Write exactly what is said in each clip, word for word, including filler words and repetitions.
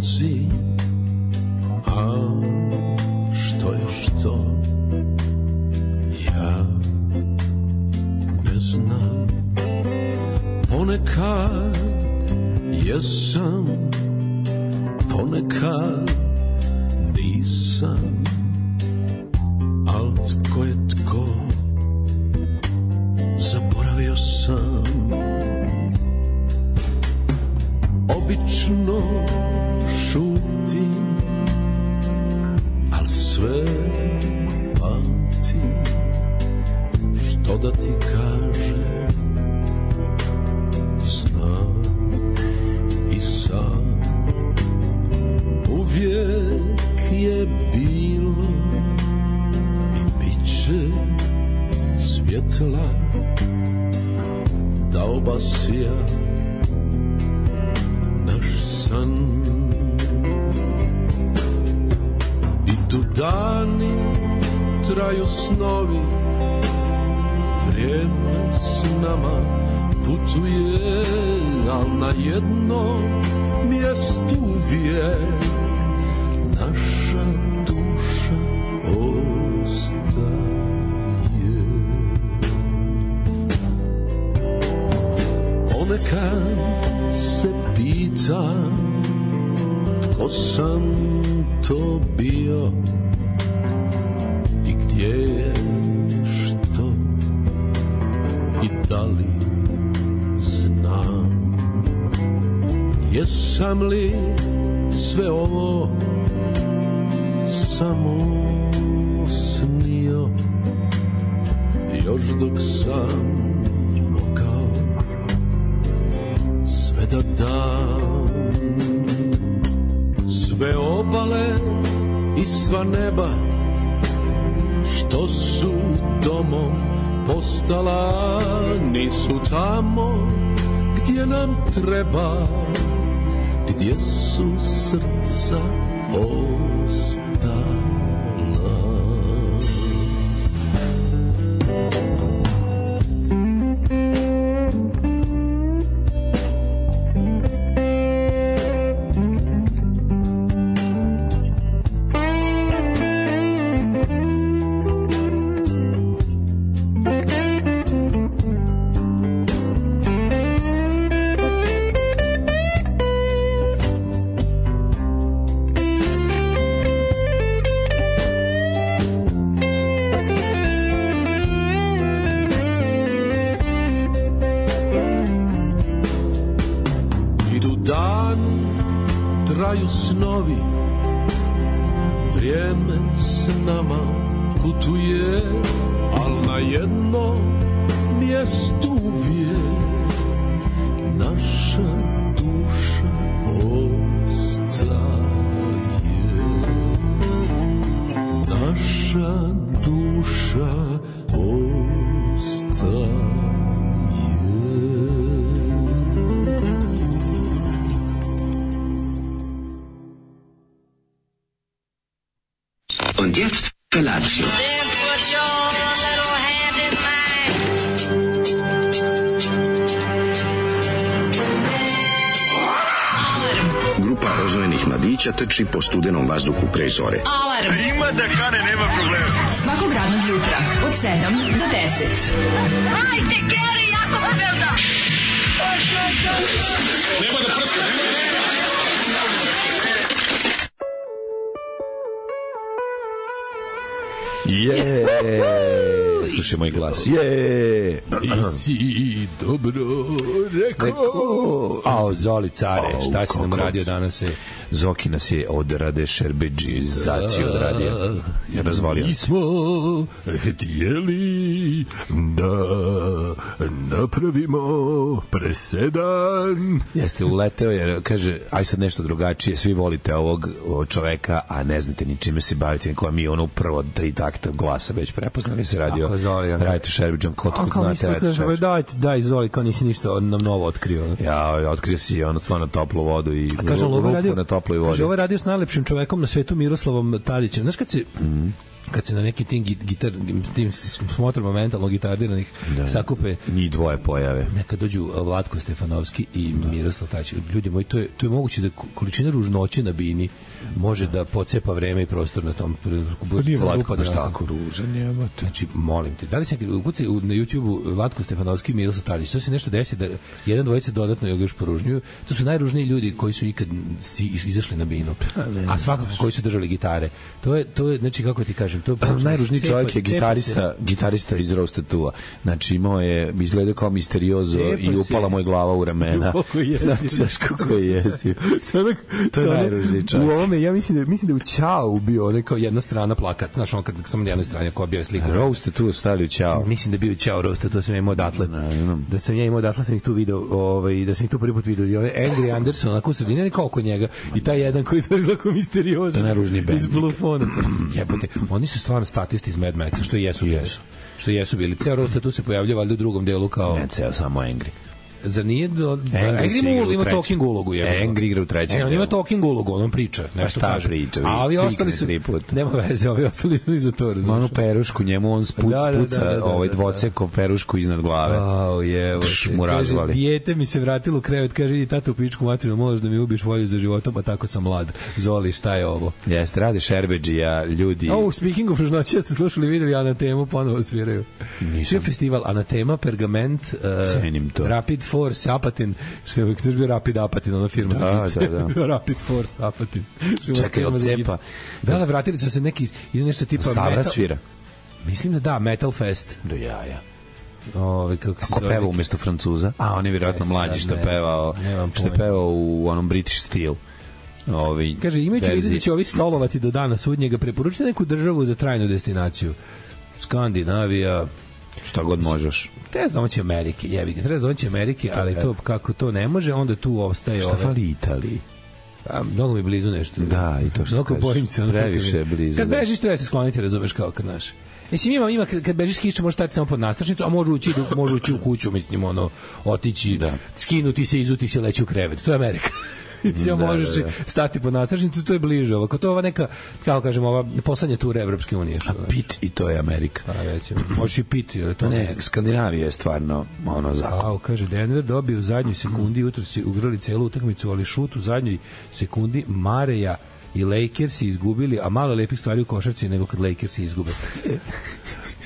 dolazi, a što je što, ja ne znam. Ponekad jesam, ponekad nisam, al tko je tko, zaboravio sam. Obično šutim, al sve pamtim, što da ti kažem, znaš i sam. Uvijek je bilo i bit će svjetla da obasja naš san. Idu dani, traju snovi, vrijeme s nama putuje, al na jednom mjestu uvijek naša duša ostaje. Ponekad se pitam tko sam to bio i gdje je što i da li znam. Jesam li sve ovo samo snio, još dok sam mogao sve da dam. Sve obale i sva neba što su domom postala, nisu tamo gdje nam treba, gdje su srca ostala. Snovi, vrijeme s nama putuje, al na jednom mjestu uvijek naša duša ostaje. Naša duša ostaje. Und jetzt Felatio. Grupa oznojenih mladića trči po studenom vazduhu pre zore. Alarm! Ima da kane, nema problema. Svakog radnog jutra od sedam do deset. Hajde, Geri, jako se velda! Nema da prska, nema da prska! Je, slušaj moj glas. Je. I si dobro rekao. Ao, Zoli care, šta si nam radio danas? Je? Zoki nas je od Rade Šerbedžizaciju odradio. Je razvalio. Mi smo htjeli da napravimo presedan. Jeste, uleteo jer kaže, aj sad nešto drugačije, svi volite ovog čoveka, a ne znate ni čime se bavite, koja mi ono prvo tri takta glasa već prepoznali se radio. Radite Šerbedžan, kod kod znate Radite Šerbedžan. Dajte, daj, Zoli, kao nisi ništa nam novo otkrio. Ja, otkrio si ono stvarno toplu vodu i kaže, ruku na toploj vodi. Kaže, ovo je radio s najlepšim čovekom na svetu, Miroslavom Tadićem. Znaš kad se... Mm. kad se na nekim tim gitar, tim smotrama mentalno gitardiranih da, sakupe njih dvoje pojave. Neka dođu Vlatko Stefanovski i da. Miroslav Tačić. Ljudi moji, to je, to je moguće da količina ružnoće na bini može da pocepa vreme i prostor na tom. Pa nije Vlatko baš tako ružan, jebate. Znači, molim te, da li se ukucaj na YouTube-u Vlatko Stefanovski i Miroslav Tačić, to se nešto desi da jedan dvojica dodatno još poružnjuju. To su najružniji ljudi koji su ikad izašli na binu. A svakako koji su držali gitare. To je, to je, znači, kako ti kažem, to je najružniji čovjek je gitarista, gitarista iz Roasted Two. Znači imao je, izgleda kao misteriozo i upala moj glava u ramena. Znači, znaš kako je jezio. To je najružniji čovjek. U ovome, ja mislim da, mislim da u Ćao bio neko jedna strana plakat. Znaš, on kad samo na jednoj strani ko bio slika. Roasted Two stavili u Ćao. Mislim da bio u Ćao Roasted, to sam ja imao odatle. Da sam ja imao odatle, sam ih tu video, ovaj, da sam ih tu prvi put video. I ovaj Angry Anderson, onako u sredini, ne kao oko njega. I taj jedan koji je izgleda misteriozo. To je najružniji band. Iz Bluefonaca. Jebote, oni su stvarno statisti iz Mad Maxa, što jesu bili. Jesu. Što jesu bili. Ceo Roasted tu se pojavlja valjda u drugom delu kao... Ne, ceo samo Angry. Za nije do Angry ima, ima talking ulogu je. Angry igra u trećem. E, on ima talking ulogu, on priča, nešto kaže. Priča, a ovi ostali su nema veze, ovi ostali su iza to, razumiješ. Onu perušku, njemu on spuc, da, da, spuca da, da, da, ovaj dvoceko perušku iznad glave. Au, jevo. Mu razvali. Dijete mi se vratilo u krevet, kaže, idi tata u pičku materinu, možeš da mi ubiš volju za životom, a tako sam mlad. Zoli, šta je ovo? Jeste, radi Šerbedžija, ljudi. Oh, speaking of ružnoći, ja ste slušali, videli, Anatemu ponovo sviraju. Nisam. Festival Anatema, Pergament, uh, Rapid Force, Apatin, što je uvijek bio Rapid Apatin, ona firma da, za da, da. Rapid Force Apatin. Čekaj, od cepa. Da, da, vratili su se neki, ide nešto tipa Stavra metal. Svira. Mislim da da, Metal Fest. Do jaja. Ove, kako Ako peva umjesto Francuza? A, on je vjerojatno mlađi što je pevao, što je pevao u onom British Steel. Ovi kaže, imajući vidio da će ovi stolovati do dana sudnjega, preporučite neku državu za trajnu destinaciju. Skandinavija, šta god možeš. Treba domaći Amerike, jebi ga, treba domaći Amerike, ali to kako to ne može, onda tu ostaje šta fali Italiji? A, mnogo mi blizu nešto. Da, i to što kažeš. Bojim se. Previše blizu. Kad bežiš, treba se skloniti, razumeš, kao kad naš. Mislim, ima, ima, kad bežiš kiša, možeš stati samo pod nastrašnicu, a može ući, može ući u kuću, mislim, ono, otići, da. Skinuti se, izuti se, leći u krevet. To je Amerika. Da, možeš da, da. stati pod nastrašnicu, to je bliže. Ovako, to je ova neka, kako kažemo, ova poslednja tura Evropske unije. Što, a Pit i to je Amerika. A, recimo, možeš i Pit. Je to ne, Skandinavija je stvarno ono zakon. A, kaže, Denver dobio u zadnjoj sekundi, jutro si ugrali celu utakmicu, ali šut u zadnjoj sekundi Mareja i Lakersi izgubili, a malo lepih stvari u košarci nego kad Lakersi izgube.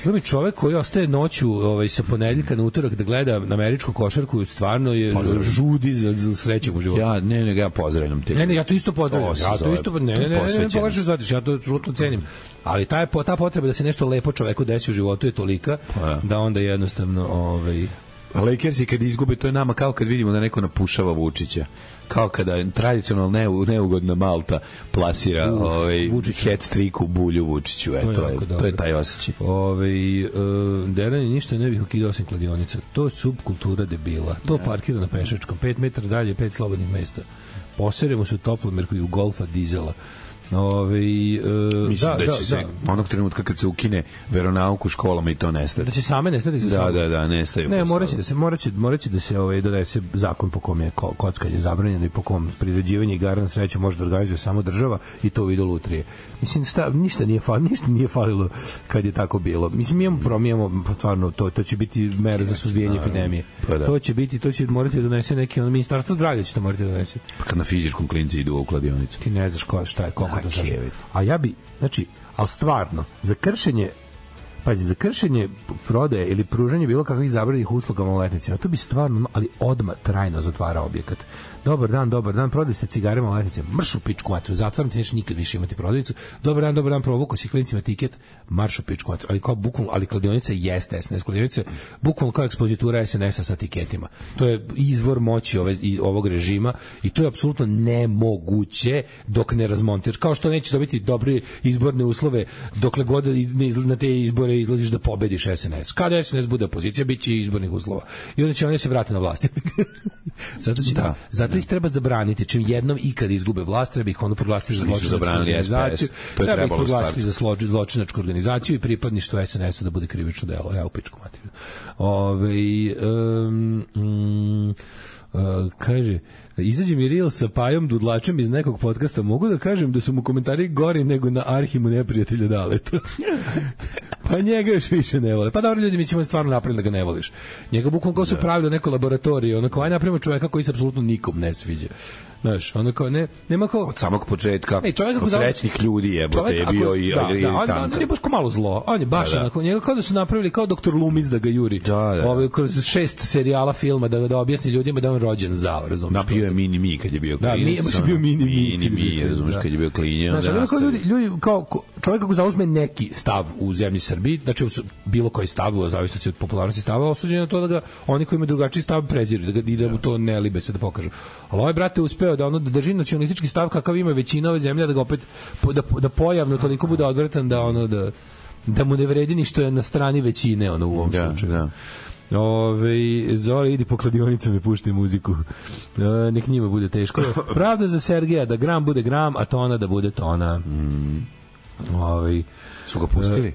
Znači, čovek koji ostaje noću ovaj, sa ponedeljka na utorak da gleda na američku košarku, stvarno je pozdravim. Žudi za, za srećem u životu. Ja, ne, ne, ja pozdravljam te. Ne, ne, ja to isto pozdravljam. Ja to isto, ne, ne, ne, ne, ne, pogrešno zvatiš, ja to žutno cenim. Ali ta, ta potreba da se nešto lepo čoveku desi u životu je tolika pa, da onda jednostavno... Ovaj... Lakersi kad izgube, to je nama kao kad vidimo da neko napušava Vučića. Kao kada tradicionalno neugodna Malta plasira uh, ovaj hat trick u bulju Vučiću, eto to je to je, to je taj osjećaj. Ovaj uh, deranje ništa ne bih ukidao osim kladionica. To je subkultura debila. To parkira na pešačkom, pet metara dalje, pet slobodnih mesta. Poseremo se u toplomerku i u Golfa dizela. Ove, uh, mislim da, da će da, se da. Onog trenutka kad se ukine veronauk u školama i to nestati. Da će same nestati za da, da, da, nestaju. Ne, moraće da se moraće moraće da se ovaj donese zakon po kom je kockanje zabranjeno i po kom priređivanje igara na sreću može da organizuje samo država i to u vidu lutrije. Mislim sta, ništa nije falilo, ništa nije falilo kad je tako bilo. Mislim mi imamo promijemo stvarno to to će biti mera za suzbijanje epidemije. Pa da. To će biti to će morati da donese neki ono ministarstvo zdravlja će to morati da donese. Pa kad na fizičkom klinci idu u kladionicu. Ti ne znaš ko šta je koliko to znači. A ja bi, znači, al stvarno za kršenje pazi, za kršenje prodaje ili pružanje bilo kakvih zabranjenih usluga maloletnicima, to bi stvarno, ali odmah trajno zatvara objekat. Dobar dan, dobar dan, prodali ste cigare maloletnicima, marš u pičku matru, zatvaram ti, nećeš nikad više imati prodavnicu. Dobar dan, dobar dan, provuko si klincima tiket, marš u pičku matru, ali kao bukvalno, ali kladionica jeste es en es, kladionica bukvalno kao ekspozitura es en es-a sa tiketima. To je izvor moći ove, ovog režima i to je apsolutno nemoguće dok ne razmontiraš. Kao što nećeš dobiti dobre izborne uslove dokle god na te izbore izlaziš da pobediš es en es. Kada es en es bude opozicija, bit će izbornih uslova. I onda će oni se vrati na vlast. zato će, da, zato ih treba zabraniti. Čim jednom i kad izgube vlast, treba ih ono proglasiti za zločinačku organizaciju. To je treba ih proglasiti za zločinačku organizaciju i pripadništvo es en es-u da bude krivično delo. Ja u pičku materiju. Ove, um, um, Uh, kaže, izađe mi reel sa Pajom Dudlačem iz nekog podcasta, mogu da kažem da su mu komentari gori nego na Arhimu neprijatelja Daleta. Pa njega još više ne vole. Pa dobro, ljudi, mislimo da stvarno napravili da ga ne voliš. Njega bukvalno kao su pravili neko laboratorije, onako, aj napravimo čoveka koji se apsolutno nikom ne sviđa. Znaš, ono kao, ne, nema kao... Od samog početka, ne, od srećnih ljudi jebote je bio i da, da, on, on, on je baš kao malo zlo, on je baš da, da. Onako, njega kao da su napravili kao doktor Loomis da ga juri, da, da. Ove, kroz šest serijala filma da, da objasni ljudima da on rođen zao, razumiješ? Napio je Mini Mi kad je bio klinac. Da, mi je baš bio Mini Mi. Mini Mi, razumiješ, kad je bio klinjen. Znaš, ali kao ljudi, ljudi, kao čovjek kako zauzme neki stav u zemlji Srbiji, znači bilo koji stav, u zavisnosti od popularnosti stava, osuđen na to da ga oni koji imaju drugačiji stav preziru, da ga ide mu to ne libe se da pokažu. Ali ovaj brate uspeo da ono da drži nacionalistički stav kakav ima većina ove zemlje, da ga opet da, da pojavno toliko bude odvratan da ono da da mu ne vredi ni što je na strani većine ono u ovom da, slučaju. Da. Ove, Zoli, idi po kladionicama i pušti muziku. E, nek njima bude teško. Pravda za Sergeja, da gram bude gram, a tona da bude tona. Mm. Ove, su ga pustili?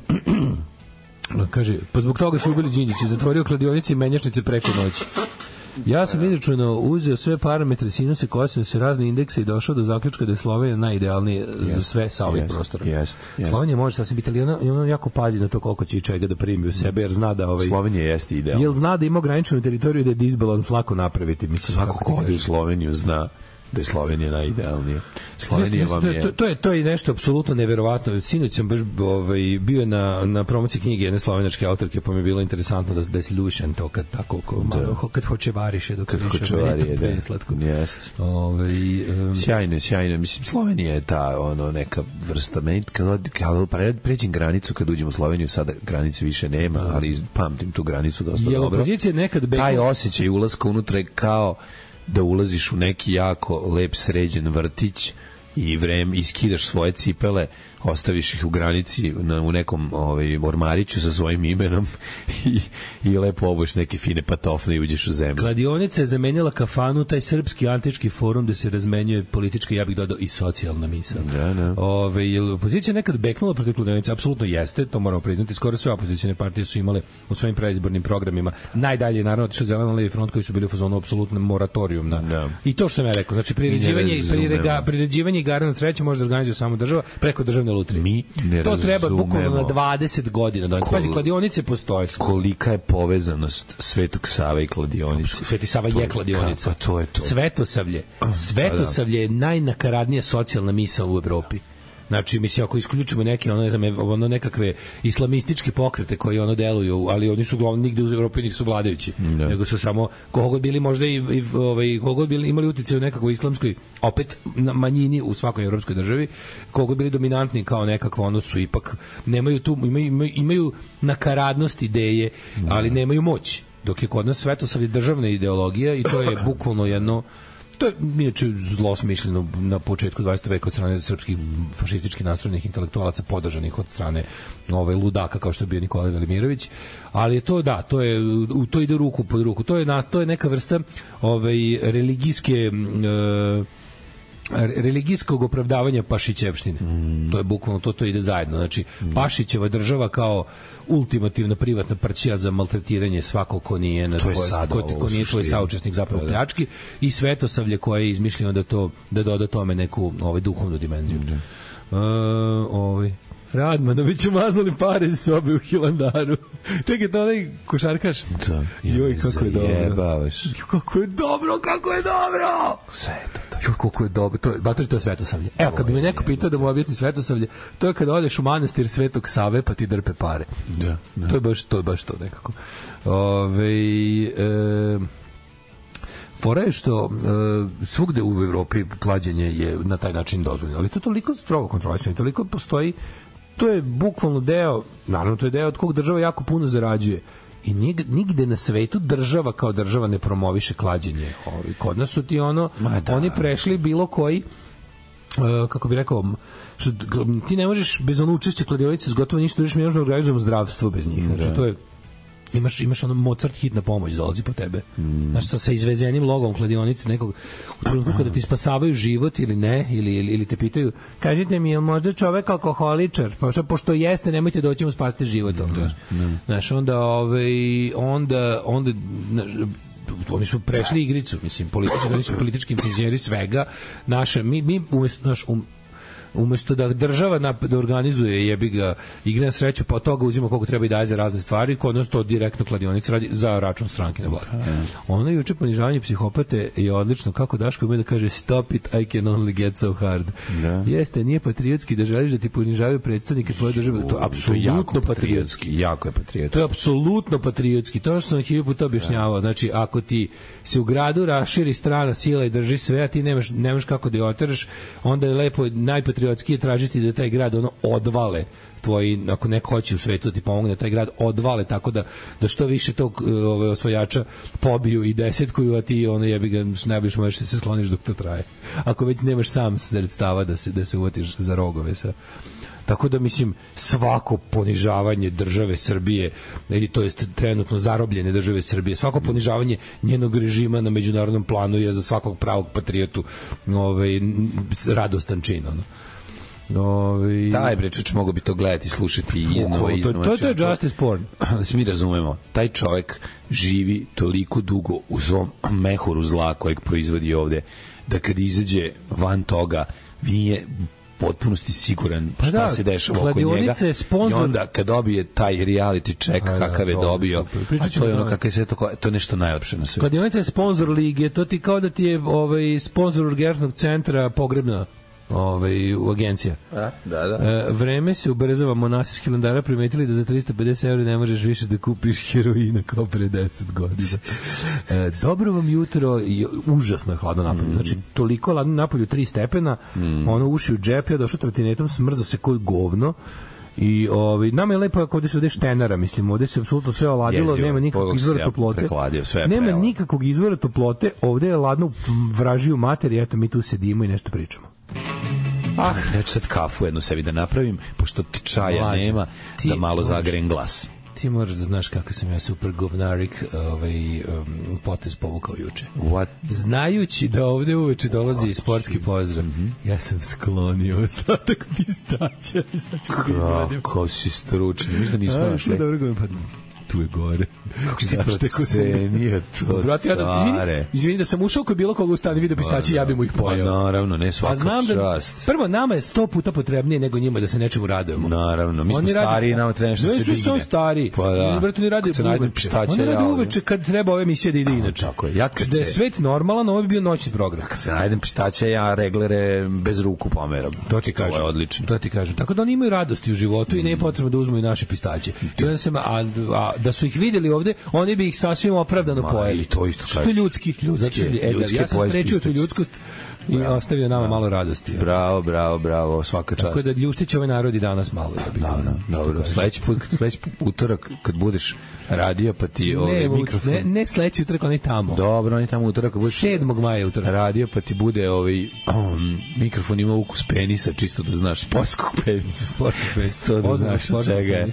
E, kaže, pa zbog toga su ubili Đinđića, zatvorio kladionice i menjačnice preko noći. Ja sam izračunao, uzeo sve parametre, sinuse, kosinuse, razne indekse i došao do zaključka da je Slovenija najidealnije yes, za sve sa ovih yes, prostora. Yes, yes. Slovenija može sasvim biti, ali ona, ona jako pazi na to koliko će čega da primi u sebe, jer zna da... Ovaj, Slovenija jeste idealna. Jer zna da ima ograničenu teritoriju da je disbalans lako napraviti. Mislim, svako ko ode u Sloveniju zna da je Slovenija najidealnija. Slovenija vam je... To, to, je, to je nešto apsolutno neverovatno. Sinoć sam baš ovaj, bio na, na promociji knjige jedne slovenačke autorke, pa mi je bilo interesantno da, da je Lušan to kad tako, ko, malo, kad hoće variše, dok kad hoće variše, da. Slatko. Yes. Ovaj, um, sjajno, sjajno. Mislim, Slovenija je ta ono, neka vrsta. Meni, kad, kad pređem granicu, kad uđem u Sloveniju, sada granice više nema, da. Ali pamtim tu granicu dosta je dobro. Je opozicija nekad... Beko... Taj osjećaj ulaska unutra je kao da ulaziš u neki jako lep sređen vrtić i vreme iskidaš svoje cipele, ostaviš ih u granici na, u nekom ovaj, ormariću sa svojim imenom i, i lepo obuš neke fine patofne i uđeš u zemlju. Kladionica je zamenjala kafanu, taj srpski antički forum gde se razmenjuje politička, ja bih dodao i socijalna misao. Da, da. Ove, opozicija nekad beknula protiv kladionice, apsolutno jeste, to moramo priznati, skoro sve opozicijne partije su imale u svojim predizbornim programima. Najdalje naravno otišao Zeleno levi front koji su bili u fazonu apsolutno moratorijum na. Da. I to što sam ja rekao, znači priređivanje priređivanje priređivanje igara na sreću može da organizuje samo država preko državne lutrije. Mi ne to treba razumemo. Bukvalno na dvadeset godina. Da, Kol, pazi, kladionice postoje. Kolika je povezanost Svetog Save i kladionice? Sveti Sava je kladionica. Pa to je to. Svetosavlje. Svetosavlje je najnakaradnija socijalna misao u Evropi. Znači, mislim, ako isključimo neke, ono, ne znam, ono nekakve islamističke pokrete koji ono deluju, ali oni su glavno nigde u Evropi nisu vladajući, ne. Nego su samo kogod bili možda i, i ovaj, kogod bili imali uticaj u nekakvoj islamskoj, opet na manjini u svakoj evropskoj državi, kogod bili dominantni kao nekakvo, ono su ipak, nemaju tu, imaju, imaju, imaju nakaradnost ideje, ne. Ali nemaju moć. Dok je kod nas Svetosavlje državna ideologija i to je bukvalno jedno. To je inače zlo smišljeno na početku dvadesetog veka od strane srpskih fašistički nastrojenih intelektualaca podržanih od strane ovaj ludaka kao što je bio Nikolaj Velimirović, ali je to da, to je u to ide ruku pod ruku. To je nas, to je neka vrsta ovaj religijske e, religijskog opravdavanja Pašićevštine. Mm. To je bukvalno to, to ide zajedno. Znači, mm. Pašićeva država kao ultimativna privatna prćija za maltretiranje svakog ko nije na tvoj, ko, ko nije tvoj saučesnik zapravo pljački i Svetosavlje koje je izmišljeno da to da doda tome neku ovaj duhovnu dimenziju. Mm. Uh, ovaj Radman, da bi ću maznuli pare iz sobe u Hilandaru. Čekaj, to onaj košarkaš? Da. Joj, kako je dobro. Jebavaš. Kako je dobro, kako je dobro! Sve to. to. Joj, kako je dobro. To, batori, to je Svetosavlje. Evo, kad bi me neko pitao da mu objasni Svetosavlje, to je kada odeš u manastir Svetog Save pa ti drpe pare. Da. da. To je baš to, je baš to nekako. Ove, e, fora je što uh, svugde u Evropi klađenje je na taj način dozvoljeno, ali to je toliko strogo kontrolisano i toliko postoji, to je bukvalno deo, naravno to je deo od kog država jako puno zarađuje i nigde, nigde na svetu država kao država ne promoviše klađenje. Ovi, kod nas su ti ono, da. Oni prešli bilo koji uh, kako bi rekao, što, ti ne možeš bez ono učešća kladionice s gotovo ništa, mi možemo organizujemo zdravstvo bez njih, znači to je imaš imaš ono Mozart hitna pomoć dolazi po tebe. Mm. Znaš, sa, sa izvezenim logom kladionice nekog u trenutku kada ti spasavaju život ili ne, ili, ili, ili te pitaju, kažite mi, je li možda čovek alkoholičar? Pošto, pošto jeste, nemojte doći mu spasiti život. Da, da. Znaš, onda, ovaj, onda, onda znaš, oni su prešli igricu, mislim, politički, oni su politički penzioneri svega. Naša, mi, mi umjesto, naš, um, umesto da država na, da organizuje jebi ga igre na sreću, pa od toga uzima koliko treba i daje za razne stvari, kod nas to direktno kladionica radi za račun stranke na vlasti. Okay. Ono juče ponižavanje psihopate je odlično, kako Daško ima da kaže stop it, I can only get so hard. Da. Jeste, nije patriotski da želiš da ti ponižavaju predstavnike tvoje države, to je apsolutno patriotski. Jako je patriotski. To je apsolutno patriotski. To što sam hiljadu puta objašnjavao, znači ako ti se u gradu raširi strana sila i drži sve, a ti nemaš, nemaš kako da je oteraš, onda je lepo najpatriotski je tražiti da taj grad ono odvale tvoji, ako neko hoće u svetu da ti pomogne, taj grad odvale tako da, da što više tog ove, osvajača pobiju i desetkuju, a ti ono jebi ga najbliž možeš da se skloniš dok to traje. Ako već nemaš sam sredstava da se, da se uvatiš za rogove sa. Tako da, mislim, svako ponižavanje države Srbije, ili to jest trenutno zarobljene države Srbije, svako ponižavanje njenog režima na međunarodnom planu je za svakog pravog patriotu ovaj, radostan čin, ono. Ovi... Taj brečuć mogu bi to gledati, slušati iznova, iznova. To, to, to je justice porn. Da se mi razumemo, taj čovjek živi toliko dugo u svom mehuru zla kojeg proizvodi ovde, da kad izađe van toga, nije potpunosti siguran šta da, se dešava oko njega sponsor... i onda kad dobije taj reality check a, kakav je dobio, a to je ono kakav je sve to, to je nešto najlepše na svetu. Kladionica je sponsor lige, to ti kao da ti je ovaj, sponsor urgentnog centra pogrebna ovaj, u agencija. A, da, da. E, vreme se ubrzava, monasi s Hilandara primetili da za trista pedeset evra ne možeš više da kupiš heroina kao pre deset godina. E, dobro vam jutro, i užasno je hladno napolju. Mm. Znači, toliko hladno napolju, tri stepena, mm. ono uši u džep, ja došao trotinetom, smrzo se koji govno. I ovaj nama je lepo ako odeš odeš tenara, mislim, ovde se apsolutno sve oladilo, Jezio, nema nikakvog izvora toplote. Nema prela. nikakvog izvora toplote, ovde je ladno vražiju materiju, eto mi tu sedimo i nešto pričamo. Ah, ja ću sad kafu jednu sebi da napravim, pošto čaja Mlađe, nema, da malo zagrem glas. Ti moraš da znaš kako sam ja super govnarik ovaj, um, potez povukao juče. What? Znajući da ovde uveče dolazi sportski pozdrav, mm-hmm. ja sam sklonio ostatak pistaća. Kako si stručni, mislim da nismo našli. Tu je gore. Kako si procenio to, Brate, ja da, izvini, izvini da sam ušao koji bilo koga ustane video pistaći, ja bi mu ih pojao. Pa naravno, ne svaka znam čast. Da, prvo, nama je sto puta potrebnije nego njima da se nečemu radujemo. Naravno, mi smo stariji, nama treba nešto se digne. Ne su stari. Pa da. Brate, oni rade uveče. Oni rade uveče kad treba ove emisije da ide inače. Tako je. Ja kad da je svet normalan, ovo bi bio noćni program. Kad se najdem pistaća, ja reglere bez ruku pomeram. To ti kažem. To je odlično. To ti kažem. Tako da oni imaju radosti u životu i ne je potrebno da uzmu i naše pistaće. I onda se, a, a da su ih videli ovde, oni bi ih sasvim opravdano pojeli. To isto što je ljudski. ljudski, e, ljudski ja sam sprečio tu ljudskost i bravo, ostavio nama bravo, malo radosti. Bravo, bravo, bravo, svaka čast. Tako da ljuštić ovaj narod i danas malo. Ja bih, no, no, dobro, sledeći put, sledeći utorak kad budeš radio pa ti ovaj mikrofon. Ne, ne sledeći utorak, on je tamo. Dobro, on je tamo utorak kad budeš sedmog maja utorak. Radio pa ti bude ovaj um, mikrofon ima ukus penisa, čisto da znaš sportskog penisa, sportskog penisa, to da znaš čega je.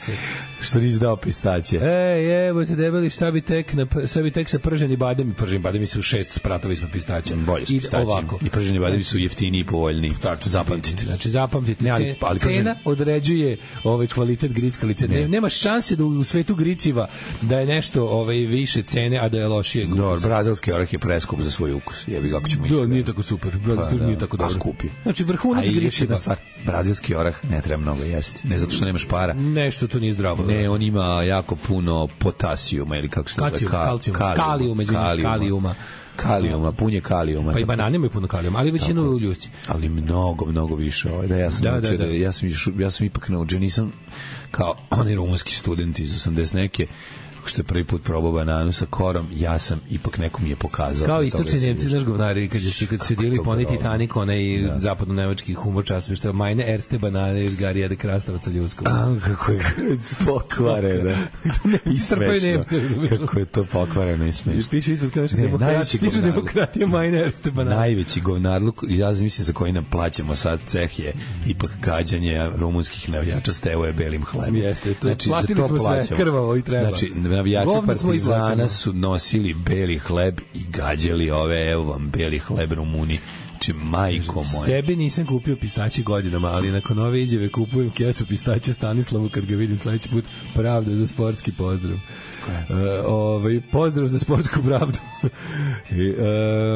Što nisi dao pistaće. Ej, evo te debeli, šta bi tek, na, šta bi tek sa prženi bademi, prženi bademi su šest spratovi smo pistaća. Bolje su pistaće. I prženi bademi su jeftiniji i povoljniji. Tačno, zapamtite. Znači, zapamtite. Ne, ali, ali cena prženi... određuje ovaj kvalitet grickalice. Ne. Nema šanse da u svetu griciva da je nešto ovaj, više cene, a da je lošije. Dobro, brazilski orah je preskup za svoj ukus. Jebi kako ćemo ići. Da, nije tako super. Brazilski orah nije tako dobro. Skupi. Znači, vrhunac griciva. Stvar, brazilski orah ne treba mnogo jesti. Ne zato što nemaš para. Nešto tu nije zdravo. Ne, on ima jako puno potasijuma ili kako se zove, Ka, kalijuma, kalijuma, kalijuma, kalijuma, punje kalijuma. Pa i banane imaju puno kalijuma, ali većinu ljusci. Ali mnogo, mnogo više. Ovaj da ja sam da, da, da. ja sam ja sam ipak naučio, nisam kao oni rumunski studenti iz osamdeset neke što je prvi put probao bananu sa korom, ja sam ipak neko mi je pokazao. Kao istočni Nemci, znaš govnari, kad su kad su dili poni Titanic, onaj da. zapadno-nemački humor časopis, što je majne erste banane iz Garija de Krastavaca ljuskom. A, kako je pokvareno. I smešno. Kako je to pokvareno i smešno. Piše ispod kao što demokratija, demokratija majne erste banane. Najveći govnarluk, ja mislim za koji nam plaćamo sad ceh je ipak gađanje rumunskih navijača s tevo je belim hlebom. Jeste, to znači, platili smo sve krvavo i treba. Znači, navijači Partizana su nosili beli hleb i gađali ove, evo vam beli hleb Rumuni, Či majko moja. Sebi nisam kupio pistaće godinama, ali nakon ove izjave kupujem kesu pistaće Stanislavu kad ga vidim sledeći put. Pravda za sportski pozdrav. Uh, ovaj, pozdrav za sportsku pravdu. I,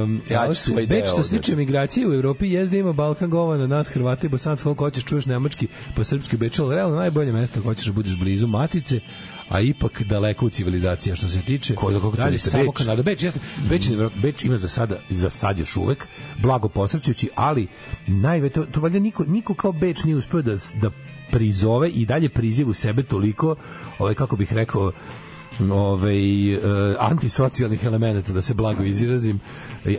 um, ja ću svoj deo. Što se tiče migracije u Evropi, jezda ima Balkan govana, nas Hrvata i Bosanci, koliko hoćeš, čuješ nemački, po srpski u Beču, ali realno najbolje mesto ako hoćeš da budeš blizu matice, a ipak daleko u civilizaciji što se tiče. Ko, kako dalje samo Beč? Kanada. Beč, jasno, Beč, Beč ima za sada, za sad još uvek, blago posrćući, ali najve, to, to valjda niko, niko kao Beč nije uspio da, da prizove i dalje priziva u sebe toliko, ovaj, kako bih rekao, ovaj, uh, antisocijalnih elemenata, da se blago izrazim,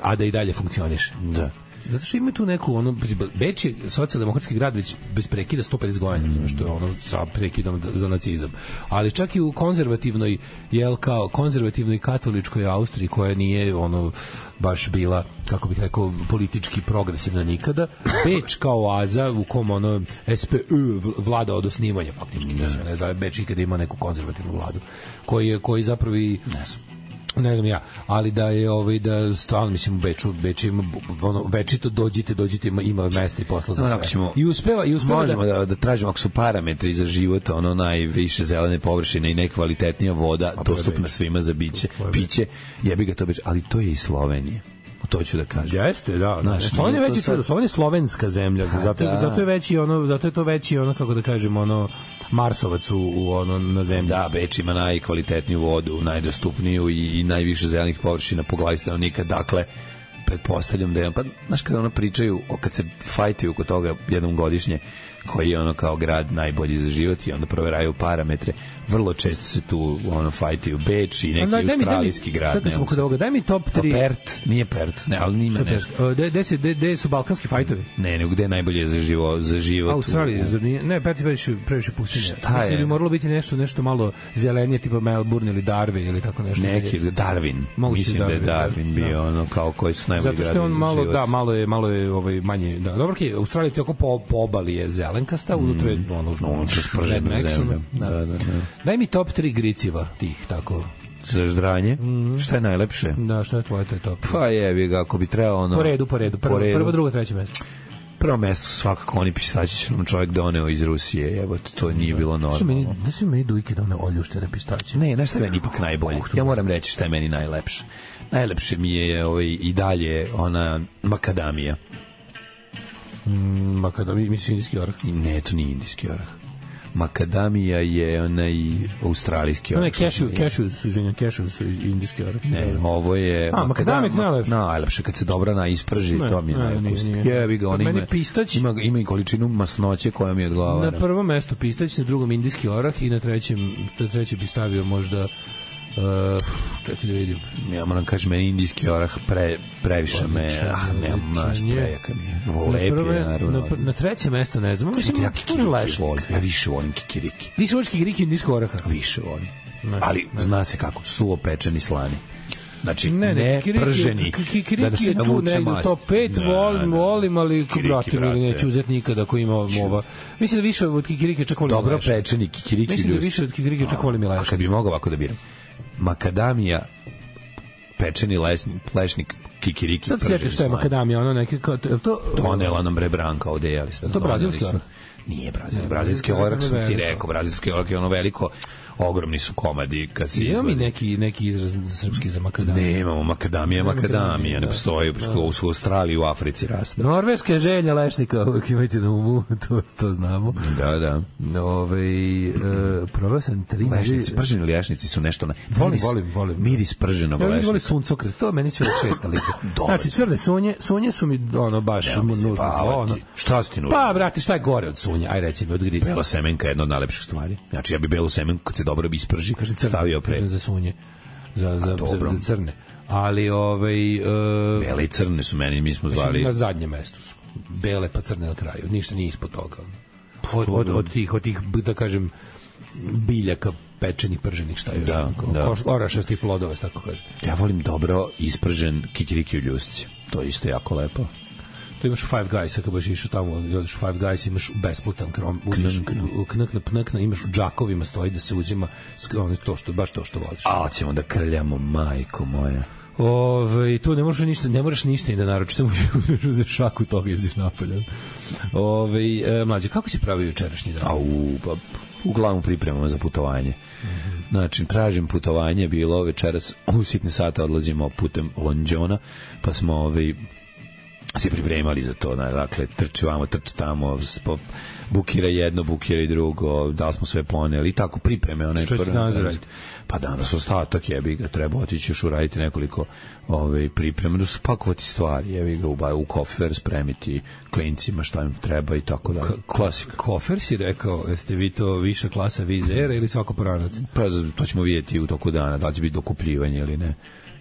a da i dalje funkcioniše. Da. Zato što ima tu neku ono, Beč je socijaldemokratski grad već bez prekida sto pedeset godina, mm. što je ono sa prekidom za nacizam. Ali čak i u konzervativnoj, jel kao konzervativnoj katoličkoj Austriji, koja nije ono baš bila, kako bih rekao, politički progresivna nikada, Beč kao oaza u kom ono S P U vlada od osnivanja faktički, ne, ne znam, Beč ikada ima neku konzervativnu vladu, koji, koji zapravo i ne znam, ne znam ja, ali da je ovaj da stvarno mislim u Beču, Beč ima ono večito dođite, dođite, ima, ima mesta i posla za sve. Ćemo, I uspeva i uspeva možemo da, da, da tražimo ako su parametri za život, ono najviše zelene površine i najkvalitetnija voda a dostupna svima za biće, piće, jebi ga to Beč, ali to je i Slovenija. To ću da kažem. Jeste, da. Znaš, Slovenija je veći sad, Slovenija je slovenska zemlja, ha, zato, da. zato je veći ono, zato je to veći ono, kako da kažem, ono Marsovac u, u ono na zemlji. Da, Beč ima najkvalitetniju vodu, najdostupniju i, i najviše zelenih površina po glavi stanovnika. Dakle, pretpostavljam da je, pa znaš kada ono pričaju, kad se fajtuju oko toga jednom godišnje, koji je ono kao grad najbolji za život i onda proveraju parametre, vrlo često se tu ono fajtuju Beč i neki da, australijski mi, grad. Sad smo kod ovoga, daj mi top tri. Pa Pert, nije Pert, ne, ali nima nešto. Gde su balkanski fajtovi? Ne, nego gde je najbolje za, živo, za život? Australija, zar nije? Ne, Pert je previše, previše pustinja. Šta Mislim je? bi moralo biti nešto, nešto malo zelenije, tipa Melbourne ili Darwin ili tako nešto. Neki, Darwin. Mogu mislim Darwin, da je Darwin bio da. Ono kao koji su najbolji gradovi za život. Zato što on malo, da, malo je, malo je ovaj, manje, da. Dobro, okay, Australija ti oko po, po obali je zelenkasta, mm. unutra je ono, ono sprženu zemlju. Da, da, da. Daj mi top tri griciva tih, tako. Za ždranje? Mm. Šta je najlepše? Da, šta je tvoje, to je top. Pa jebi ga, ako bi trebao ono... Po redu, po redu. Prvo, po redu. Prvo, drugo, treće mesto. Prvo mesto su svakako oni pistaći što nam čovjek doneo iz Rusije. Evo, to nije bilo normalno. Da su meni dujke doneo oljuštene pistaće. Ne, znaš šta je meni ipak najbolje? Ja moram reći šta je meni najlepše. Najlepše mi je ovaj, i dalje ona makadamija. Mm, makadamija, misliš indijski orah? Ne, to nije indijski orah. Makadamija je onaj australijski orah. Ne, cashew, cashew su, izvinjam, cashew su indijski orah. Ne, ovo je... A, makadamija je najlepše. Najlepše, kad se dobro na isprži, ne, to mi je najlepše. Jebi ga, on ima, pistać, ima, ima i količinu masnoće koja mi odgovara. Na prvom mestu pistać, na drugom indijski orah i na trećem, na trećem bi stavio možda... Uh, čekaj da vidim. Ja moram kažem, meni indijski orah pre, previše me, ah, ne, maš, prejaka mi je. Lepi je, naravno. Na, na treće mesto, ne znam, mislim, ja kikiriki volim, ja više volim kikiriki. Više voliš kikiriki indijskog oraha? Više volim. Ne, ali ne. Zna se kako, suvo pečeni slani. Znači, ne, ne, ne prženi, da, da se navuče mast. To pet ne, volim, ne, volim, ali bratim ili neću uzeti nikada ako ima ova. Mislim da više od kikirike čak volim. Dobro pečeni kikiriki. Mislim da više od kikirike čak volim i lešnik. A kad bi mogao ovako da biram? Makadamija, pečeni lesnik, plešnik, kikiriki. Sad sjetiš što je makadamija, ono neke kao... To, donela nam bre Branka ovde, jeli sve. To brazilski orah? Nije brazilski. Brazilski orah sam ti rekao, brazilski orah je ono veliko, ogromni su komadi kad se izvadi. Imamo mi neki, neki izraz srpski za makadamiju? Ne, imamo makadamija, makadamija, ne postoji, u Australiji, u Africi raste. Norveška je želja lešnika, uvijek imajte na umu, to, to znamo. Da, da. Ove, e, probao sam tri... Lešnici, prženi lešnici su nešto... Na, volim, miris, volim, volim. Miris prženog ja, lešnika. Ja volim suncokret, to meni sve od šesta liga. Znači, crne sunje, sunje su mi ono baš ja, nužno. Pa, ono. Šta su ti nužno? Pa, brate, šta je gore od sunja? Aj, reci mi, od grica. Bela semenka je jedna od najlepših stvari. Znači, ja bi belu semenku, kad se dobro isprži, stavio pre. Za sunje, za, za, za, za crne. Ali, ovaj... Uh, bele i crne su meni, mi smo zvali... Na zadnjem mestu su. Bele pa crne na kraju. Ništa nije ispod toga. Od, od, od, tih, od tih, da kažem, biljaka pečenih, prženih, šta još? Da, ko, da. Orašastih plodova, tako kaže. Ja volim dobro ispržen kikiriki u ljusci. To je isto jako lepo. To imaš u Five Guys, ako baš išao tamo, odeš u Five Guys, imaš besplatan krom, uđeš u knakna, pnakna, imaš u džakovima, stoji da se uzima ono, to što, baš to što voliš. A, ćemo da krljamo, majko moja. Ove, tu ne možeš ništa, ne moraš ništa i da naručiš, samo uzeš šaku toga i ideš napolje. Ove, e, mlađe, kako si pravio jučerašnji dan? Au, pa uglavnom pripremamo za putovanje. Mm-hmm. Znači, tražim putovanje, bilo večeras u sitne sate odlazimo putem Londžona, pa smo ovaj se pripremali za to, dakle, trči vamo, trči tamo, bukira jedno, bukira i drugo, da li smo sve poneli i tako pripreme. One što će danas raditi? Pa danas ostatak jebi ga, treba otići još uraditi nekoliko ove, pripreme, da spakovati stvari, jebi ga u, u kofer, spremiti klincima šta im treba i tako da. Klasika. Kofer si rekao, jeste vi to viša klasa vizera ili svako poranac? Pa to ćemo vidjeti u toku dana, da li će biti dokupljivanje ili ne.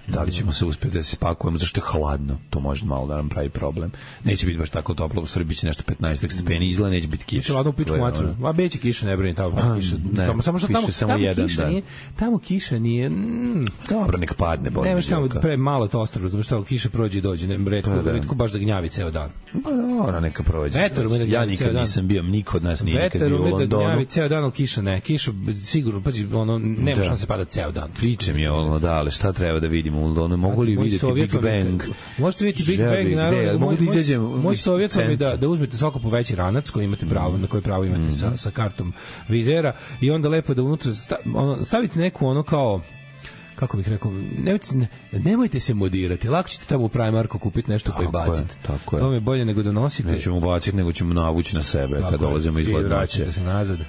Da li ćemo se uspjeti da se spakujemo, zašto je hladno, to može malo da nam pravi problem. Neće biti baš tako toplo, u stvari biće nešto petnaest stepeni, izgleda neće biti kiša. Biće ladno u pičku matru, a beće kiša, ne brini, tamo a, kiša. Ne, tamo, samo što tamo, samo tamo jedan kiša dan. Nije, tamo kiša nije... Mm, dobro, nek padne, bolje. Nemaš tamo pre malo to ostrvo, znači tamo kiša prođe i dođe, ne, retko, da, retko baš da gnjavi ceo dan. Pa dobro, neka prođe. Vetar ume da ja nikad nisam bio, niko od nas nije nikad bio u Londonu. Vetar ume da gnjavi ceo dan, ali kiša ne. Kiša sigurno, pazi, ono, nema šanse pada ceo dan. Pričam je ono, da, ali šta treba da vidimo u Londonu? Mogu li vidjeti Big Bang? Možete vidjeti Big Bang, naravno. Mogu da izađem. Moj savjet vam je da, da uzmete svako po veći ranac koji imate pravo, na koji pravo imate sa, sa kartom vizera i onda lepo da unutra stavite neku ono kao kako bih rekao, nemojte, ne, nemojte se modirati, lako ćete tamo u Primarku kupiti nešto pa i baciti. To vam je bolje nego da nosite. Nećemo baciti, nego ćemo navući na sebe tako kad dolazimo iz ladnoće.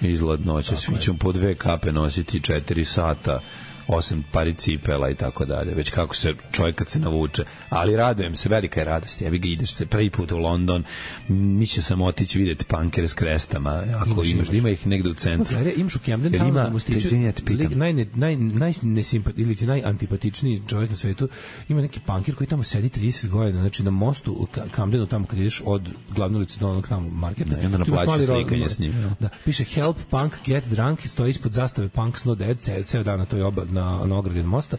Iz ladnoće, svi ćemo po dve kape nositi četiri sata, osam pari cipela i tako dalje, već kako se čovjek kad se navuče, ali radujem se, velika je radost, ja vi ga ideš se prvi put u London, mislio sam otići vidjeti punkere s krestama, ako imaš, imaš, ima ih negde u centru. No, imaš u Camden Townu, ima, izvinjati, pitam. Naj, naj, naj, ili ti najantipatičniji čovjek na svetu, ima neki punker koji tamo sedi trideset godina, znači na mostu u Camdenu, tamo kad ideš od glavne ulice do onog tamo marketa, i onda naplaću slikanje s njim. Da, piše help punk get drunk, stoji ispod zastave Punk's Not Dead, ceo, ceo dan na toj oba, na, na ogradi od mosta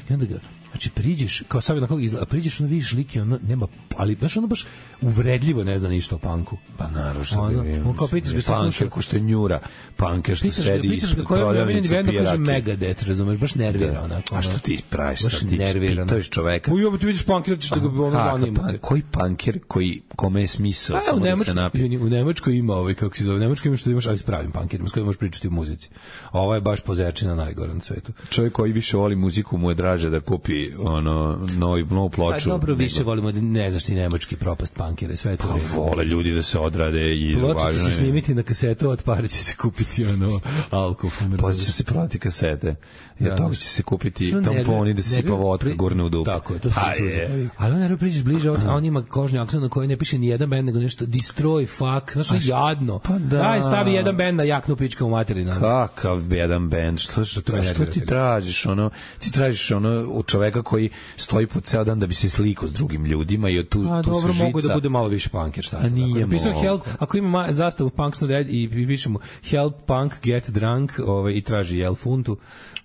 i onda ga, znači priđeš kao savjet na koga izgleda, priđeš ono vidiš like, ono nema, ali baš ono baš uvredljivo ne zna ništa o punku. Pa naravno što ono, bi on kao pitaš ga punker ko što je njura, punker što pitaš sedi ga, ispod prodavnice pije kaže Megadeth, razumeš, baš nervira onako. A što ti praviš sad, ti nervira, pitaš čoveka. U jobu ti vidiš punkera, ćeš da ga ono zanima. Koji punker, koji, kome je smisao samo da se napije? U Nemačkoj ima ovaj, kako se zove, u Nemačkoj ima što imaš, ali s pravim punkerima, s kojima možeš pričati o muzici. Ovo je baš pozerčina najgore na svetu. Čovjek koji više voli muziku mu je draže da kupi ono novi novu ploču. Pa dobro, više volimo, ne znaš ti nemački propast punkere, sve to vreme. Vole ljudi da se odrade i ploča će se snimiti na kasetu, od pare će se kupiti ono alkohol. Posle će se prodati kasete, jer toga će se kupiti tamponi da se sipa vodka gurne u dupe. Tako je, to je. Ali onda priđeš bliže, a on ima kožni akcent na koji ne piše ni jedan bend, nego nešto Destroy, fuck, znaš, jadno. Pa da. Daj, stavi jedan bend na jaknu pička u materinu. Kakav jedan bend? Što, što, što, što ti tražiš? Ono, ti tražiš ono u čoveka koji stoji po ceo dan da bi se slikao s drugim ljudima i tu, a, tu dobro, se žica. Mogu da bude malo više punker, šta a nije ako, help, ako ima zastavu Punk's Not Dead i pišemo help punk get drunk ovaj, i traži jel funtu,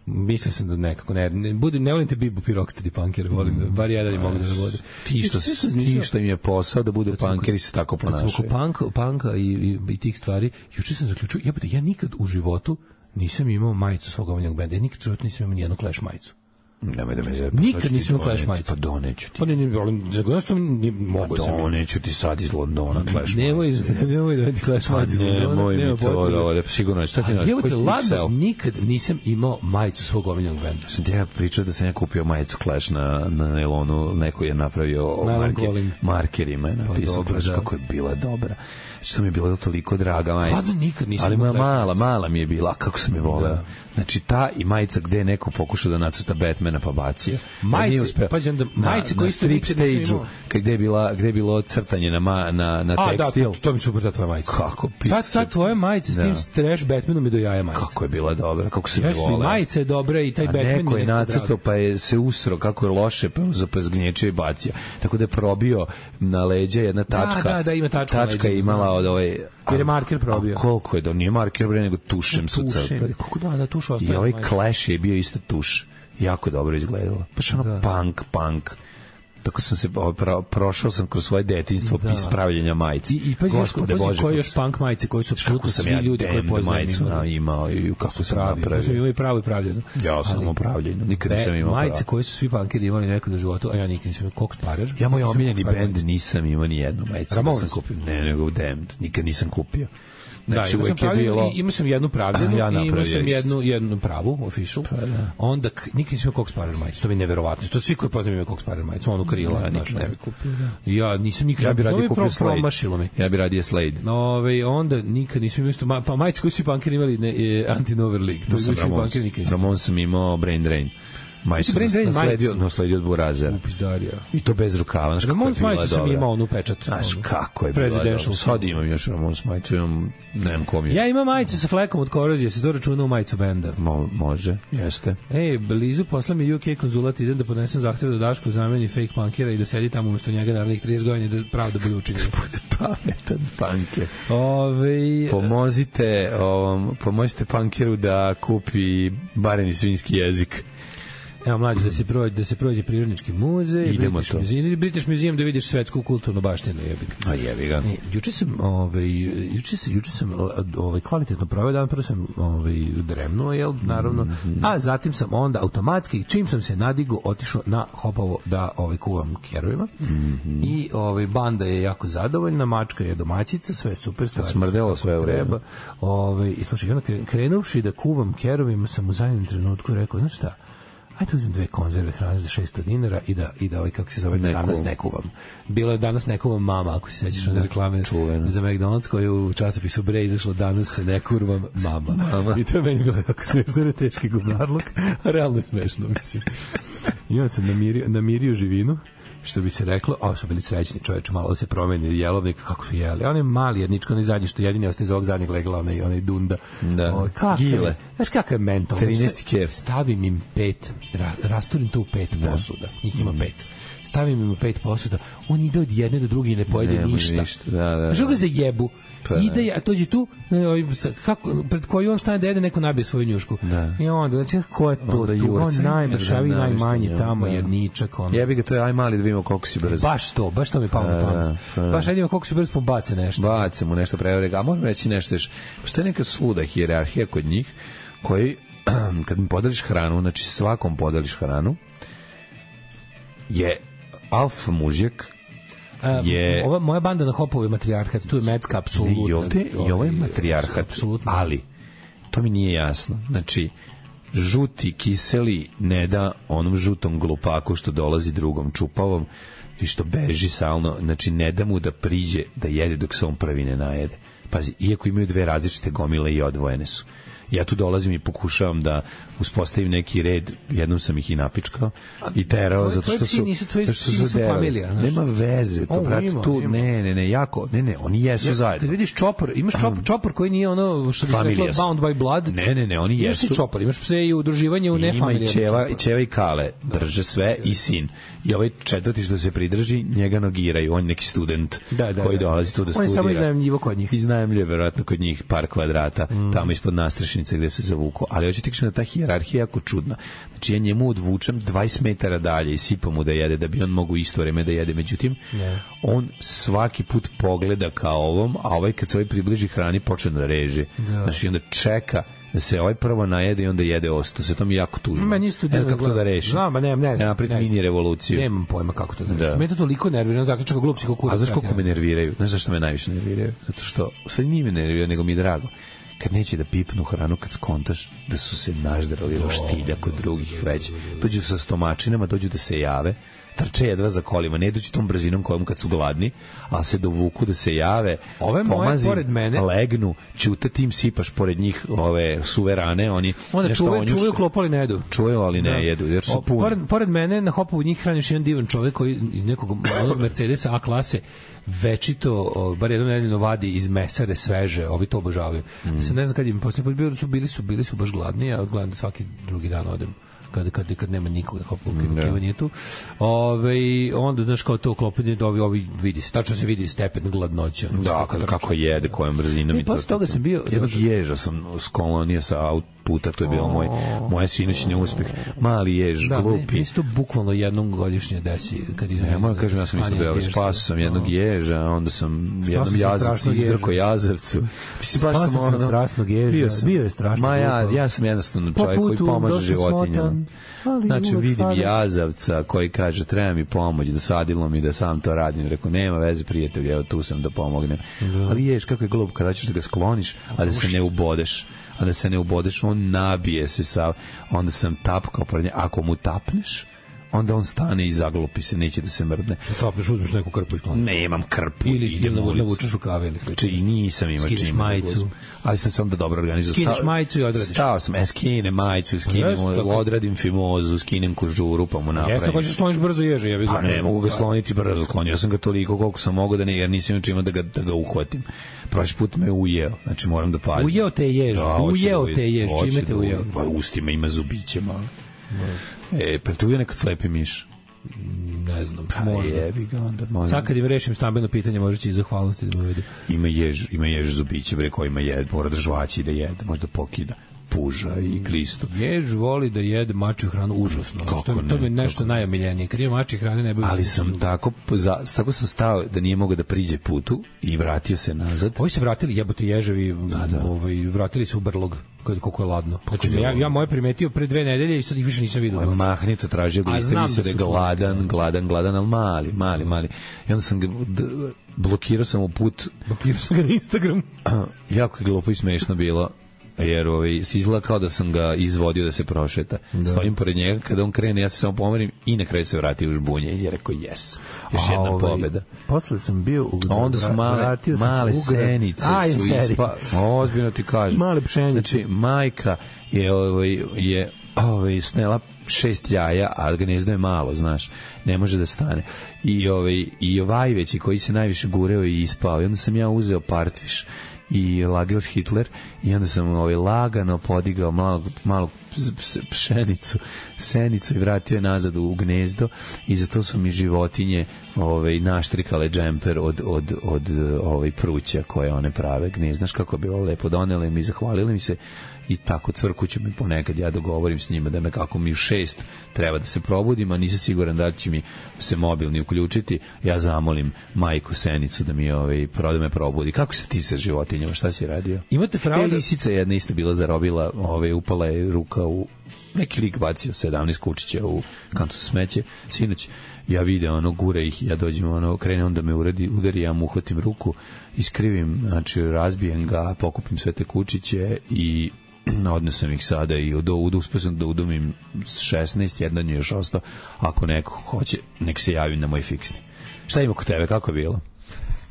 mislim sam da nekako ne, ne, budem, ne volim te Bibu Pirokstedi punker, volim da, bar jedan i mogu da vode. Ti što, ti što im je posao da budu punkeri se tako ponašaju. Oko punk, punka i, i, i tih stvari, juče sam zaključio, jebate, ja nikad u životu nisam imao majicu svog omiljenog benda, ja nikad u životu nisam imao nijednu Clash majicu. Nemoj da me zebe. Nikad nisam imao Clash majicu. Pa doneću ti. Pa ne, ne, ali nego jednostavno mogu sam. Doneću ti sad iz Londona Clash majicu. Nemoj, nemoj da ti Clash majicu. Nemoj mi to, da, sigurno je. Šta ti naš? Jebote, ladno, nikad nisam imao majicu svog omiljenog benda. Sam ti ja pričao da sam ja kupio majicu Clash na, na nailonu, neko je napravio marker, markerima, je napisao pa Clash, kako je bila dobra. Što mi je bilo toliko draga majica. Ladno, nikad nisam ali mala, mala mi je bila, kako sam je voleo. Znači ta i majica gde je neko pokušao da nacrta Batmana pa bacio. Majice, pađem da majice koji ste strip stage-u, gde je bila gde je bilo crtanje na ma, na na a, tekstil. A da, to mi super ta tvoja majica. Kako pisao? Ta, ta tvoja majica s tim trash Batmanom mi do jaja majica. Kako je bila dobra, kako se voleo. Jeste, majica je dobra i taj a Batman neko je nacrtao pa je se usro kako je loše pa zapezgnječio i bacio. Tako da je probio na leđa jedna tačka. Da, da, da, ima tačka. Tačka je imala od ovaj jer je marker probio. A koliko je da nije marker bre nego tušem su crtali. Kako da, da tuš ostaje. I ovaj Clash je bio isto tuš. Jako dobro izgledalo. Baš ono da. punk, punk. tako sam se pro, prošao sam kroz svoje detinjstvo da. Ispravljanja majice. I, i pa Gospode Bože, koji još punk majice koji su apsolutno svi ja ljudi koji poznaju imao, imao i kako sam pravi, napravio. Imao i pravo i pravljeno. Ja sam upravljeno, nikad nisam imao majice pravo. Koje su svi punkeri imali nekad u životu, a ja nikad nisam imao Cox Parer. Ja moj omiljeni bend nisam imao ni jednu majicu. Ramones sam kupio. Ne, nego Damned, nikad nisam kupio. Znači, da, uvek je bilo... Imao sam jednu pravljenu ja i imao sam jednu, jednu pravu, official. Pa, da. Onda, nikad nisam imao Cox Parer majicu, to mi je neverovatno. To svi koji poznaju imaju Cox Parer majicu, onu krila. Ja nikad ne bi kupio, da. Ja nisam nikad... Ja bi radije kupio Slade. Ja bi radije Slade. Ove, onda nikad nisam imao isto... Ma, pa majicu koju svi punkeri imali ne, je Anti-Nover League. To sam Ramons. Ramons sam imao Brain Drain. Majicu nasledio, nasledio od Burazera. Upizdarija. I to bez rukava. Znaš kako je bila dobra. Sam imao onu pečat. Znaš kako je bila dobra. Sad imam još Ramons majicu, imam, nemam kom je. Ja imam majicu sa flekom od korozije, se to računa u majicu benda. Mo, može, jeste. Ej, blizu posla mi U K konzulat, idem da podnesem zahtev da Daško zameni fake punkera i da sedi tamo umesto njega narednih trideset godina da pravda bude učinjena. Bude pametan punker. Ove... Pomozite, ovom, pomozite punkeru da kupi bareni svinjski jezik. Evo mlađe da se prođe, da se prođe prirodnički muzej, idemo to. Ili British Museum da vidiš svetsku kulturnu baštinu, jebi ga. A jebi ga. E, juče sam, ovaj juče sam juče sam ovaj kvalitetno proveo dan, prvo sam ovaj dremnuo, jel, naravno. Mm-hmm. A zatim sam onda automatski čim sam se nadigo otišao na Hopovo da ovaj kuvam kerovima. Mm-hmm. I ovaj banda je jako zadovoljna, mačka je domaćica, sve super, stvari. Smrdelo sve u redu. Ovaj i slušaj, onda krenuvši da kuvam kerovima sam u zadnjem trenutku rekao, znaš šta? Ajde uzmem dve konzerve hrane za šesto dinara i da, i da ovaj, kako se zove, ne danas ne kuvam. Bilo je danas ne kuvam mama, ako se sećaš na reklame čuveno za McDonald's koju u časopisu Bre izašlo danas se ne kurvam mama. mama. I to je meni bilo jako smešno, ne teški gubnarluk, a realno je smešno, mislim. I onda sam namirio, namirio živinu, što bi se reklo, a su bili srećni čoveče, malo da se promeni jelovnik, kako su jeli. On je mali jedničko, onaj zadnji, što jedini ostaje iz ovog zadnjeg legla, onaj, onaj dunda. Da. O, Gile. Znaš kakav je mental? trinaesti kef. Stavim im pet, ra, rasturim to u pet da. Posuda. Njih ima mm. pet. Stavim im u pet posuda. On ide od jedne do druge i ne pojede ne, ništa. ništa. Da, da, Žel ga za jebu. Pa, ide, a dođe tu, kako, pred koju on stane da jede, neko nabije svoju njušku. Da. I onda, znači, ko je to? Tu, on najmršavi, najmanji tamo, da. Jedničak. On. Jebi ga, to je aj mali da vidimo koliko si brzo. Baš to, baš to mi palo na pamet. Baš ajde koliko si brzo, pa bace nešto. Bace mu nešto prevrega. A možemo reći nešto još. Postoje neka svuda hijerarhija kod njih, koji, kad mi podeliš hranu, znači svakom podeliš hranu, je alfa mužjak, je... Ova moja banda na Hopovu je matrijarhat, tu je Mecka, apsolutno. I ovde, i ovo je matrijarhat, ali to mi nije jasno. Znači, žuti, kiseli ne da onom žutom glupaku što dolazi drugom čupavom i što beži salno, znači ne da mu da priđe da jede dok se on prvi ne najede. Pazi, iako imaju dve različite gomile i odvojene su. Ja tu dolazim i pokušavam da uspostavim neki red, jednom sam ih i napičkao i terao zato što su nisu tvoji, što su familija, nema veze to, brat, tu ima. ne ne ne jako ne ne oni jesu ja, zajedno. Kad vidiš čopor, imaš čopor, čopor koji nije ono što bi se reklo bound by blood. Ne ne ne, oni jesu. Imaš čopor, imaš pse i udruživanje u nefamilijarno. Ima i ćeva, i ćeva i kale drže sve i sin. I ovaj četvrti što se pridrži, njega nogiraju, on neki student da, da, koji dolazi tu da studira. On je samo iznajmljivo kod njih. Iznajmljuje verovatno kod njih par kvadrata, mm. tamo ispod nastrešnice gde se zavuku. Ali hoću ti kažem da ta hijerarhija je jako čudna. Znači ja njemu odvučem dvadeset metara dalje i sipam mu da jede da bi on mogu isto vreme da jede. Međutim, yeah. on svaki put pogleda kao ovom, a ovaj kad se ovaj približi hrani počne da reže. Da. Znači onda čeka da se ovaj prvo najede i onda jede osto. Se to mi jako tužno. Ma nisto ne znam kako to da reši. Znam, ma ne, ne. Ja napred mini revoluciju. Nemam pojma kako to da reši. Da. Me to toliko nervira, zaključak kako glup si kako. A znaš koliko me nerviraju? Znaš zašto me najviše nerviraju? Zato što sve nije me nervira, nego mi je drago. Kad neće da pipnu hranu, kad skontaš da su se naždrali roštilja kod drugih već. Dođu sa stomačinama, dođu da se jave, trče jedva za kolima, ne dođu tom brzinom kojom kad su gladni, ali se dovuku da se jave, ove moje pored mene legnu, ćute tim sipaš pored njih ove suve rane, oni onda čuvaju, čuvaju klopali ne jedu. Čuvaju, ali ne da. jedu, jer su puni. Pored, pored mene na Hopovu njih hraniš jedan divan čovjek koji iz nekog Mercedesa A klase večito, o, bar jedno nedeljno vadi iz mesare sveže, ovi to obožavaju. Mm. Se ne znam kad im poslije bili su, bili su, bili su baš gladni, ja odgledam svaki drugi dan odem kad, kad, kad nema nikog, kad Keva nije tu. Ove, onda, znaš, kao to uklopljanje da ovi, ovi vidi se, tačno se vidi stepen gladnoća. Da, kako, kako jede, kojom brzinom. I posle toga sam bio... Jednog ježa sam skolonio sa puta, to je bilo moj, moje sinoćni uspeh. Mali jež, da, glupi. Da, mi se to bukvalno jednom godišnje desi. Kad ne, moram kažem, ja sam isto bio, spasu sam jednog ježa, onda sam jednom jazavcu izdrko jazavcu. Spasao sam ono, strasnog ježa, bio, sam, bio je strašno. Ma ja, ja sam jednostavno čovjek koji pomaže životinjama. Znači, vidim jazavca koji kaže, treba mi pomoć, dosadilo mi da sam to radim. Rekao, nema veze, prijatelj, evo tu sam da pomognem. Ali jež, kako je glup, kada ćeš da ga skloniš, a da se ne ubodeš. A da se ne ubodeš, on nabije se sa, onda sam tapkao pred nje, ako mu tapneš, onda on stane i zaglupi se, neće da se mrdne. Što tapneš, uzmeš neku krpu i kloni? Ne, imam krpu. Ili idem navučeš u kave ili slično. I nisam imao čim. Skineš majicu. Ali sam se onda dobro organizao. Skineš majicu i odradiš. Stao sam, e, skinem majicu, skinem, odradim fimozu, skinem kožuru, pa mu napravim. Jeste, hoćeš sloniš brzo ježe, ja bih. Pa ne, mogu ga sloniti brzo, sklonio sam ga toliko koliko sam mogao da ne, jer nisam imao čima da ga, da ga uhvatim. Prošli put me ujeo, znači moram da pazim. Ujeo te jež, da, ujeo te jež, čime te ujeo? Pa ustima ima zubiće malo. E, pa tu je nekad slepi miš. Ne znam, pa možda. Jebi ga onda, možda. Sad kad im rešim stambeno pitanje, možda će i zahvalnosti da me uvedu. Ima jež, ima jež zubiće, bre, koji ima jed, mora da žvaći da jede, možda pokida puža i klistu. Jež voli da jede mačju hranu užasno. Kako to, ne, to mi je nešto kako najomiljenije. Kad je mačje hrane ne bi. Ali sam tako, za, tako sam stao da nije mogao da priđe putu i vratio se nazad. Ovi se vratili, jebote ježevi, da, da. Ovaj, vratili se u brlog. Koliko je ladno. Znači, ja, ja moje primetio pre dve nedelje i sad ih više nisam vidio. Mahnito tražio ga, isto mi se da je gladan, gladan, gladan, ali mali, mali, mali. I onda sam ga, d, blokirao sam u put. Blokirao sam ga na Instagram. Jako je glupo i smešno bilo. Jer ovaj, izgleda kao da sam ga izvodio da se prošeta. Da. Stojim pored njega, kada on krene, ja se samo pomerim i na kraju se vratio u žbunje i je rekao, yes, još A, jedna ovaj, pobeda. Posle sam bio u... A onda su male, male senice Aj, su ispa... Ozbiljno ti kažem. Male pšenice. Znači, majka je, ovaj, je ovaj, snela šest jaja, a gnezdo je malo, znaš, ne može da stane. I ovaj, i ovaj veći koji se najviše gureo i ispao. I onda sam ja uzeo partviš i Lager Hitler i onda sam ovaj lagano podigao malo, malo pšenicu, senicu i vratio je nazad u gnezdo i zato su mi životinje ovaj, naštrikale džemper od, od, od ovaj, pruća koje one prave gnezdo. Znaš kako je bilo lepo, donele mi, zahvalili mi se i tako cvrkuću mi ponekad, ja dogovorim s njima da me kako mi u šest treba da se probudim, a nisam siguran da će mi se mobilni uključiti, ja zamolim majku Senicu da mi ovaj, da me probudi. Kako se ti sa životinjama, šta si radio? Imate pravo da... E, lisica jedna isto bila zarobila, ovaj, upala je ruka u neki lik bacio sedamnaest kučića u kantu smeće, sinoć ja vidim ono, gure ih, ja dođem ono, krene onda me uradi, udari, ja mu uhvatim ruku, iskrivim, znači razbijem ga, pokupim sve te kučiće i odnesem ih sada i od uspešno da udomim šesnaest, jedan je još ostao, ako neko hoće, nek se javi na moj fiksni. Šta ima kod tebe, kako je bilo?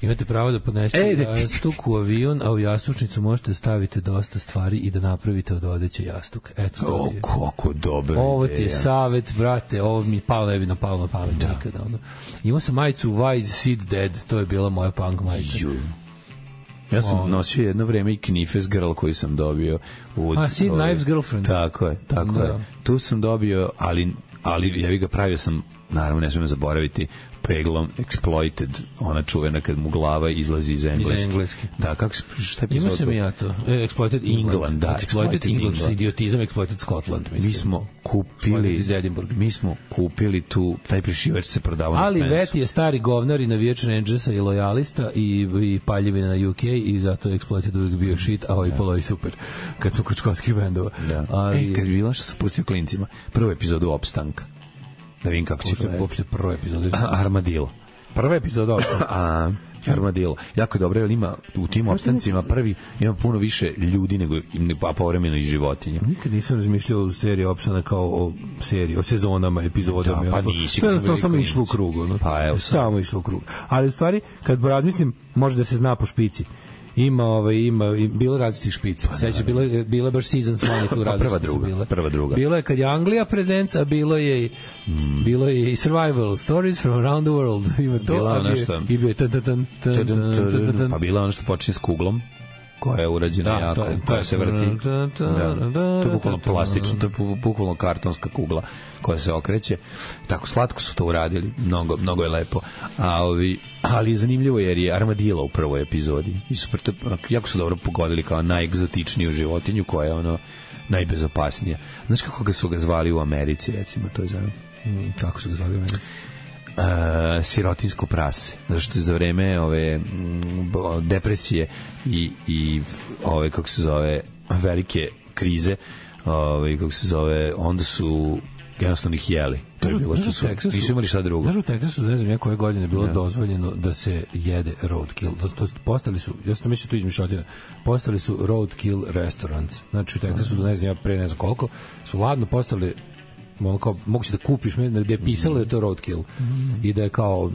Imate pravo da podnesete jastuk u avion, a u jastučnicu možete staviti dosta stvari i da napravite od odeće jastuk. Eto, o, kako dobro. Ovo ti je savet, brate, ovo mi palo ne bi napalo na pamet da. Nikada. Ono. Imao sam majicu Why is Sid Dead, to je bila moja punk majica. Ju. Ja sam oh. nosio jedno vreme i Knifes Girl koji sam dobio. Od, a, Sid Knife's Girlfriend. Tako je, tako da. je. Tu sam dobio, ali, ali ja bih ga pravio sam, naravno ne smijem zaboraviti, peglom Exploited, ona čuvena kad mu glava izlazi iz engleski. Iz engleski. Da, kako se, šta je pisao to? Ima sam ja to. E, Exploited England. England da, Exploited, Exploited England, England. Idiotizam, Exploited Scotland. Mislim. Mi smo kupili, mi smo kupili tu, taj prišivač se prodavao na Ali Spensu. Veti je stari govnar i navijač Rangersa i lojalista i, i paljevina na U K i zato je Exploited uvijek bio shit, a ovaj polo i super. Kad smo kod školskih bendova. Da. Ali... E, kad bi bilo što sam pustio klincima, prvu epizodu Opstanka. Da vidim kako će to je. Uopšte prva epizoda. Armadillo. Prva epizoda. A, Armadillo. Jako je dobro, jer ima u tim opstancima prvi ima puno više ljudi nego pa povremeno i životinja. Nikad nisam razmišljao o seriji opstana kao o seriji, o sezonama, epizodama. Da, pa nisi. To je samo išlo u krug. No? Pa evo. Samo išlo u krug. Ali u stvari, kad razmislim, može da se zna po špici. Ima ovaj ima bilo različitih špica. Seća bilo je bilo baš seasons one tu različite. Prva druga, bila. prva druga. Bilo je kad je Anglija prezenca, bilo je mm. bilo je i survival stories from around the world. Ima to. Bilo ono što i bio tan tan tan pa bilo ono što počinje s kuglom. koja je urađena da, jako, je, koja se vrti. Da, to je bukvalno plastično, to je bukvalno kartonska kugla koja se okreće. Tako slatko su to uradili, mnogo, mnogo je lepo. A, ovi, ali je zanimljivo jer je armadillo u prvoj epizodi. I super, to, jako su dobro pogodili kao najegzotičniju životinju koja je ono najbezopasnija. Znaš kako ga su ga zvali u Americi, recimo, to je za... Mm, kako su ga zvali u Americi? Uh, sirotinsko prase, zato što je za vreme ove m, depresije i, i ove, kako se zove, velike krize, ove, kako se zove, onda su jednostavno ih jeli. To je bilo što su, nisu imali šta drugo. Znaš u Teksasu, ne znam ja koje godine bilo ja. dozvoljeno da se jede roadkill. To, to, postali su, ja sam mislio tu izmišljotina, postali su roadkill restaurants. Znači u Teksasu, ne znam ja pre ne znam koliko, su ladno postali kao, mogu se da kupiš gde je pisalo da je to roadkill mm. i da je kao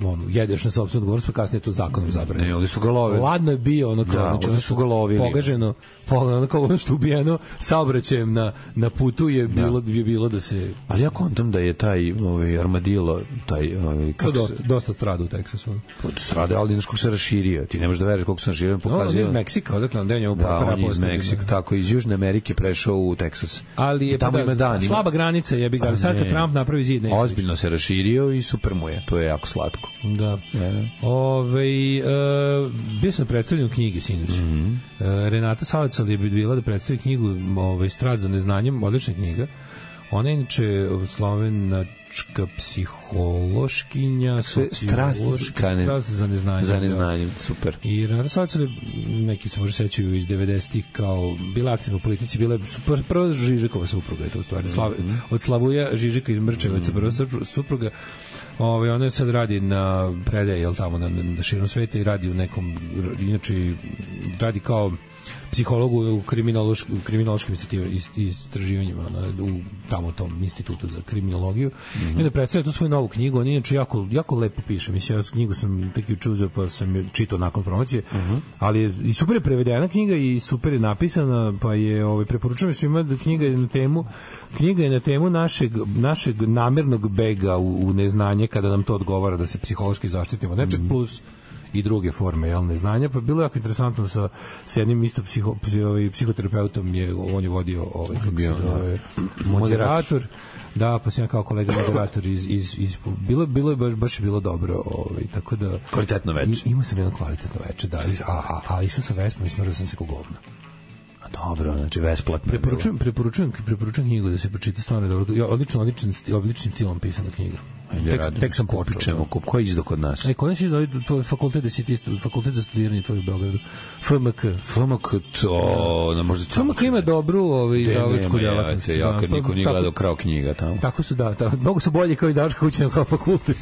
ono, jedeš na sopstvenu odgovornost, pa kasnije je to zakonom zabranjeno. Ne, oni su ga lovili. Ladno je bio ono kao, da, znači, oni su ga lovili. Pogaženo, ono kao ono što ubijeno saobraćajem na, na putu je bilo, da. je bilo da se... Ali ja kontam da je taj ovaj, armadillo, taj... Ovaj, kako dosta, se... dosta strada u Teksasu. Strada, ali znaš kako se raširio. Ti ne možeš da veriš koliko se raširio. No, on je iz Meksika, odakle on denje da, on je iz Meksika, tako, iz Južne Amerike prešao u Teksas. Ali je tamo ima dan, slaba granica je, ali sad kad Trump napravi zid... Ozbiljno se raširio i super mu je, to je jako slatko. Da. Ove, uh, bio sam predstavljen u knjigi sinoć. Mm -hmm. uh, Renata Salacal je bila da predstavi knjigu ovaj, Strast za neznanjem, odlična knjiga. Ona je inače slovenačka psihološkinja, sociološka ne, strast za neznanjem. Za neznanjem, da. Super. I Renata Salacal, neki se može sećaju iz devedesetih kao bila aktivna u politici, bila je prva Žižekova supruga, je to u stvari. Slav, mm -hmm. Od Slavuja Žižeka iz Mrčevaca, mm -hmm. prva supruga. Ovaj ona sad radi na predaji, jel tamo na, na širom sveta i radi u nekom, inače radi kao psiholog u kriminološkim kriminološkim istraživanjima na, u tamo tom institutu za kriminologiju. Mm -hmm. I onda predstavlja tu svoju novu knjigu, on inače jako, jako lepo piše. Mislim, ja knjigu sam tek juče uzeo pa sam je čitao nakon promocije, mm -hmm. ali je, i super je prevedena knjiga i super je napisana, pa je ovaj, preporučujem svima da knjiga je na temu knjiga je na temu našeg, našeg namernog bega u, u neznanje kada nam to odgovara da se psihološki zaštitimo. Nečeg mm -hmm. plus i druge forme jel, neznanja, pa bilo je jako interesantno sa, sa jednim isto psiho, psi, ovaj, psihoterapeutom, je, on je vodio ovaj, kako se zove, moderator, da, pa sam ja kao kolega moderator iz, iz, iz bilo, bilo je baš, baš je bilo dobro, ovaj, tako da... Kvalitetno veče. Imao sam jedno kvalitetno veče, da, a, a, a išao sam Vespom i smrao sam se ko govno. Dobro, znači besplatno. Preporučujem, preporučujem, preporučujem knjigu da se pročita, stvarno dobro. Ja, odlično, odličan, odličnim stilom pisana knjiga. Tek, tek sam počeo. Ko je izdao kod nas? E, kod nas je izdao tvoj fakultet, fakultet za studiranje tvoj u Beogradu. F M K. F M K, to... Ne, možda F M K ima dobru ovaj, izdavačku djelatnost. Ja kad niko nije gledao krao knjiga tamo. Tako su, da. Mnogo su bolji kao izdavačka kuća kao fakultet.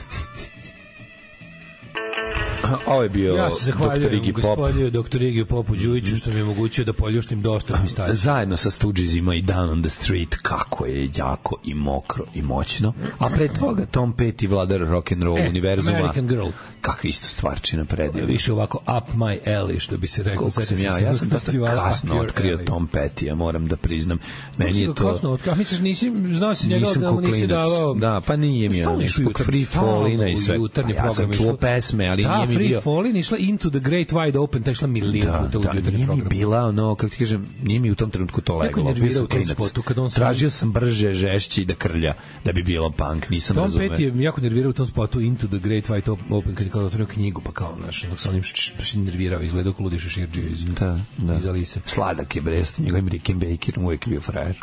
Ovo je bio ja se zahvaljujem gospodinu doktor Igiju Popu Đujiću što mi je omogućio da poljuštim dosta mi stavim. Zajedno sa Stoogesima i Down on the Street, kako je jako i mokro i moćno. A pre toga Tom Petty, vladar rock'n'roll e, univerzuma. American Girl. Kakva isto stvarčina predivna. Više ovako up my alley, što bi se rekao. Koliko sam ja, ja sam dosta kasno otkrio Tom Petty, ja moram da priznam. Meni je to... Kasno otkrio, a misliš, nisi, znao si njega da mu nisi davao... Da, pa nije mi ono, zbog Free Fallina i sve. Ja sam čuo pesme, ali nije mi bio... Fallin išla Into the Great Wide Open, ta išla milijon puta u jutarnji program. Nije mi bila, ono, kako ti kažem, nije mi u tom trenutku to leglo. Tražio sam brže, žešći da krlja, da bi bilo punk, nisam Tom razumeo. Tom Petty je jako nervirao u tom spotu Into the Great Wide Open, kad je kao otvorio knjigu, pa kao, znaš, dok sam onim nervirao, izgledao ko ludi šeširđio iz, da, da. iz Alise. Sladak je Brest, njegovim Rickenbackerom uvijek je bio frajer.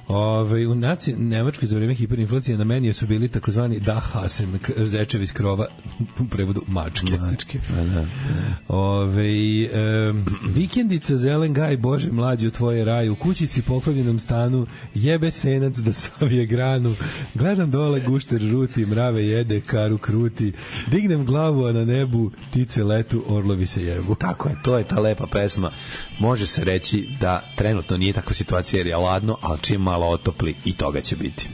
Ove, u naci Nemačkoj za vreme hiperinflacije na meni su bili takozvani Dachhasen, zečevi iz krova, u prevodu mačke. Mačke, da, da. Ove, um, vikendica, zelen gaj, Bože mlađi u tvoje raj, u kućici poklonjenom stanu, jebe senac da savije granu, gledam dole gušter žuti, mrave jede, karu kruti, dignem glavu, a na nebu tice letu, orlovi se jebu. Tako je, to je ta lepa pesma. Može se reći da trenutno nije takva situacija jer je ladno, ali čim malo otopli i toga će biti.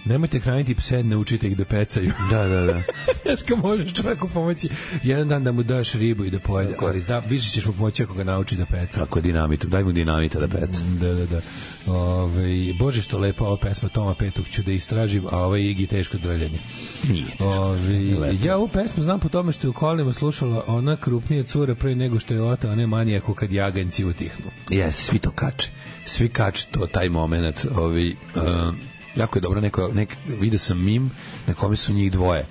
Nemojte hraniti pse, ne učite ih da pecaju. Da, da, da. Teško možeš čovjeku pomoći jedan dan da mu daš ribu i da pojede, ali za, više ćeš mu pomoći ako ga nauči da peca. Tako dinamitu, daj mu dinamita da peca. Da, da, da. Ove, Bože što lepa ova pesma Toma Petog, ću da istražim, a ovaj Igi teško drljanje. Nije teško. Ove, ja ovu pesmu znam po tome što je u kolima slušala ona krupnija cura pre nego što je ota, a ne manijaku kad jaganjci utihnu. Jeste, svi to kače. Svi kače to, taj moment. Ovi, uh, jako je dobro, neko, nek, vidio sam mim na kome su njih dvoje.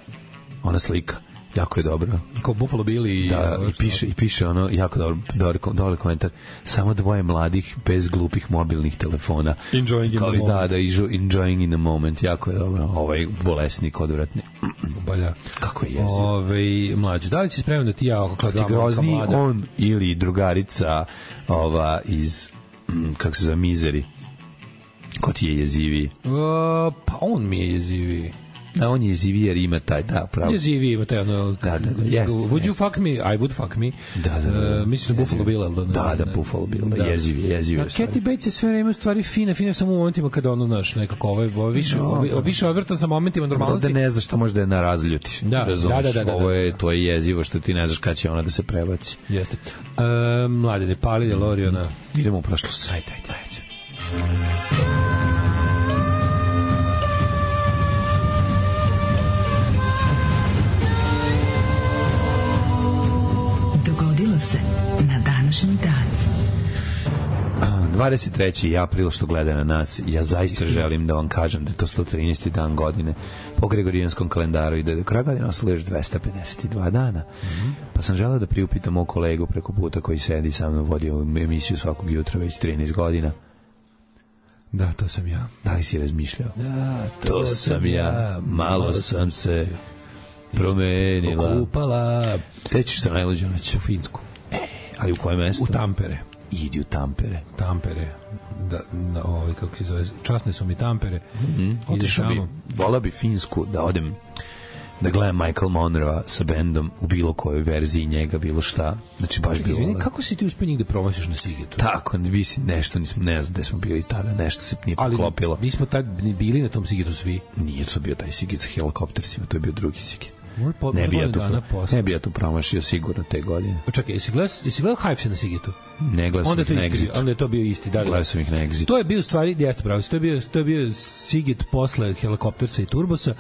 Ona slika. Jako je dobro. Kao Buffalo Bill i... Da, i piše, i piše ono, jako dobro, dobar, dobar komentar. Samo dvoje mladih, bez glupih mobilnih telefona. Enjoying in Kao the moment. Da, da, enjoying in the moment. Jako je dobro. Ovaj bolesnik odvratni. Bolja. Kako je jezivo. Ove, mlađe, da li si spreman da ti ja... Kako ti grozni on ili drugarica ova iz, kako se zove, Mizeri? Ko ti je jeziviji? Uh, pa on mi je jeziviji. A on je jeziviji jer ima taj, da, pravo. Jeziviji ima taj, ono... Da, da, da, jest, would jest. you fuck me? I would fuck me. Da, da, da. Uh, mislim na Buffalo Bill, ali da, da, Buffalo Bill, da, jezivi, jezivi. Kathy Bates je sve vreme u stvari fina, fina samo u momentima kada ono, znaš, nekako ovaj, ovaj više, no, ovaj, više odvrtan sa momentima normalnosti. Da ne znaš šta može da je na razljuti. Da, da, da, da, da. Ovo je, to je jezivo što ti ne znaš kada će ona da se prebaci. Jeste. Uh, mlade, ne pali DeLoreana. Idemo u prošlost. Ajde, ajde, ajde. Se na današnji dan. dvadeset treći april što gleda na nas, ja zaista želim da vam kažem da je to sto trinaesti dan godine po Gregorijanskom kalendaru i da je do kraja godine ostalo još dvesta pedeset dva dana. Mm-hmm. Pa sam želeo da priupitam mog kolegu preko puta koji sedi sa mnom, vodi ovu emisiju svakog jutra već trinaest godina. Da, to sam ja. Da li si razmišljao? Da, to, to sam ja, malo sam se promenila. Okupala. Te ćeš sa najluđu noć? U Finsku. E, ali u koje mesto? U Tampere. Idi u Tampere. Tampere. Da, na, ovaj, kako se zove, časne su mi Tampere. Mm-hmm. Otišao bi, vola bi Finsku da odem da gledam Michael Monroe sa bendom u bilo kojoj verziji njega, bilo šta. Znači, baš bilo... Izvini, kako si ti uspio njih da promosiš na Sigetu? Tako, bi si nešto, nismo, ne znam gde smo bili tada, nešto se nije poklopilo. Ali mi smo tad bili na tom Sigetu svi. Nije to bio taj Siget sa helikoptersima, to je bio drugi Siget. Po, ne bi ja tu, ne bi ja tu promašio sigurno te godine. Čekaj, jesi gledao, jesi gledao Hives na Sigetu? Ne, gledao sam ih na Exitu. Onda je to bio isti. Da, da. Gledao sam ih na Exitu. To je bio u stvari, jeste pravo, to je bio, to je bio Siget posle helikoptersa i turbosa,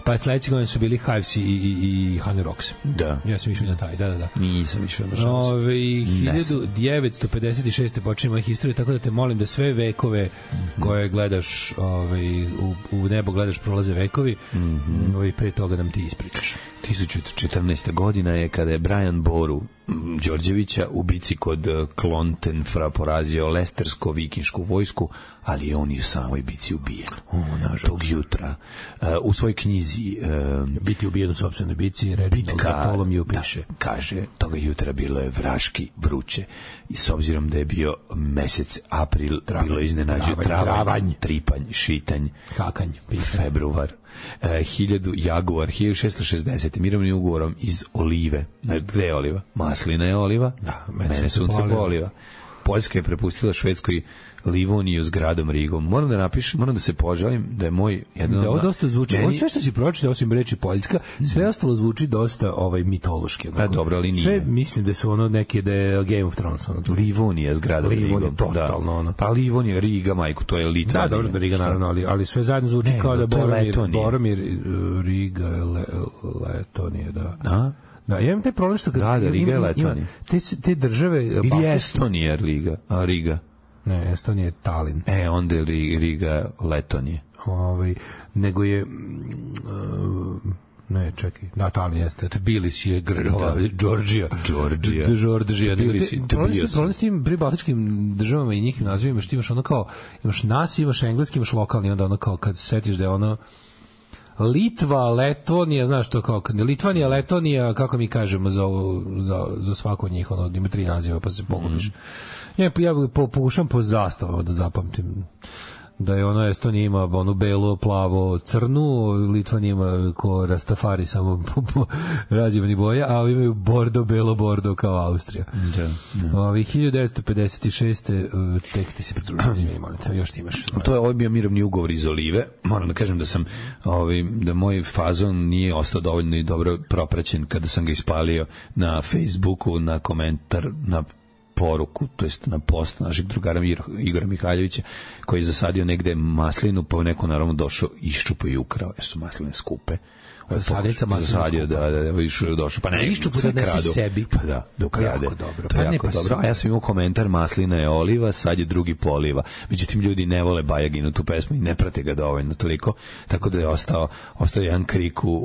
pa sledeće godine su bili Hives i, i, i Honey Rocks. Da. Ja sam išao na taj, da, da, da. Nisam išao na šans. Ove, hiljadu devetsto pedeset šeste počinje moja historija, tako da te molim da sve vekove mm-hmm. koje gledaš ove, u, u nebo gledaš prolaze vekovi, mm-hmm. ove, pre toga nam ti ispričaš. tisuću četrnaesta godina je kada je Brian Boru Đorđevića u bici kod Klontenfra porazio lestersko-vikinšku vojsku, ali on je u samoj bici ubijen. O, nažalost. Tog jutra. Uh, u svojoj knjizi uh, Biti ubijen u sopstvenoj bici, Reginald Bartholomew piše. Da, kaže, toga jutra bilo je vraški vruće i s obzirom da je bio mesec april, travanj, bilo iznenađuje travanj, travanj, tripanj, šitanj, kakanj, pisanj. Februar. Uh, hiljadu Jaguar, hiljadu šessto šezdeset mirovnim ugovorom iz olive. Gde je oliva? Maslina je oliva, da, mene, mene sunce po oliva. Poljska je prepustila Švedskoj Livoniju s gradom Rigom. Moram da napišem, moram da se požalim da je moj jedan... Da, ovo dosta zvuči. Meni... Ovo sve što si pročitao, osim reči Poljska, sve ostalo zvuči dosta ovaj, mitološki. Pa dobro, ali nije. Sve mislim da su ono neke, da je Game of Thrones. Ono, Livonija s gradom Rigom. Livonija, totalno. Da. Ono. Pa Livonija, Riga, majku, to je Litvanija. Da, dobro da Riga, naravno, ali, ali sve zajedno zvuči ne, kao da Boromir, Boromir, Riga, Le, Letonija, da. Da? Da, ja imam taj problem što... Da, da, Riga je Letonija. Te, te države... Ili Estonija, Riga, a Riga. Ne, Estonija je Talin. E, onda je Riga Letonije. Ovaj, nego je... Uh, ne, čekaj. Da, Talin jeste. Tbilisi je Georgija. Georgija. Georgija. Tbilisi. Problem s tim pribaltičkim državama i njihovim nazivima, što imaš ono kao... Imaš nas, imaš engleski, imaš lokalni, onda ono kao kad setiš da je ono... Litva, Letonija, znaš to kao Litvanija, Letonija, kako mi kažemo za, za, za svako od njih, ono, ima tri naziva, pa se pogubiš. Mm. Ja, ja po, pokušam po zastavama da zapamtim. Da je ono Estonija ima onu belo, plavo, crnu, Litvan ima ko Rastafari samo razjevani boja, a ovi imaju bordo, belo, bordo kao Austrija. Da, da. Ovi hiljadu devetsto pedeset šeste tek ti se pridružili, molite, još ti imaš. To je ovaj bio mirovni ugovor iz Olive. Moram da kažem da sam ovaj, da moj fazon nije ostao dovoljno i dobro propraćen kada sam ga ispalio na Facebooku, na komentar, na poruku, to jest na post našeg drugara Igora Mihaljevića, koji je zasadio negde maslinu, pa neko naravno došao, iščupao i ukrao, jer su masline skupe. Sadnica maslina zasadio, da, da, da, išao došao, pa ne, iščupu da nesi sebi. Pa da, da ukrade. Jako dobro. To je pa jako ne, pa dobro. A ja sam imao komentar, maslina je oliva, sad je drugi poliva. Međutim, ljudi ne vole Bajaginu tu pesmu i ne prate ga dovoljno toliko, tako da je ostao, ostao jedan krik u, u,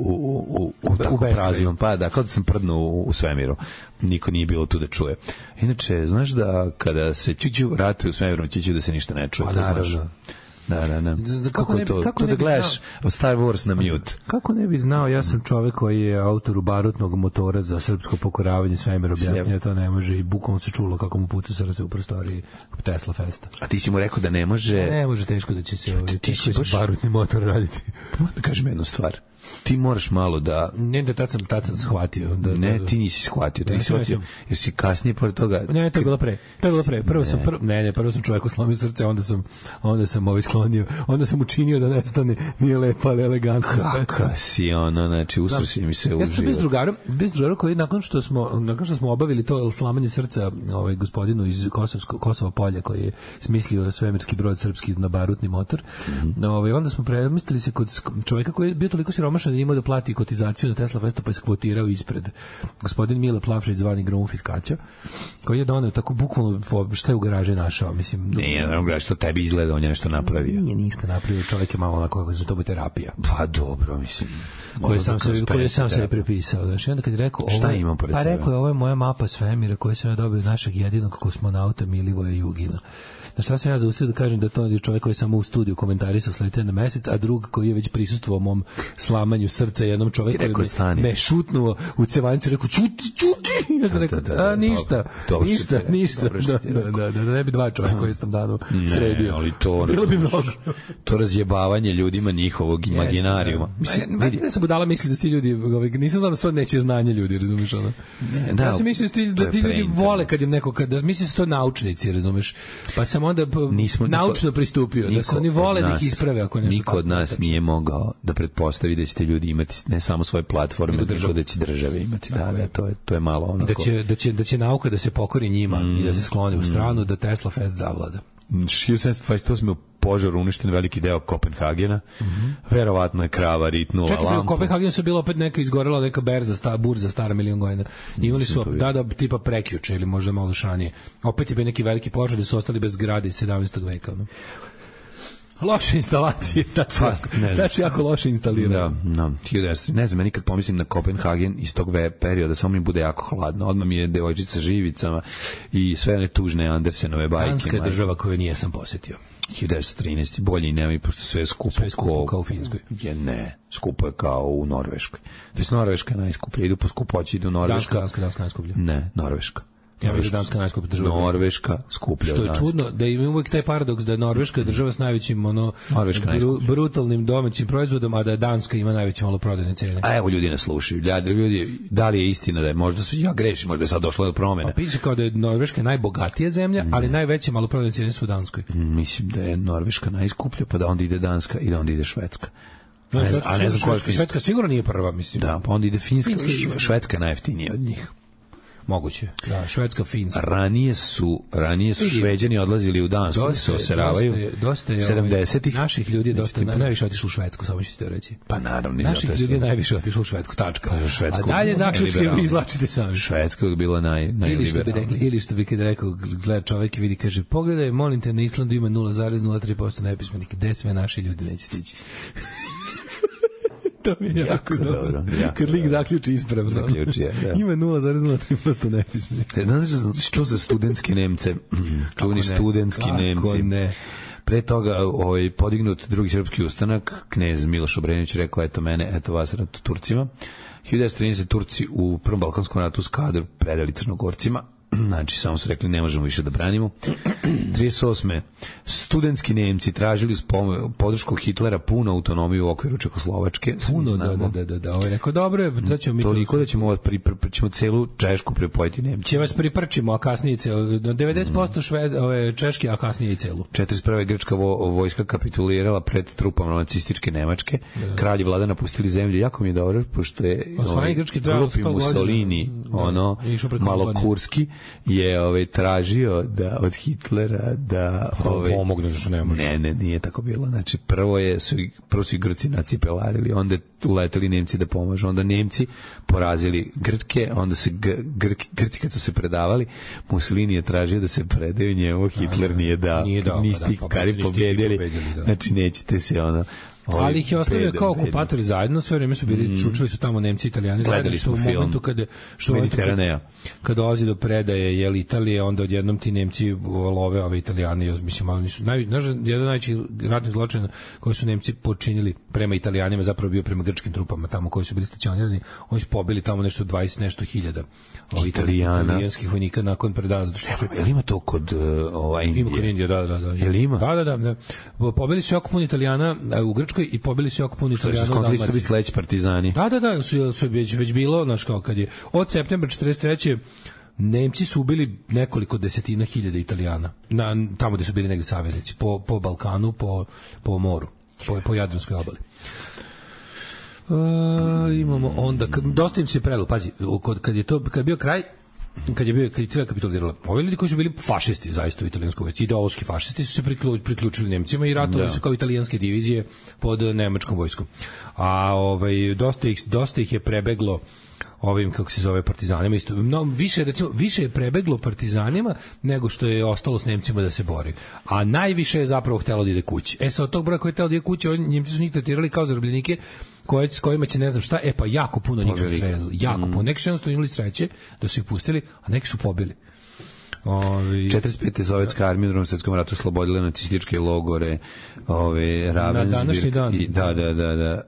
u, u, u, u prazivom. Pa da, kao da sam prdnuo u, u svemiru. Niko nije bilo tu da čuje. Inače, znaš da kada se ćuću ratuje u svemiru, ćuću da se ništa ne čuje. Pa naravno. Da, da, da. Kako, kako ne, to? kako to ne da bi gledaš znao? Star Wars na mute. Kako ne bi znao, ja sam čovek koji je autor barutnog motora za srpsko pokoravanje, svemir objasnio, to ne može i bukvalno se čulo kako mu puca srce u prostoriji Tesla Festa. A ti si mu rekao da ne može... Ne može, teško da će se ovaj, ti si baš... barutni motor raditi. Moram da kažem jednu stvar. Ti moraš malo da... Ne, da tad sam, tad sam shvatio. Da, ne, da, ti nisi shvatio. Ti ne, nisi shvatio, jer si kasnije pored toga... Ne, to je bilo pre. To je bilo pre. Prvo sam, prvo, ne, ne, prvo sam čovjeku slomio srce, onda sam, onda sam ovaj sklonio, onda sam učinio da nestane, nije lepo, ali elegantno. Kako si ono, znači, usrsi mi se u život. Ja sam bez drugarom, bez drugarom koji nakon što smo, nakon što smo obavili to slamanje srca ovaj, gospodinu iz Kosovsko, Kosova polja koji je smislio svemirski brod srpski na barutni motor, mm-hmm. ovaj, onda smo premislili se kod čovjeka koji je bio toliko siromašan da imao da plati kotizaciju na Tesla Festu, pa je skvotirao ispred gospodin Mile Plavšić zvani Grunfit Kaća, koji je doneo tako bukvalno šta je u garaži našao, mislim. Ne, naravno garaži, što tebi izgleda, on je nešto napravio. Nije ništa napravio, čovjek je malo onako kako se to bi terapija. Pa dobro, mislim. Koje sam se koje sam se prepisao, znači onda kad je rekao ovo, šta imam pored pa sebe? rekao je ovo je moja mapa svemira koju sam ja dobio od našeg jedinog kosmonauta Milivoja Jugina. Na šta sam ja zaustio da kažem da to je čovjek koji je samo u studiju komentarisao slete na mesec, a drug koji je već prisustvovao mom slamanju srca jednom čovjeku koji me, me šutnuo u cevanicu i rekao čuti, čuti. Ja sam rekao, da, da, da, a ništa, dobro, ništa, dobro, ništa. Dobro da, da, da, da, da ne bi dva čovjeka koji sam danu sredio. Ali to, bilo bi mnogo. To razjebavanje ljudima njihovog imaginarijuma. Mislim, vidi. Ne sam budala misli da ti ljudi, nisam znao da to neće znanje ljudi, razumiješ ono? Ne, da, ja sam mislio da ti ljudi vole kad im neko, kad, mislim da su to naučnici, razumiješ? Pa sam onda nismo, naučno niko, pristupio, da se oni vole da ih isprave ako nešto. Niko od nas tako, nije mogao da pretpostavi da ćete ljudi imati ne samo svoje platforme, nego da će države imati. Da, da, to je, to je malo onako. Da će, da će, da će nauka da se pokori njima mm, i da se skloni u stranu, mm. da Tesla Fest zavlada. hiljadu sedamsto dvadeset osme u požaru uništen veliki deo Kopenhagena. Mm-hmm. Verovatno je krava ritnula lampu. Čekaj, u Kopenhagenu su bilo opet neka izgorela neka berza, sta, burza stara milion godina. Imali su, da, da, tipa prekjuče ili možda malo šanije. Opet je bio neki veliki požar i su ostali bez zgrade iz sedamnaestog veka. No? Loše instalacije, znači jako loše instalirano. Da, no, ne znam, ja nikad pomislim na Kopenhagen iz tog perioda, samo mi bude jako hladno. Odmah mi je devojčica živicama i sve one tužne Andersenove bajke. Danska je država koju nije sam posjetio. hiljadu devetsto trinaeste bolje i nema i pošto sve je skupo, sve je skupo kao u Finskoj. Je ne, skupo je kao u Norveškoj. To je Norveška najskuplja, idu po skupoći, idu Norveška. Danska, Danska, Danska najskuplja. Ne, Norveška. Ja mislim da Danska najskuplja država. Norveška skuplja. Što je čudno da ima uvijek taj paradoks da je Norveška država s najvećim ono bru, brutalnim domaćim proizvodom, a da je Danska ima najveće maloprodajne cene. A evo ljudi nas slušaju. Ljudi, da li je istina da je možda sve ja grešim, možda je sad došlo do promene. A piše kao da je Norveška najbogatija zemlja, ne. ali najveće maloprodajne cene su u Danskoj. Mislim da je Norveška najskuplja, pa da onda ide Danska i da onda ide Švedska. No, ne, a ne znam koja je Finska. Švedska sigurno nije prva, mislim. Da, pa onda ide Finska, Finska Švedska je najjeftinija od njih. Moguće. Da, Švedska, Finska. Ranije su, ranije su Šveđani odlazili u Dansku, da se oseravaju. Dosta je, dosta je sedamdesetih naših ljudi je dosta na, najviše otišlo u Švedsku, samo ću ti to reći. Pa naravno, naših ljudi je najviše otišlo u Švedsku, tačka. Pa, Švedsku, a dalje zaključke vi izvlačite sami. Švedska je bila naj najliberalnija. Ili što bi kad rekao, gleda čovjek i vidi, kaže, pogledaj, molim te, na Islandu ima nula zarez nula tri posto nepismenih, gde sve naši ljudi neće stići. To mi je jako dobro. Kad lik zaključi ispravno. Zaključi je, da. Ima nula zarez nula tri posto nepismenih. Znaš što za studentski Nemce? Čuveni studentski Nemci. Ne. Pre toga ovaj, podignut drugi srpski ustanak, knez Miloš Obrenović rekao, eto mene, eto vas, rat Turcima. hiljadu devetsto trinaeste Turci u Prvom balkanskom ratu s kadru predali Crnogorcima. Znači, samo su rekli ne možemo više da branimo. trideset osme studentski Nemci tražili podršku Hitlera punu autonomiju u okviru Čekoslovačke. Puno, da, da, da, da, da. Ovo je rekao, dobro, da ćemo mi... Toliko da ćemo, pripr, ćemo celu Češku pripojiti Nemci. Će vas priprčimo, a kasnije celu. devedeset posto šved, ove, Češke, a kasnije i celu. četrdeset prve grčka vo, vojska kapitulirala pred trupama nacističke Nemačke. Da. Kralj i vlada napustili zemlju. Jako mi je dobro, pošto je ovaj, glupi Mussolini, ono, malo kurski, je ovaj, tražio da od Hitlera da ovaj, pomogne, zašto ne može. Ne, ne, nije tako bilo. Znači, prvo, je, su, prvo su i Grci nacipelarili, onda uleteli Nemci da pomažu, onda Nemci porazili Grke, onda se Grki, Grci kad su se predavali, Mussolini je tražio da se predaju njemu, Hitler nije dao, nije dao niste pa da, kari pobjedili, da. Znači nećete se ono... Ali ih je ostavio kao okupatori zajedno, sve vreme su bili, mm. čučili su tamo Nemci i Italijani zajedno, što u momentu kada što Mediteranea. Kada dolazi do predaje jel Italije, onda odjednom ti Nemci love ove Italijane, mislim, ali nisu naj znaš, jedan najveći ratni zločin koji su Nemci počinili prema Italijanima zapravo bio prema grčkim trupama tamo koji su bili stacionirani, oni su pobili tamo nešto dvadeset nešto hiljada Italijana, italijanskih vojnika nakon predaje, zato što su jel ima to kod uh, ovaj Indije? Ima kod Indije, da, da, da. Jel ima? Da, da, da. da. Pobili su jako puno Italijana u Grčkoj i pobili su jako puno Italijana u Dalmaciji. Što su sledeći partizani. Da, da, da, su, su već, već bilo, znaš kao kad je od septembra četrdeset treće Nemci su ubili nekoliko desetina hiljada Italijana na, tamo gde su bili negde saveznici, po, po Balkanu, po, po moru, po, po Jadranskoj obali. Uh, imamo onda, dosta im se prelo, pazi, kod, kad je to, kad je bio kraj, kad je bio kad je Italija kapitulirala, ovi ljudi koji su bili fašisti zaista u italijanskoj vojsci, ideološki fašisti su se priključili Nemcima i ratovali su kao italijanske divizije pod nemačkom vojskom. A ovaj dosta ih dosta ih je prebeglo ovim, kako se zove, partizanima isto. No, više, recimo, više je prebeglo partizanima nego što je ostalo s Nemcima da se bori. A najviše je zapravo htelo da ide kući. E, sa od tog broja koji je htelo da ide kući, oni, Njemci su njih tretirali kao zarobljenike koje, s kojima će ne znam šta, e pa jako puno njih su streljali. Jako mm. puno. Neki su jednostavno imali sreće da su ih pustili, a neki su pobili. Ovi... četrdeset pete sovjetska armija u Drugom svjetskom ratu oslobodila nacističke logore, ove Ravensbrück. Na današnji dan. I, da, da, da, da.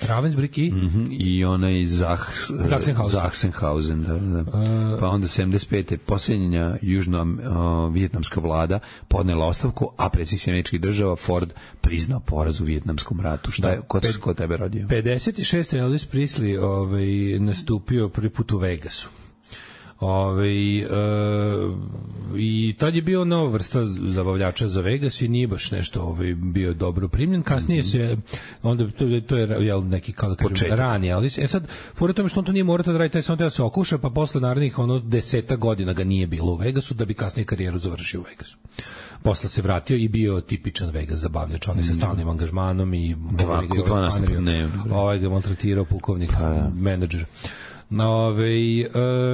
Ravensbrück i? Mm-hmm. I onaj Zach, Sachsenhausen. Sachsenhausen, da, da. Uh, pa onda sedamdeset pete posljednja južno-vijetnamska vlada podnela ostavku, a predsjednik američkih država Ford priznao poraz u Vijetnamskom ratu. Šta je, ko, pe, ko tebe rodio? pedeset šeste Elvis Presley ovaj, nastupio prvi put u Vegasu. Ove, e, i tad je bio nova vrsta zabavljača za Vegas i nije baš nešto ovaj, bio dobro primljen. Kasnije se, onda to, to je jel, neki kao da kažem ranije, ali e sad, fora tome što on to nije morao da radi, taj sam da se okuša, pa posle narednih ono deseta godina ga nije bilo u Vegasu da bi kasnije karijeru završio u Vegasu. Posle se vratio i bio tipičan Vegas zabavljač, on je sa stalnim angažmanom i dva, dva nastupa dnevno. Ovaj ga maltretirao pukovnik, pa, ja. menadžer. Ove,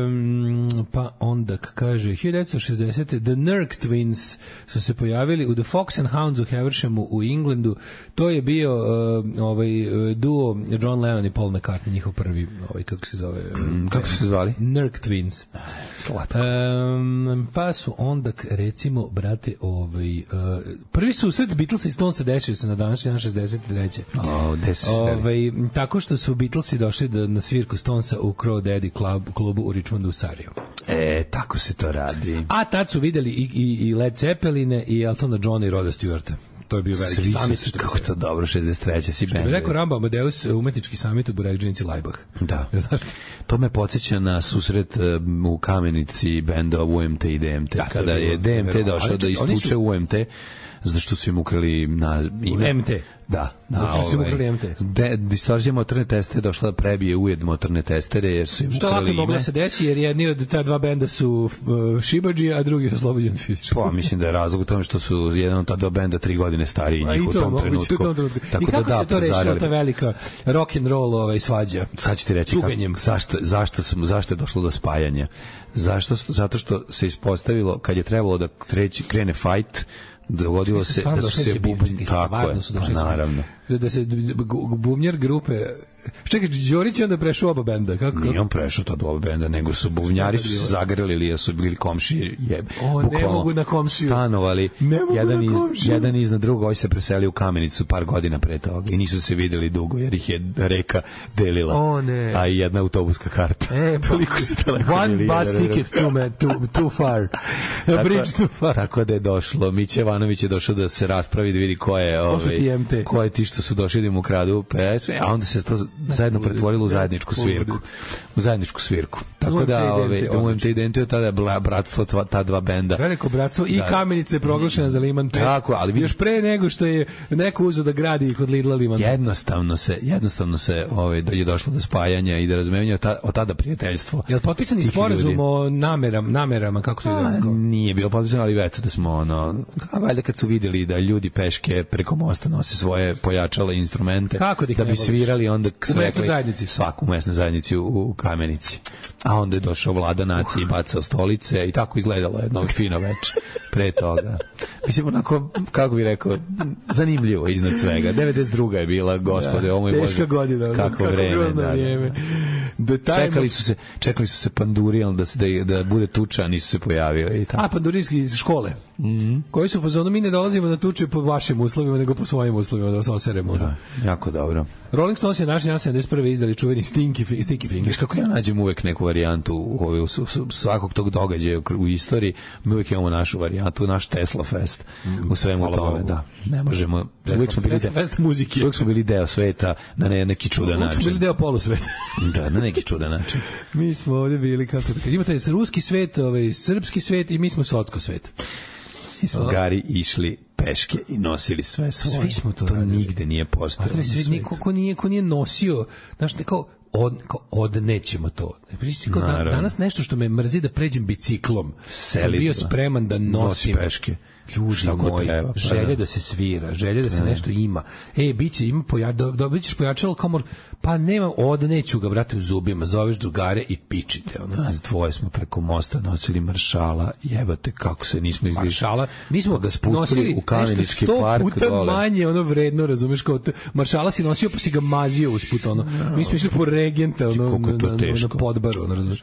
um, pa onda kaže hiljadu devetsto šezdesete The Nurk Twins su se pojavili u The Fox and Hounds u Havershemu u Englandu. To je bio uh, ovaj duo John Lennon i Paul McCartney, njihov prvi, ovaj kako se zove, mm, kako su se zvali? Nurk Twins. Slatko. Um, pa su onda recimo brate, ovaj uh, prvi susret Beatlesa i Stonesa desio se na današnji dan šezdeset treće. Oh, ovaj tako što su Beatlesi došli do, na svirku Stonesa u Crow Daddy Club, klubu u Richmondu u Sarajevu. E, tako se to radi. A tad su videli i, i, i Led Zeppeline i Eltona Johna i Roda Stewarta. To je bio veliki samit. Kako to dobro, šezdeset treće si bend. Što bi rekao Rambo Amadeus, umetnički samit u Burekdžinici Lajbah. Da. To me podsjeća na susret um, u Kamenici benda U M T i D M T. Da, kada je D M T došao da ispuče U M T, zato što su im ukrali na ime. M T. Da, da, znači su ukrali M T. De, distorzija motorne testere došla da prebije ujed motorne testere jer su im što ukrali ime. Što lako mogla se desi jer jedni od ta dva benda su uh, šibadži, a drugi su oslobođen fizički. Pa mislim da je razlog u tome što su jedan od ta dva benda tri godine stariji njih u tom moguće, trenutku. U tom trenutku. Tako I kako da, se to rešilo, ta velika rock and roll ovaj, svađa? Sad ću ti reći kako, zašto, zašto, sam, zašto je došlo do spajanja. Zašto? Zato što se ispostavilo kad je trebalo da treći, krene fight, dogodilo se da su se bubnji tako je, pa naravno da se bubnjar grupe Čekaj, Đorić je onda prešao oba benda. Kako? Nije on prešao to do oba benda, nego su buvnjari su se zagrlili, jer su bili komšije. Je, o, ne mogu na komšiju. Stanovali, jedan, iz, jedan iznad drugo, ovaj se preseli u Kamenicu par godina pre toga i nisu se videli dugo, jer ih je reka delila. O, ne. A i jedna autobuska karta. E, toliko su daleko. One bus ticket too, man, too, too far. A bridge too far. Tako da je došlo. Miće Jovanović je došao da se raspravi, da vidi ko je, ovaj, ko je ti što su došli da mu kradu pesme, a onda se to zajedno pretvorilo u zajedničku svirku. U zajedničku svirku. Tako da, ovaj, U M T Identity je tada bratstvo ta dva benda. Veliko bratstvo i Kamenica je proglašena za Liman pet. Tako, ali vidiš, još pre nego što je neko uzeo da gradi kod Lidla Liman. Jednostavno se, jednostavno se ovaj, je došlo do spajanja i da razumevanja od tada prijateljstvo. Je li potpisani sporazum o nameram, namerama, kako to ide? Nije bilo potpisano, ali eto da smo ono, a valjda kad su vidjeli da ljudi peške preko mosta nose svoje pojačale instrumente, da, da bi svirali, onda u mesnoj zajednici. Svaku u mesnoj zajednici u, u Kamenici. A onda je došao vlada nacije i bacao stolice i tako izgledalo jedno fino veče pre toga. Mislim, onako, kako bih rekao, zanimljivo iznad svega. devedeset druga je bila, gospode, ovo je teška godina, kako, kako vreme. Da, vrijeme. Da. Čekali su se, čekali su se panduri, da, se, da, da bude tuča, nisu se pojavili. I tako. A, pandurijski iz škole. Mm-hmm. Koji su u fazonu, mi ne dolazimo na tuče po vašim uslovima, nego po svojim uslovima, da se oseremo. Da, jako dobro. Rolling Stones je naš dan sedamdeset prve izdali čuveni Stinky, Stinky Fingers. Kako ja nađem uvek neku varijantu u, u, u svakog tog događaja u istoriji, mi uvek imamo našu varijantu, naš Tesla Fest u svemu tome. Da. Ne možemo, Tesla, uvek smo bili Tesla Fest muzike. Uvek smo bili deo sveta na ne, neki čudan način. Uvek smo bili deo polusveta. Da, na neki čudan način. Mi smo ovdje bili, kako da imate ruski svet, ovaj, srpski svet i mi smo socko svet. Mi smo gari išli peške i nosili sve svoje. Svi smo to, to radili. Nigde nije postojalo. Niko ko nije, ko nije nosio, znaš, kao, od, kao odnećemo to. Kao da, danas nešto što me mrzi da pređem biciklom. Selitno. Sam bio spreman da nosim. Nosi peške. Ljudi moji, treba, pa želje da. da se svira, želje da se ne. nešto ima. E, biće, ima poja, do, dobit ćeš pojačalo komor, pa nema, odneću ga, brate, u zubima, zoveš drugare i pičite. Ono. Nas dvoje smo preko mosta nosili maršala, jebate kako se nismo izgledali. Maršala, mi smo ga spustili u Kamenički park puta dole. Manje, ono vredno, razumeš, kao te, maršala si nosio pa si ga mazio usput, ono. No. Mi smo išli po Regenta, ono, na, na, na Podbaru, ono, razumeš.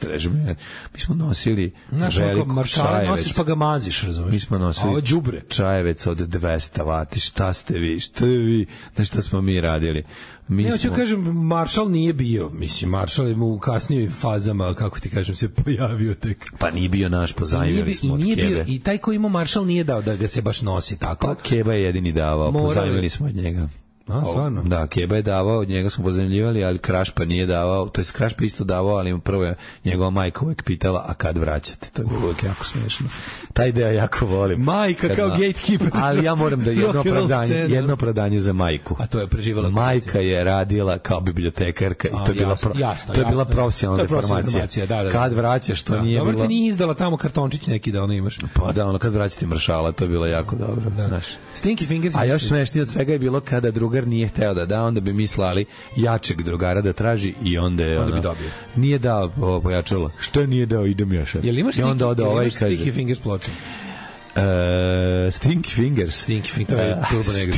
Mi smo nosili znaš, veliko maršala nosiš pa ga maziš, razumeš. Mi smo nosili đubre. Čajevec od dvesta vati, šta ste vi, šta vi, da šta smo mi radili. Mi ne, smo... hoću kažem, Maršal nije bio, mislim, Maršal je u kasnijim fazama, kako ti kažem, se pojavio tek. Pa nije bio naš, pozajmili smo od Kebe. Bio, i taj ko ima Maršal nije dao da ga se baš nosi tako. Pa Keba je jedini davao, pozajmili smo od njega. A, stvarno? Da, Keba je davao, od njega smo pozajmljivali, ali Krašpa nije davao, to jest Krašpa isto davao, ali prvo je njegova majka uvek pitala, a kad vraćate? To je bilo uvek jako smešno. Taj deo jako volim. Majka kao gatekeeper. Ali ja moram da jedno opravdanje, jedno opravdanje za majku. A to je preživala. Majka je radila kao bibliotekarka i to je bila pro, jasno, to je bila jasno, profesionalna deformacija. Da, da, da. Kad vraćaš, to da, nije bilo. Dobro, ti nije izdala tamo kartončić neki da ono imaš. Pa da, ono kad vraćate maršala, to je bilo jako dobro. Da. Znaš. Stinky Fingers. A još smešnije od svega je bilo kada drugar nije hteo da da, onda bi mi slali jačeg drugara da traži i onda je onda ono, bi dobio. Nije dao pojačalo. Što nije dao, idem ja sad. Jel imaš I onda ode ovaj kaže Stinky Fingers ploču? Uh, Stinky Fingers. Stinky Fingers, to je Turbo Negro.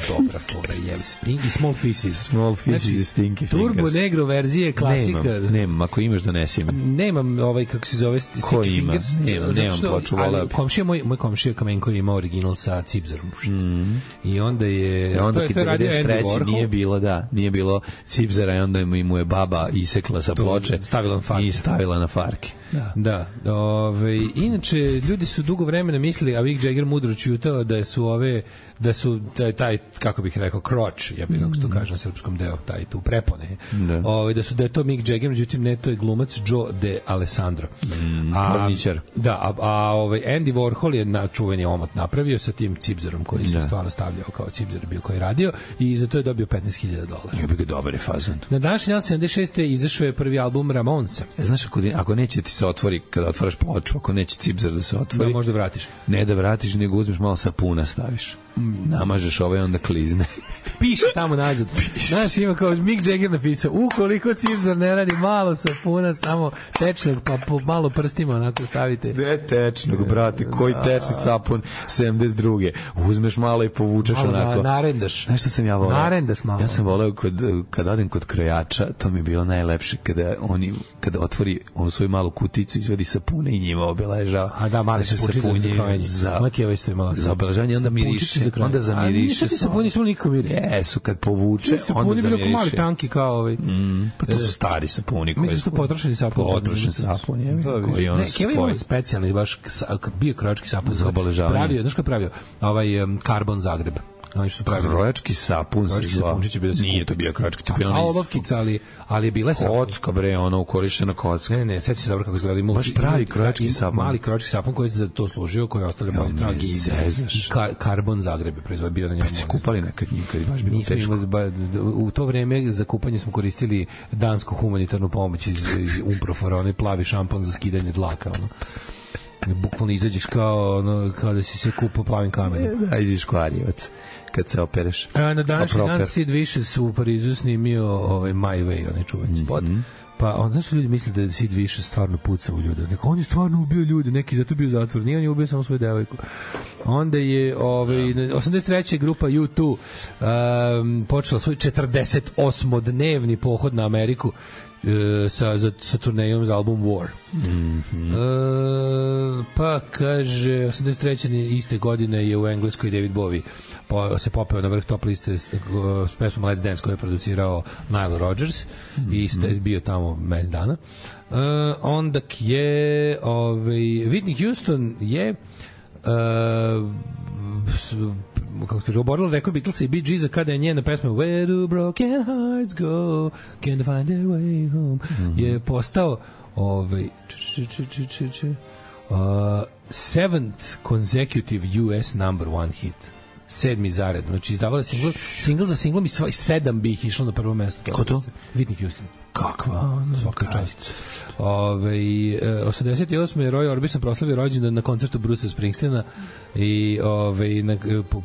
Dobra fora, jem. Stinky Small Faces. Small Faces znači, i Stinky Turbo Fingers. Turbo Negro verzije, klasika. Nemam, nemam, ako imaš donesi mi. Nemam ovaj, kako se zove, Stinky Ko ima? Fingers. Nemam, nemam ploču, volao. Komšija, moj, moj komšija Kamenko je imao original sa Cipzerom. Mm. I onda je... E onda to je, to je devedeset treće nije bilo, da, nije bilo Cipzera i onda mu je baba isekla sa ploče stavila na farke. I stavila na farke. Da. Da. Ove, inače, ljudi su dugo vremena mislili, a Mick Jagger mudro čutao da su ove, da su taj, taj kako bih rekao, kroč, ja bih kako se to kaže na srpskom deo, taj tu prepone. Da. Ove, da su da je to Mick Jagger, međutim ne, to je glumac Joe De Alessandro. Mm, a, da, a, a ovaj Andy Warhol je na čuveni omot napravio sa tim Cipzerom koji se stvarno stavljao kao Cipzer bio koji je radio i za to je dobio petnaest hiljada dolara. Ja bih ga dobar je fazon. Na današnji dan sedamdeset šeste izašao je prvi album Ramonsa. E, znaš, ako, ako neće ti se otvori, kada otvaraš ploču, ako neće Cipzer da se otvori, da možda vratiš. Ne da vratiš, nego uzmeš malo sapuna staviš. Mm. Namažeš ovaj, onda klizne. piše tamo nazad. Znaš, ima kao Mick Jagger napisao, ukoliko cipzar ne radi malo sapuna, samo tečnog, pa po malo prstima onako stavite. Ne tečnog, brate, koji tečni sapun sedamdeset druge Uzmeš malo i povučeš malo onako. Na, narendaš. Znaš što sam ja voleo? Narendaš malo. Ja sam voleo kod, kad odem kod krojača, to mi je bilo najlepše kada oni, kada otvori onu svoju malu kuticu, izvedi sapune i njima obeležava. A da, mali se sapunje za krojenje. Za, za obeležavanje, onda miriše. Onda zamiriše. A nisu ti sapuni, su nikako miriše. Jesu, kad povuče, onda zamiriše. Sapuni bilo mali tanki kao ovaj. Mm, pa to su stari sapuni. Mislim su potrošeni sapuni. Potrošeni sapuni, je. Koji ono spoji. Keva ima specijalni, baš bio krojački sapun. Za obeležavanje. Pravio, znaš ko je pravio? Ovaj um, Karbon Zagreb. Oni su pravili krojački sapun, se zvao. Nije to bio krojački, to je bio onaj. A olovkica, ali, ali je bila sapun. Kocka, bre, ono, ukorišena kocka. Ne, ne, ne, sjeća se dobro kako izgleda. Baš pravi krojački sapun. Mali krojački sapun koji se za to služio, koji je ostavlja bolje trag i kar, Karbon Zagreb je proizvod bio na njemu. Pa se kupali nekad njim, kad je baš bilo teško. U to vreme za kupanje smo koristili dansku humanitarnu pomoć iz, iz Umprofora, onaj plavi šampon za skidanje dlaka, ono. Bukvalno izađeš kao, ono, kao da si se kupao plavim kamenom. Da, izađeš kvarjevac kad se opereš. A, na današnji dan Sid Vicious u Parizu snimio ovaj My Way, onaj čuveni spot. Mm -hmm. Pa onda znaš ljudi misle da je Sid Vicious stvarno pucao u ljude. Dakle, on je stvarno ubio ljude, neki zato bio zatvor. Nije, on je ubio samo svoju devojku. Onda je ovaj, osamdeset treće grupa U dva um, počela svoj četrdeset osmodnevni pohod na Ameriku sa, za, sa turnejom za album War. Mm-hmm. E, pa kaže osamdeset treće iste godine je u Engleskoj David Bowie po, se popeo na vrh top liste s, s pesmom Let's Dance koju je producirao Nile Rodgers mm-hmm. i ste bio tamo mesec dana. E, onda je ovaj, Whitney Houston je uh, kako se kaže, oborila rekord Beatlesa i Bee Geesa kada je njena pesma Where do broken hearts go, can't find their way home, mm-hmm. je postao ovaj, č, č, č, č, č, uh, seventh consecutive U S number one hit. Sedmi zaredno. Znači, izdavala single, single za singlom i sva, sedam bi ih išlo na prvo mesto. Ko to? Whitney Houston. Kakva? Svaka čast. Ove, osamdeset osme je Roy Orbison proslavio rođendan na koncertu Brucea Springsteena i ove, na,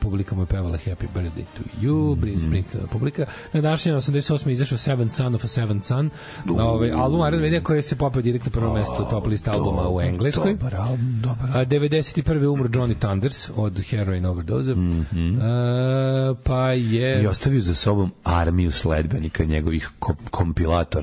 publika mu je pevala Happy Birthday to You, mm -hmm. Springsteen publika. Na današnjem osamdeset osme je izašao Seventh Son of a Seventh Son, ove, album Iron Maiden koji se popeo direktno prvo mesto top list albuma u Engleskoj. Dobar album, dobar. A devedeset prve umro Johnny Thunders od heroin overdose. Mm -hmm. A, pa je... I ostavio za sobom armiju sledbenika njegovih kompilatora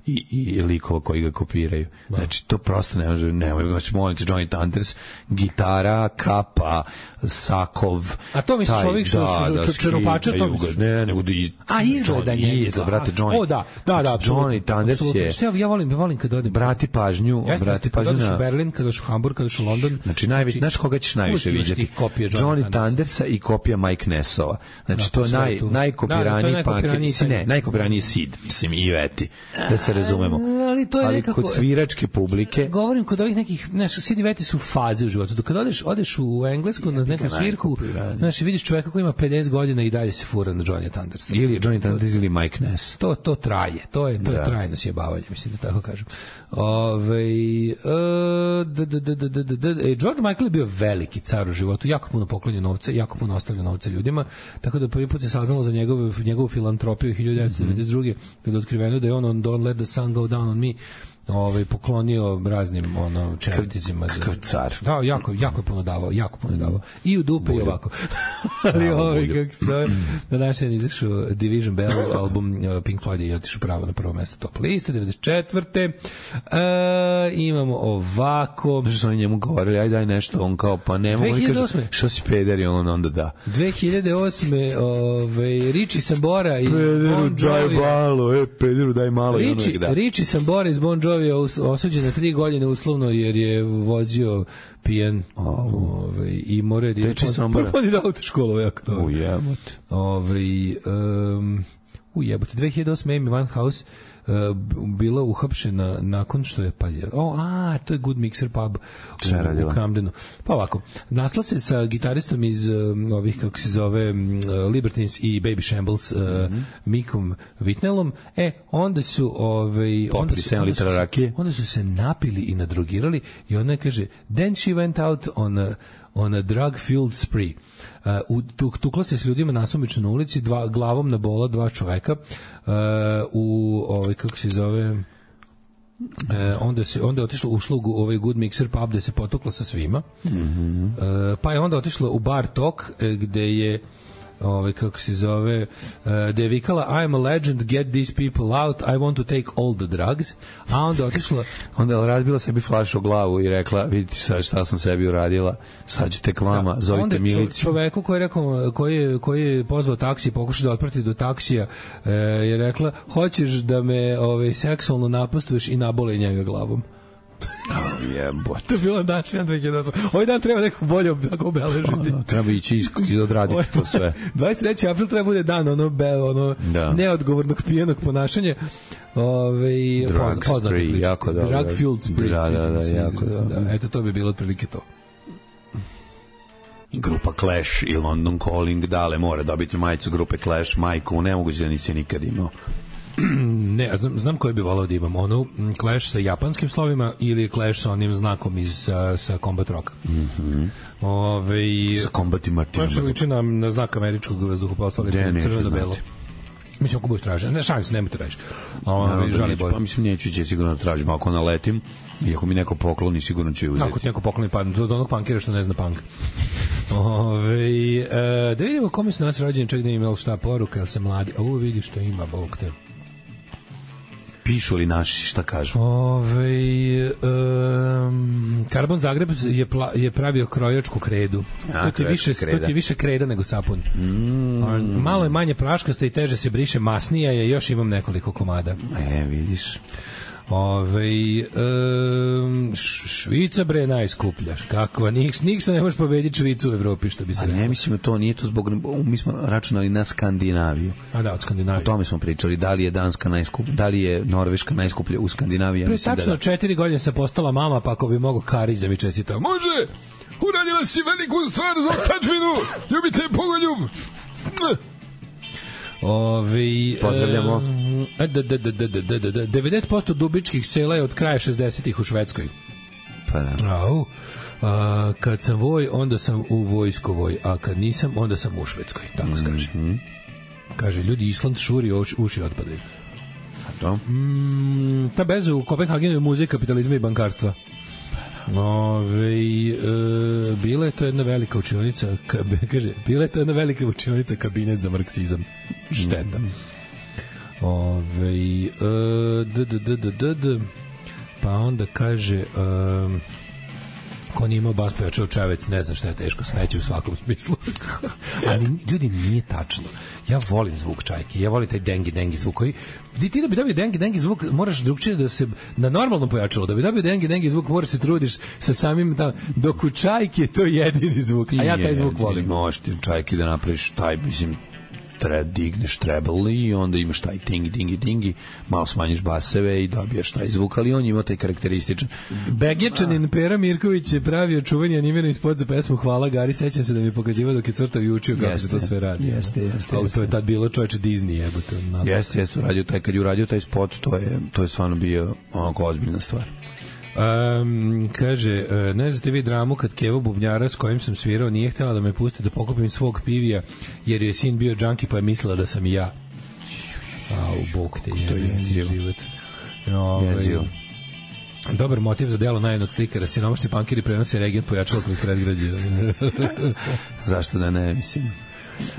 i, i likova koji ga kopiraju. Da. Znači, to prosto ne može, ne može, znači, molim te, Johnny Thunders, gitara, kapa, sakov. A to misliš ovih što da, su čeropača? Ne, nego da iz... A, izgleda njega. Izgleda, brate, Johnny. O, da, da, da. Johnny Thunders je... Što ja, ja volim, ja volim kad odem. Brati pažnju, Jeste, brati pažnju na... Kad odeš u Berlin, kad odeš u Hamburg, kad odeš u London. Znači, najveći, znaš koga ćeš najviše vidjeti? Johnny Thundersa i kopija Mike Nessova. Znači, to je naj, najkopiraniji punk. Ne, najkopiraniji Sid, mislim, i Veti. Da se razumemo. Ali to je ali nekako... kod sviračke publike... Govorim kod ovih nekih... Znaš, Sid i Veti su faze u životu. Dok kad odeš, odeš u Englesku na neku svirku, znaš, vidiš čoveka koji ima pedeset godina i dalje se fura na Johnny Thundersa. Ili Johnny Thunders ili Mike Ness. To, to traje. To je, to je trajno sjebavanje, mislim da tako kažem. Ove, uh, d, d, d, d, d, d, d, e, George Michael je bio veliki car u životu. Jako puno poklonio novca, jako puno ostavlja novca ljudima. Tako da prvi put se saznalo za njegovu, njegovu filantropiju hiljadu devetsto devedeset druge. Kada je otkriveno da je on on Don't Let the Sun Go Down on Me ovaj poklonio raznim ono čeriticima. Kakav car. Da, jako, jako je puno davao, jako puno davao. I u dupe i ovako. Ali ovaj kako se na našem izašao Division Bell album Pink Floyd je otišao pravo na prvo mesto top liste devedeset četvrte E, imamo ovako. Što su oni njemu govorili, aj daj nešto, on kao pa ne mogu da kaže što si peder i on onda da. dve hiljade osme ovaj Richie Sambora i Pederu daj malo, e pederu daj malo i Richie, da. Richie Sambora iz Bon Jovi je osuđen na tri godine uslovno jer je vozio pijen ovaj i more da je propadi da autoškolu jako to. U jebote. Ovaj um, u jebote dve hiljade osme Amy Winehouse Uh, bila uhapšena nakon što je pa je, o, a, to je Good Mixer pub u, u Camdenu. Pa ovako, nasla se sa gitaristom iz um, ovih, kako se zove, um, Libertines i Baby Shambles, uh, mm-hmm. Mikom Whitnellom. E, onda su ovaj, onda su, onda, su, onda su se napili i nadrogirali i ona kaže, then she went out on a on a drug-fueled spree. Uh, u, tukla se s ljudima nasumično na ulici, dva, glavom na bola dva čoveka. Uh, u, ovaj, kako se zove... E, onda se onda je otišlo ušlo u ovaj Good Mixer pub gde se potukla sa svima. Mm-hmm. E, pa je onda otišlo u Bar Talk gde je ovaj kako se zove uh, da je vikala I'm a legend, get these people out, I want to take all the drugs, a onda otišla onda je razbila sebi flašu u glavu i rekla vidite sad šta sam sebi uradila, sad ću tek vama, da, zovite miliciju. Čoveku koji je rekao, koji je, koji je pozvao taksi, pokušao da otprati do taksija, e, je rekla hoćeš da me ovaj, seksualno napastuješ i naboli njega glavom. Oh, jebote. To je bilo današnja dve hiljade osam. Ovaj dan treba neko bolje tako obeležiti. Oh, no, treba ići i odraditi to sve. dvadeset treći april treba bude dan ono, be, ono da. neodgovornog pijenog ponašanja. Ove, drug spree, jako dobro. Drug fueled spree. Da, da, da, jako dobro. Da, eto, to bi bilo otprilike to. Grupa Clash i London Calling, dale mora dobiti majicu grupe Clash, majku, nemoguće da nisi nikad imao. Ne, znam, znam koji bi volao da imam onu Clash sa japanskim slovima ili Clash sa onim znakom iz sa, sa Combat Rocka. Mhm. Ove, sa Combat i Martina. Clash liči na, na znak američkog vazduhoplovstva, crveno belo. Mislim, ako budeš tražen, ne šanse, nemoj te tražiš. Pa mislim, neću će sigurno tražim, ako naletim i ako mi neko pokloni, sigurno ću uzeti. Ako ti neko pokloni, pa do onog punkira što ne zna punk. Ove, e, da vidimo kome su nas rođeni, čak da im imali šta poruka, jel se mladi, a ovo vidi što ima, Bog te. Pišu li naši, šta kažu? Ove, um, Karbon Zagreb je, pla, je pravio krojačku kredu. A, to, ti više, kreda. to ti više kreda nego sapun. Mm. Malo je manje praškasto i teže se briše, masnija je, još imam nekoliko komada. E, vidiš. Ove, um, Švica bre najskuplja. Kakva, nikšto ne možeš pobediti Švicu u Evropi, što bi se rekao. A ne mislim to, nije to zbog, mi smo računali na Skandinaviju. A da, od Skandinavije. O tome smo pričali, da li je Danska najskuplja, da li je Norveška najskuplja u Skandinaviji. Pre tačno da četiri godine sam postala mama, pa ako bi mogo Karić da mi čestitao. Može! Uradila si veliku stvar za otačbinu! Ljubite pogoljub! Ovi, pozdravljamo. E, da, da, da, da, da, da, da, devedeset posto dubičkih sela je od kraja šezdesetih u Švedskoj. Pa da. Au, a, kad sam voj, onda sam u vojskovoj, a kad nisam, onda sam u Švedskoj. Tako se kaže. Mm-hmm. Kaže, ljudi, Island šuri, uši, uši otpadaju. A to? Mm, ta bezu u Kopenhagenu je muzej kapitalizma i bankarstva. Ove, e, bila je to jedna velika učionica, kaže, bila je to jedna velika učionica kabinet za marksizam. Šteta. Ove, e, d, d, d, d, d, d, pa onda kaže, e, ko nije imao bas pojačao čavec, ne znam šta je teško, smeće u svakom smislu. Ali, ljudi, nije tačno. Ja volim zvuk čajke, ja volim taj dengi dengi zvuk koji ti, ti da bi dobio dengi dengi zvuk moraš drugčije da se na normalnom pojačalo, da bi dobio dengi dengi zvuk moraš se trudiš sa samim da, dok u čajki je to jedini zvuk, a ja taj zvuk volim. Možeš ti čajki da napraviš taj, mislim, tre, digneš treble i onda imaš taj tingi, dingi, dingi, malo smanjiš baseve i dobiješ taj zvuk, ali on ima taj karakterističan. Begečanin Pera Mirković je pravio čuveni animirani spot za pesmu Hvala Gari, sećam se da mi je pokazivao dok je crtao i učio kako se to sve radi. Jeste, jeste. A to je tad bilo čoveče Disney, jebote. Jeste, jeste, uradio taj, kad je uradio taj spot, to je, to je stvarno bio onako ozbiljna stvar. Um, kaže, ne znate vi dramu kad Kevo bubnjara s kojim sam svirao nije htjela da me pusti da pokupim svog pivija jer je sin bio džanki pa je mislila da sam i ja. Au, bog te je, to je život. No, jezivo. Dobar motiv za delo najjednog slikara, siromašni pankiri prenose regent pojačalo kroz predgrađe. Zašto da ne, mislim.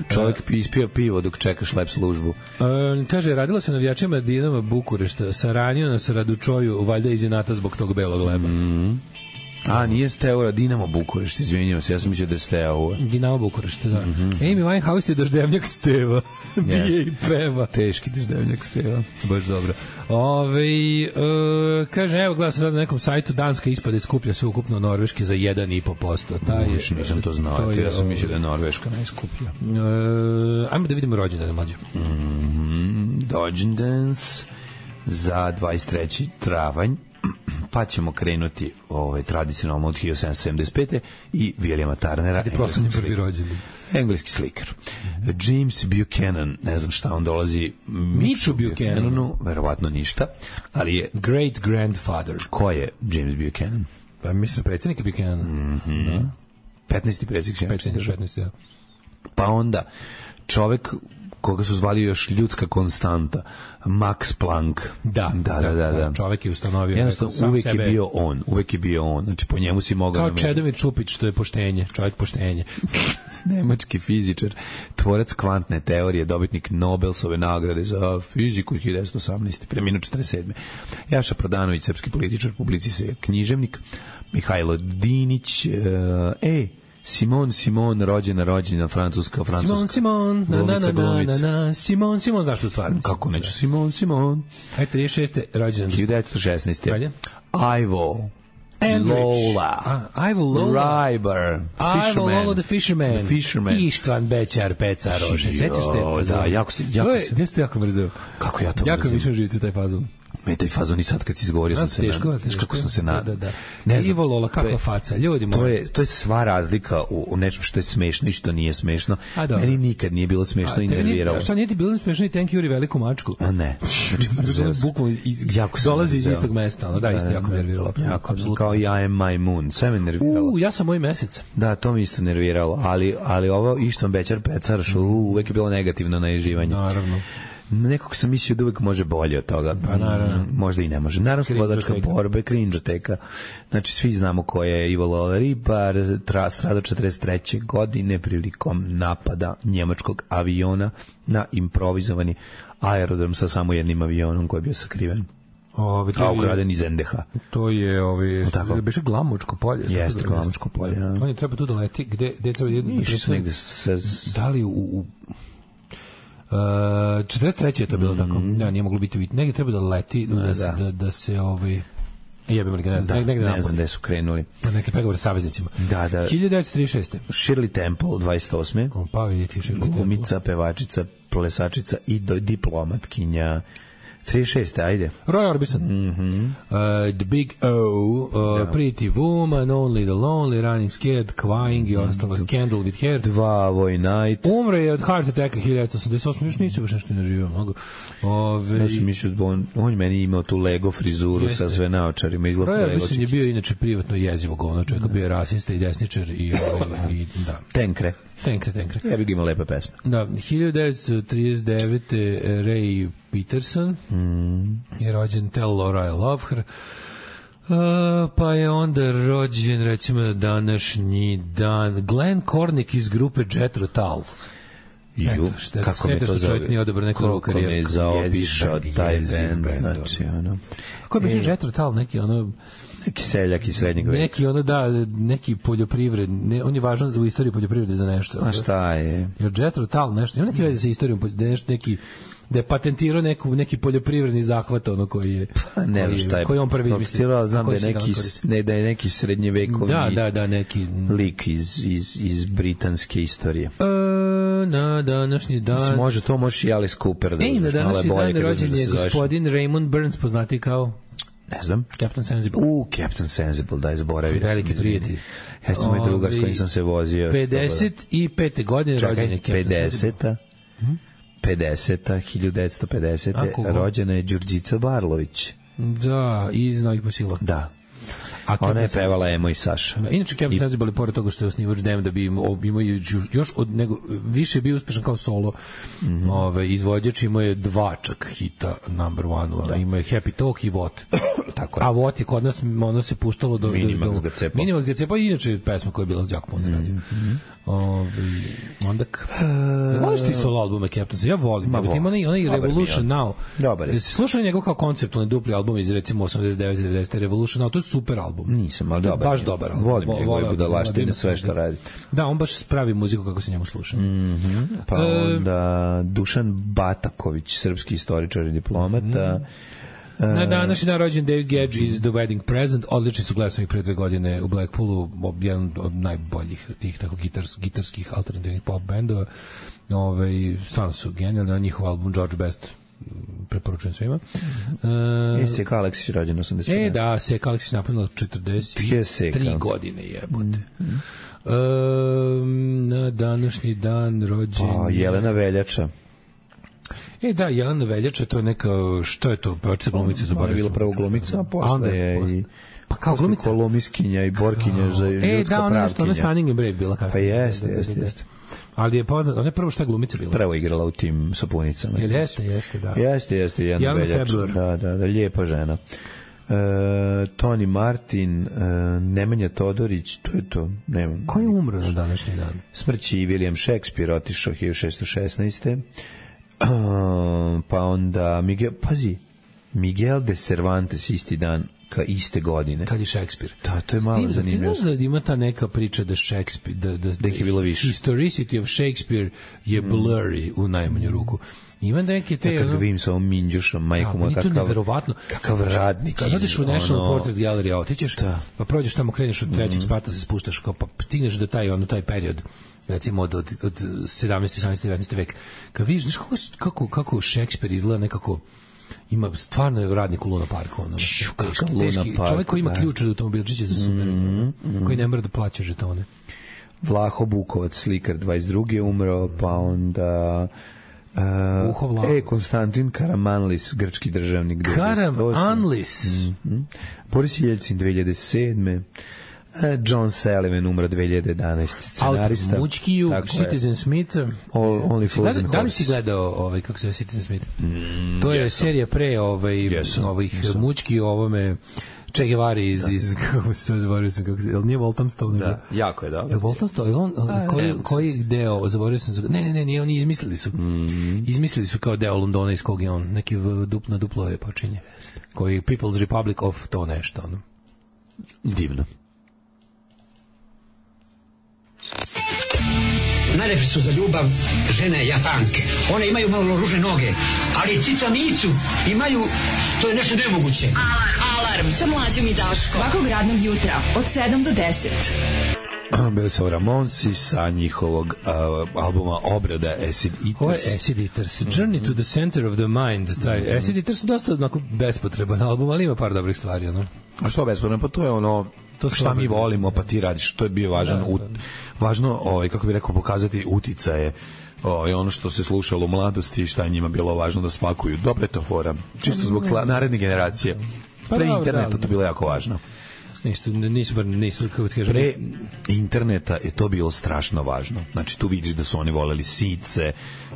Čovjek ispija pivo dok čekaš lep službu. E, kaže, radilo se navijačima Dinama Bukurešta, saranio nas Radučoju, valjda iz inata zbog tog belog leba. Mm-hmm. A, nije Steaua, Dinamo Bukurešt, izvinjavam se, ja sam mislio da je Steaua. Dinamo Bukurešt, da. Mm-hmm. Amy Winehouse je daždevnjak Steva. Bije i peva. Teški daždevnjak Steva. Baš dobro. Ove, e, kaže, evo, gledam se sad na nekom sajtu, Danska ispade skuplja sve ukupno Norveške za jedan i po posto. Uš, nisam to znao, to je, ja sam mislio da je Norveška najskuplja. E, ajmo da vidimo rođendane mlađe. Mm, Rođendans za dvadeset treći travanj. Pa ćemo krenuti ovaj, tradicionalno od hiljadu sedamsto sedamdeset pete i Williama Turnera. Gde proslavni prvi rođendan. Engleski slikar. James Buchanan, ne znam šta on dolazi. Mitchu Buchananu, verovatno ništa, ali je great grandfather. Ko je James Buchanan? Pa mislim predsjednik Buchanan. Mm-hmm. Da. petnaesti predsjednik Sjemičke države. petnaesti, da. Pa onda, čovek koga su zvali još ljudska konstanta, Max Planck. Da, da, da, da, da. Čovek je ustanovio. Jednostavno, uvek sebe... je bio on, uvek je bio on. Znači, po njemu si mogao... Kao namešati. Čedomir Čupić, što je poštenje, čovjek poštenje. Nemački fizičar, tvorac kvantne teorije, dobitnik Nobelsove nagrade za fiziku hiljadu devetsto osamnaeste. Preminuo četrdeset sedme. Jaša Prodanović, srpski političar, publicist, književnik. Mihajlo Dinić, e, Simon Simon, rođena, rođena, francuska, francuska. Simon Simon, na na na na na, Simon Simon, znaš tu stvar? Kako neću, Simon Simon. Ajde, trideset šeste rođena. hiljadu devetsto šesnaeste. Dalje. Ivo. Andrich. Lola. A, Ivo Lola. Riber. Ivo Lola the Fisherman. The Fisherman. Ištvan Bećar, Peca, Rože. Sećaš te? Da, jako se... Jako je, gde ste jako mrzeo? Kako ja to jako mrzim? Jako više živci taj fazon. Me taj fazon i sad kad si izgovorio sam se... Teško, na, teško, kako sam se na... Da, da, da. Ivo Lola, kakva faca, ljudi moji. To je, to je sva razlika u, u nečem što je smešno i što nije smešno. Meni nikad nije bilo smešno a, i nerviralo. Šta nije ti bilo smešno i Thank you veliku mačku? A ne. Znači, bukvalno dolazi iz istog mesta, no da, isto jako nerviralo. Jako, kao I am my moon, sve me nerviralo. U, ja sam moj mesec. Da, to mi isto nerviralo, ali, ali ovo Ištvan Bećar Pecar, što uvek je bilo negativno na ježivanje. Naravno. Nekog sam mislio da uvek može bolje od toga. Pa naravno. Možda i ne može. Naravno, slobodačka borba, Krinđoteka. Znači, svi znamo ko je Ivo Lola Ribar, stradao četrdeset treće godine prilikom napada njemačkog aviona na improvizovani aerodrom sa samo jednim avionom koji je bio sakriven. Ove, a ukraden iz en de ha. To je ovi, biše Glamočko polje. Jeste, Glamočko polje. Ja. On je treba tu da leti, gde, gde treba jedno... Išli negde se... Da li u... u Uh, četrdeset treće je to bilo mm-hmm. tako. Ja, nije moglo biti vidjeti. Negdje treba da leti, da, da, se, da, da se ovaj... Jebim li ga, ne znam. Da, ne znam gde su krenuli. Neke pregovore sa saveznicima. Da, da. hiljadu devetsto trideset šeste. Shirley Temple, dvadeset osme. O, pa vidjeti Shirley Temple. Glumica, pevačica, plesačica i do, diplomatkinja. trideset šeste ajde. Roy Orbison. Mm-hmm. Uh, the Big O, uh, yeah. Pretty Woman, Only the Lonely, Running Scared, Crying i ostalo, Candle with Hair. Dva Voy Night. Umre je od heart attacka hiljadu devetsto osamdeset osme. Još nisu baš nešto ne živio mnogo. Ove... Ja sam mislio, on, on meni imao tu Lego frizuru Jeste. Sa sve naočarima. Roy Orbison je bio inače privatno jezivo govno čovjeka, bio je rasista i desničar i, i, i da. Tenkre. Tenkre, tenkre. Ja bih imao lepe pesme. Da, hiljadu devetsto trideset devete. Ray Peterson mm. je rođen Tell Laura I Love Her. Uh, pa je onda rođen, recimo, današnji dan Glenn Cornick iz grupe Jethro Tull. Ju, Eto, šta, kako me to zove, koliko me je zaobišao taj band, znači, ono. Kako je biš Jethro Tull, neki, ono, neki seljak iz srednjeg veka. Neki, ono, da, neki poljoprivred, ne, on je važan u istoriji poljoprivrede za nešto. A šta je? Jer Jethro Tull, nešto, ima neki veze sa istorijom, nešto, neki, da je patentirao neku, neki poljoprivredni zahvat, ono koji je... Pa ne znam šta je. Koji on prvi izmislio. Znam da je, neki, ne, da je neki srednjevekovni da, da, da, neki... lik iz, iz, iz britanske istorije. E, na današnji dan... Mislim, može, to možeš i Alice Cooper da uzmeš, malo bolje. Na današnji dan rođen je gospodin Raymond Burns, poznati kao... Ne znam. Captain Sensible. U, Captain Sensible, da je zaboravio. Veliki prijatelj. Jeste moj drugar s kojim sam se vozio. pedeset pete godine rođen je Captain pedeseta pedeseta hiljadu devetsto pedesete rođena je Đurđica Barlović. Da, iz Novih Posila. Da. A ona je pevala Emo i Saša. Da, inače Captain Sensible, pored toga što je osnivač Dem, da bi imao još od nego, više bio uspešan kao solo mm-hmm. ove, izvođač, imao je dva čak hita number one, da. Imao je Happy Talk i Vot. Tako je. A Vot je kod nas, ono se puštalo do... Minimax ga cepa. Minimax ga cepa, inače pesma koja je bila jako puno radi. Mm-hmm. Ove, onda... Uh, voliš ti solo albume Captain Sensible? Ja volim. Ma volim. Ima onaj, onaj Revolution Now. Dobar je. Slušao njegov kao konceptualni dupli album iz recimo osamdeset devet devedeset Revolution Now, to je super album. Nisam, ali dobar. Baš dobar. Volim njegove budalaštine, sve što radi. Da, on baš pravi muziku kako se njemu sluša. Mm-hmm. Pa onda Dušan Bataković, srpski istoričar i diplomata. Mm. Na današnji dan rođen David Gedge iz The Wedding Present, odlični su, gledao sam ih pre dve godine u Blackpoolu, jedan od najboljih tih tako gitars, gitarskih alternativnih pop bendova. Ove, stvarno su genijalni, na njihov album George Best preporučujem svima. Uh, e, Seka Aleksić rođen osamdeset. E, da, Seka Aleksić napunila četrdeset tri godine, jebote. Mm. Uh, na današnji dan rođen... Pa, Jelena Veljača. E, da, Jelena Veljača, to je neka, što je to, pevačica glumica, zaboravio. Ona je bila prvo glumica, a posle je i Pa kao glumica Kolomiskinja i Borkinja za ljudska pravkinja. E, da, ona nešto, ona Stunning and Brave bila kasnije. Pa jeste, jeste, jeste. Ali je poznat, ona je prvo šta glumica bila. Prvo igrala u tim sapunicama. Jel jeste, jeste, da. Jeste, jeste, jedna veljača. Da, da, da, lijepa žena. E, Toni Martin, e, Nemanja Todorić, to je to, nemam. Ko je umro na današnji dan? Smrći William Shakespeare, otišao hiljadu šessto šesnaeste. E, pa onda Miguel, pazi, Miguel de Cervantes isti dan ka iste godine. Kad je Shakespeare. Da, to je malo Steve, zanimljivo. Ti znaš da ima ta neka priča da Shakespeare, da, da, da ih je bilo više. Historicity of Shakespeare je blurry mm. u najmanju ruku. Ima neke te... Ja kad ga vidim sa ovom minđušom, majkom, ja, kakav, kakav radnik. Kad odeš u National ono... Portrait Gallery, otićeš, da. Pa prođeš tamo, kreneš od trećeg mm. sprata, se spuštaš, kao, pa stigneš do taj, ono, taj period, recimo od, od, od sedamnaesti, osamnaesti, devetnaesti vek. Kad vidiš, znaš kako, kako, kako Shakespeare izgleda nekako, ima stvarno je radnik u Luna Parku, ono. Teški, teški, čovjek koji ima ključ od automobilčića za sutra, mm, mm. koji ne mora da plaća žetone. Vlaho Bukovac, slikar, dvadeset drugi umro, pa onda... Uh, e, Konstantin Karamanlis, grčki državnik. Karamanlis. Mm-hmm. Boris Jelcin, dve hiljade sedme. John Sullivan umro dve hiljade jedanaeste. Scenarista. Mučkiju, Citizen Smith. All, only Frozen Horses. Da li si gledao ovaj, kako se zove Citizen Smith? Mm, to je yes, serija pre ovaj, yes, ovih yes. Mučkiju, ovome Che Guevara iz, da. iz kako se zaboravio sam, kako se, jel nije Walthamstow? Da, jako je dobro. Jel Walthamstow, jel on, A, koji, koji deo, zaboravio sam, ne, ne, ne, ne, oni izmislili su, mm. izmislili su kao deo Londona iz kog je on, neki dup, na duplo je počinje, koji People's Republic of to nešto, ono. Divno. Najlepše su za ljubav žene Japanke. One imaju malo ružne noge, ali cica micu imaju, to je nešto nemoguće. Alarm, alarm sa mlađom i Daškom. Svakog radnog jutra od sedam do deset. Bili su Ramonsi sa njihovog uh, albuma Obrada Acid Eaters. Ovo je Acid Eaters. Journey to the Center of the Mind. Taj mm-hmm. Acid Eaters je dosta onako bespotreban album, ali ima par dobrih stvari. Ono. A što bespotreban? Pa to je ono... To šta mi volimo, pa ti radiš, to je bio važan, da, da, da. važno, ovaj, kako bih rekao, pokazati uticaje, ovaj, ono što se slušalo u mladosti i šta je njima bilo važno da spakuju. Dobro je to fora, čisto zbog sla, naredne generacije. Pre interneta to bilo jako važno. Nisu, nisu, nisu, kako ti kažem, pre interneta je to bilo strašno važno. Znači, tu vidiš da su oni voleli sice,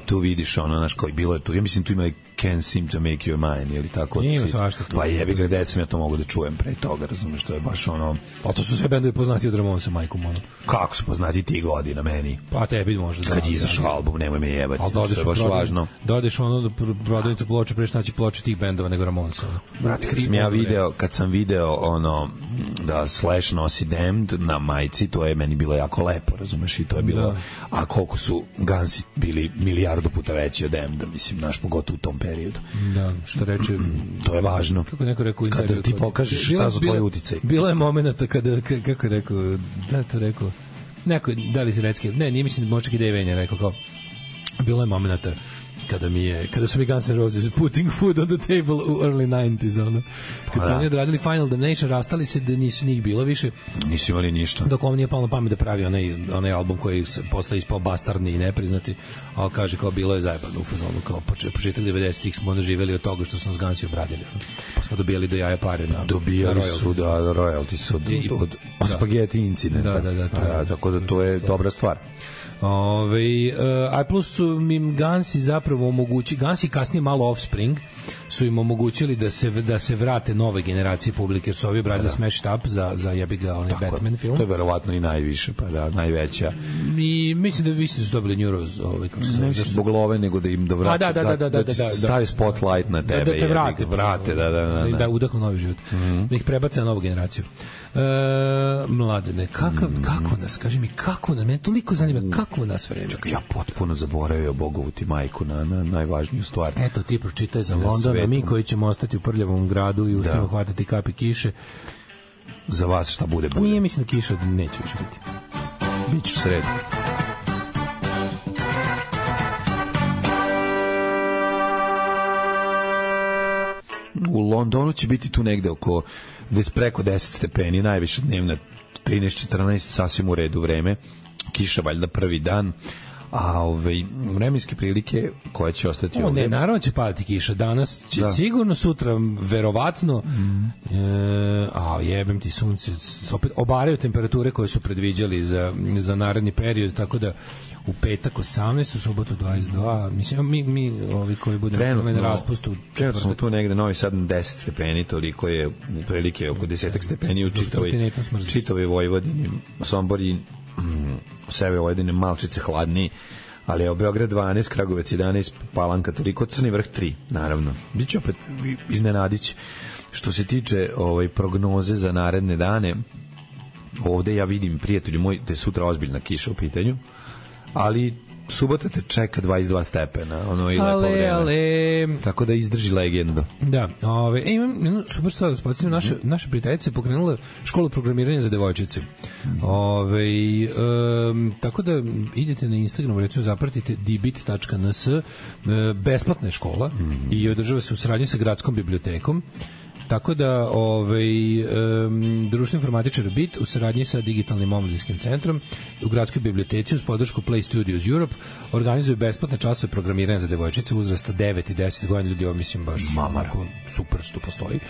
tu vidiš ono, znaš, koji bilo je tu, ja mislim tu ima Can't Seem to Make Your Mind, ili tako. Nije svašta tu. Pa jebi ga, gde sam ja to mogu da čujem pre toga, razumiješ, to je baš ono... Pa to su sve bendovi poznati od Ramonsa, majkom, ono. Kako su poznati ti godina meni? Pa tebi možda da. Kad je izašao album, nemoj me jebati, što je baš prodaj, važno. Dodeš ono prodavnicu ploče, preš naći ploče tih bendova nego Ramonsa. Brate, kad sam ja video, kad sam video ono, da Slash nosi Damned na majici, to je meni bilo jako lepo, razumeš, i to je bilo... Da. A koliko su Gansi bili milijardu puta veći od Damneda, mislim, naš pogotovo u tom periodu. Da, što reče, to je važno. Kako neko rekao, kada ti pokažeš šta su tvoji uticaj. Bilo je momenata kada, kako je rekao, da to rekao, neko, da li si recki, ne, nije mislim, možda kada je Venja rekao, kao, bilo je momenata kada mi je, kada su mi Guns N' Roses putting food on the table u early nineties, ono. Kad su oni odradili Final Damnation, rastali se da nisu njih bilo više. Nisu imali ništa. Dok on nije palo na pamet da pravi onaj, onaj album koji posle ispao bastardni i nepriznati, a kaže kao bilo je zajebano u fazonu, kao početak devedesetih smo onda živeli od toga što smo s Gansi obradili. Pa smo dobijali do jaja pare na... Dobijali su da royalty su od, od, od, od spaghetti incidenta. Da, da, da. To je, tako da to je dobra stvar. Ove, uh, a plus su im Gansi zapravo omogući, Gansi kasnije malo Offspring su im omogućili da se, da se vrate nove generacije publike, jer su ovi obradili da. Smashed Up za, za jebi ga onaj tako, Batman film. To je verovatno i najviše, pa da, najveća. I mislim da vi su dobili Neuros, ovaj, kako se ne zbog love, nego da im da vrate, da, da, da, da, da, da, da, stavi spotlight na tebe. Da, da te vrate. Da, vrate, da, da, da, da. Da udahnu novi život. Mm-hmm. Da ih prebace na novu generaciju. E, mladene, kakav, mm. kako nas, kaži mi, kako nas, mene toliko zanima, kako nas vreme. Čak, ja potpuno zaboravio Bogovu ti majku na, na najvažniju stvar. Eto, ti pročitaj za London, a mi koji ćemo ostati u prljavom gradu i uspijemo hvatati kapi kiše. Za vas šta bude, bude. Nije, mislim da kiša neće više biti. Biću sredu. U Londonu će biti tu negde oko preko deset stepeni, najviše dnevna trinaest četrnaest, sasvim u redu vreme. Kiša valjda prvi dan, a ove vremenske prilike koje će ostati o, ovdje. Ne, naravno će padati kiša. Danas će da. Sigurno, sutra verovatno. Mm. E, a jebem ti sunce. Opet obaraju temperature koje su predviđali za, za naredni period, tako da u petak osamnaest, u subotu dvadeset dva. Mislim, mi, mi ovi koji budemo na raspustu. Trenutno smo tu negde, Novi Sad deset stepeni, toliko je u prilike oko desetak stepeni u čitavoj, čitavoj Vojvodini, Somborji, u sebe Vojvodine malčice hladniji, ali je u Beograd dvanaest, Kragujevac jedanaest, Palanka toliko, Crni Vrh tri, naravno. Biće opet iznenadić. Što se tiče ovaj, prognoze za naredne dane, ovde ja vidim, prijatelji moji, da je sutra ozbiljna kiša u pitanju, ali subota te čeka dvadeset dva stepena, ono i lepo vreme. Ale... Tako da izdrži legendu. Da, ove, e, imam jednu super stvar, da spomenem, naša, naša prijateljica je pokrenula školu programiranja za devojčice. Ove, um, tako da idete na Instagramu, recimo zapratite dibit tačka n s, besplatna je škola mm-hmm. i održava se u saradnji sa gradskom bibliotekom. Tako da ovaj um, društveni informatičar Bit u saradnji sa digitalnim omladinskim centrom u gradskoj biblioteci uz podršku Play Studios Europe organizuju besplatne časove programiranja za devojčice uzrasta devet i deset godina. Ljudi, ovo mislim baš mamako super što postoji.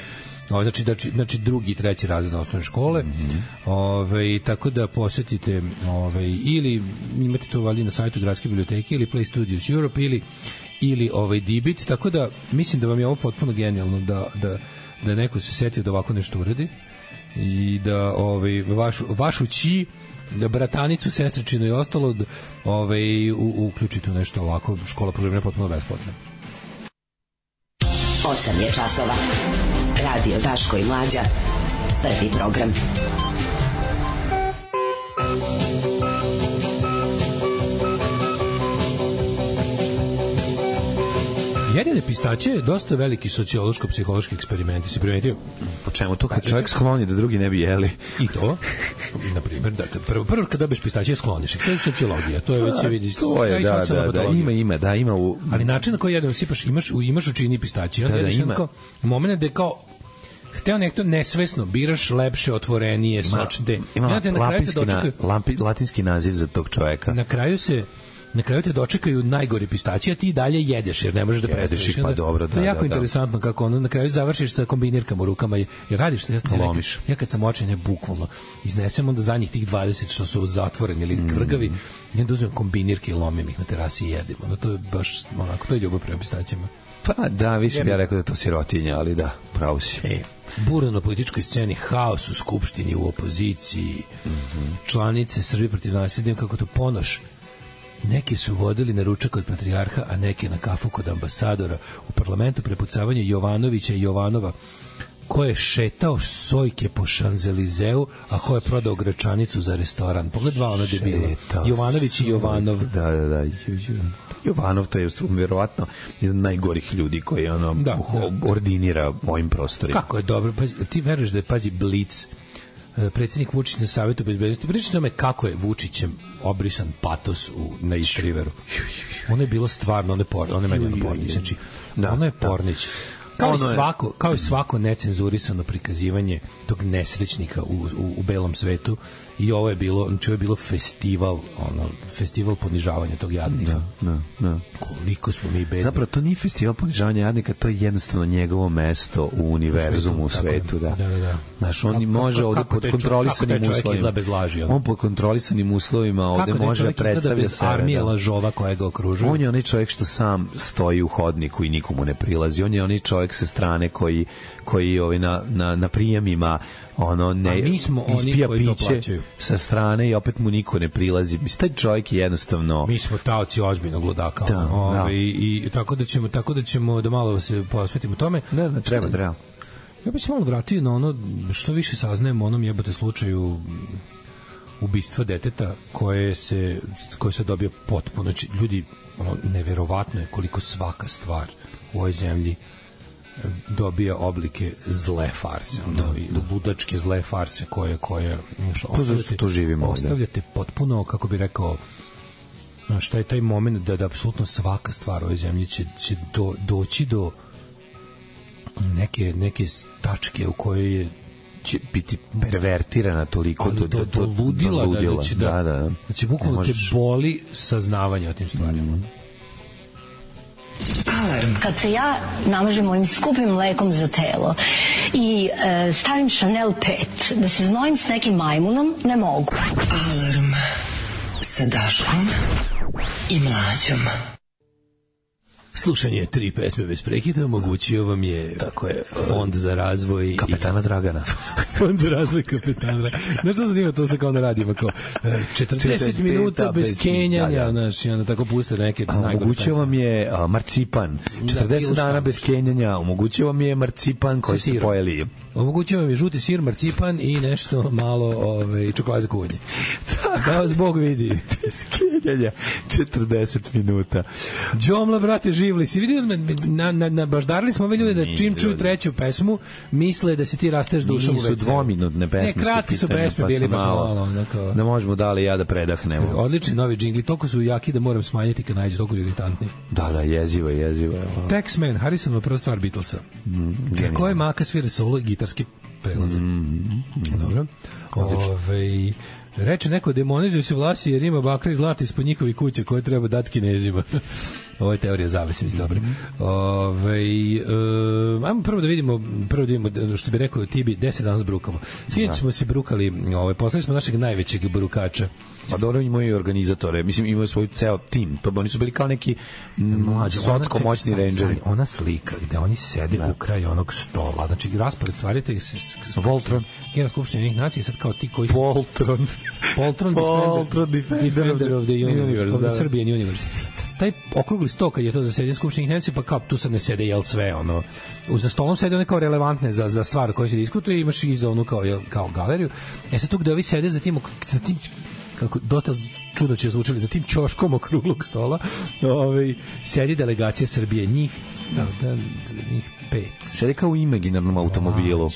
Ovo znači, znači, znači drugi i treći razred osnovne škole. Mm-hmm. Ove, tako da posetite ove, ili imate to valjda na sajtu gradske biblioteke ili Play Studios Europe ili, ili ovaj Dibit. Tako da mislim da vam je ovo potpuno genijalno da, da da neko se setio da ovako nešto uradi i da ovaj vaš vašu ći, da bratanicu, sestričinu i ostalo ovaj uključite u nešto ovako. Škola programiranja potpuno besplatna. osam je časova. Radio Daško i Mlađa. Prvi program. Jedine pistaće je dosta veliki sociološko-psihološki eksperiment. Si primetio? Po čemu to kad čovjek skloni da drugi ne bi jeli? I to, na primjer, da, prvo, prvo kad dobiješ pistaće skloniš. To je sociologija, to je već se vidi. To je, da, da, da, ima, ima, da, ima u... Ali način na koji jednom sipaš, imaš, imaš u čini pistaće. Da, da, ima. Kao, moment da je kao hteo nekto nesvesno biraš lepše, otvorenije, sočne. Ima latinski, na, lampi, latinski naziv za tog čoveka. Na kraju se Na kraju te dočekaju najgori pistaći, a ti dalje jedeš jer ne možeš da prestaneš. Pa dobro, da, to je jako da, interesantno da. Kako ono na kraju završiš sa kombinirkama u rukama jer radiš što ja lomiš. Ja kad sam očajne bukvalno iznesem onda zadnjih tih dvadeset što su zatvoreni ili kvrgavi, mm. ja onda uzmem kombinirke i lomim ih na terasi i jedim. Ono to je baš onako, to je ljubav prema pistaćima. Pa da, više bi ja rekao da to sirotinja, ali da, pravo si. E, burno na političkoj sceni, haos u skupštini, u opoziciji, mm-hmm. članice Srbije protiv nasilja, kako to Ponoš. Neki su vodili na ručak kod patrijarha, a neki na kafu kod ambasadora. U parlamentu prepucavanje Jovanovića i Jovanova, ko je šetao sojke po Šanzelizeu, a ko je prodao gračanicu za restoran. Pogled dva ono debila. Jovanović i Jovanov. Da, da, da. Jovanov, to je vjerovatno jedan od najgorih ljudi koji ono da, da. ordinira ovim prostorima. Kako je dobro. Pazi, ti veruješ da je, pazi, Blic, predsjednik Vučić na Savetu bezbednosti, pričajte o tome kako je Vučićem obrisan patos u, na East Riveru. Ono je bilo stvarno, ono je, por, ono je meni pornić. Znači, da, ono je pornić. Kao, i svako, kao i svako necenzurisano prikazivanje tog nesrećnika u, u, u belom svetu. I ovo je bilo, znači ovo je bilo festival, ono, festival ponižavanja tog jadnika. Da, da, da. Koliko smo mi bedni. Zapravo to nije festival ponižavanja jadnika, to je jednostavno njegovo mesto u univerzumu, u svetu, da. Da, da, da. Znaš, on kako, može ovde pod kontrolisanim uslovima. Bez laži, on pod kontrolisanim uslovima ovde može da predstavlja sebe. Armije lažova koja ga okružuje. On je onaj čovjek što sam stoji u hodniku i nikomu ne prilazi. On je onaj čovjek sa strane koji koji ovaj na na na prijemima ono ne mi smo ispija oni koji piće sa strane i opet mu niko ne prilazi. Mislim, taj čovjek je jednostavno... Mi smo taoci ozbiljnog ludaka. Da, Ove, da. I, i tako da ćemo tako da ćemo da malo se posvetimo tome. Ne, ne, treba, treba. Ja bih se malo vratio na ono što više saznajemo o onom jebote slučaju ubistva deteta koje se, koje se dobio potpuno. Znači, ljudi, ono, neverovatno je koliko svaka stvar u ovoj zemlji dobija oblike zle farse, ono, da, ludačke zle farse koje, koje to zašto to živimo ostavljate ovdje. Potpuno, kako bi rekao, šta je taj moment da, da apsolutno svaka stvar u ovoj zemlji će, će do, doći do neke, neke tačke u kojoj je će biti pervertirana toliko do, do, do, do ludila, do ludila. Da, da će, da, da, da. da će bukvalno te boli saznavanje o tim stvarima. Mm. Alarm. Kad se ja namažem ovim skupim mlekom za telo i e, stavim Chanel pet, da se znojim s nekim majmunom, ne mogu. Alarm sa Daškom i Mlađom. Slušanje tri pesme bez prekida omogućio vam je, tako je, Fond za razvoj Kapetana Dragana. Fond za razvoj Kapetana. Znaš što zanima, to se kao na radima, kao četrdeset minuta bez kenjanja, znaš, i onda tako puste neke najgore. Omogućio vam je uh, marcipan, četrdeset dana bez kenjanja, omogućio vam je marcipan koji ste pojeli. Omogućio vam je žuti sir, marcipan i nešto malo ove, čokolade za kuvanje. Da vas Bog vidi. Bez kenjanja, četrdeset minuta. Džomla, brate, živli. Si vidio, na, na, na, baždarili smo ove ljude da čim čuju treću pesmu, misle da se ti rasteš dušom u veci. Nisu dvominutne pesme. Ne, kratki su pesme, bili baš malo. malo da možemo dali ja da predahnemo. Odlični novi džingli, toliko su jaki da moram smanjiti kad nađe, toliko irritantni. Da, da, jezivo, jezivo. Taxman, Harrisonova prva stvar Beatlesa. Mm, Koje maka svira solo i gitarski prelaze. Mm, Dobro. Ove, reče neko, demonizuju se vlasi jer ima bakra i zlata ispod njihovi kuće koje treba dati Kinezima. Ovo je teorija zavese, mislim, dobro. Ove, e, ajmo prvo da vidimo, prvo da vidimo, što bi rekao Tibi, gde se danas brukamo. Sinoć smo se brukali, ove, poslali smo našeg najvećeg brukača. Pa dobro, imaju i organizatore, mislim, imaju svoj ceo tim, to oni su bili kao neki socko-moćni rangeri. Ona slika gde oni sede da. u kraju onog stola, znači raspored stvari, to je Voltron, Generalna skupština jednih nacija, sad kao ti koji su... Poltron. Poltron, Poltron Defender, Defender of the Universe, universe of the Serbian Universe. Taj okrugli sto kad je to za sedenje skupštinih nacija, pa kao tu sad ne sede jel sve, ono, za stolom sede one kao relevantne za, za stvar koje se diskutuje, imaš i za onu kao, kao galeriju. E sad tu gde ovi sede za tim, za tim kako dosta čudno će zvučali, za tim ćoškom okruglog stola, ovaj, sedi delegacija Srbije, njih, da, da, njih pet. Sedi kao u imaginarnom automobilu.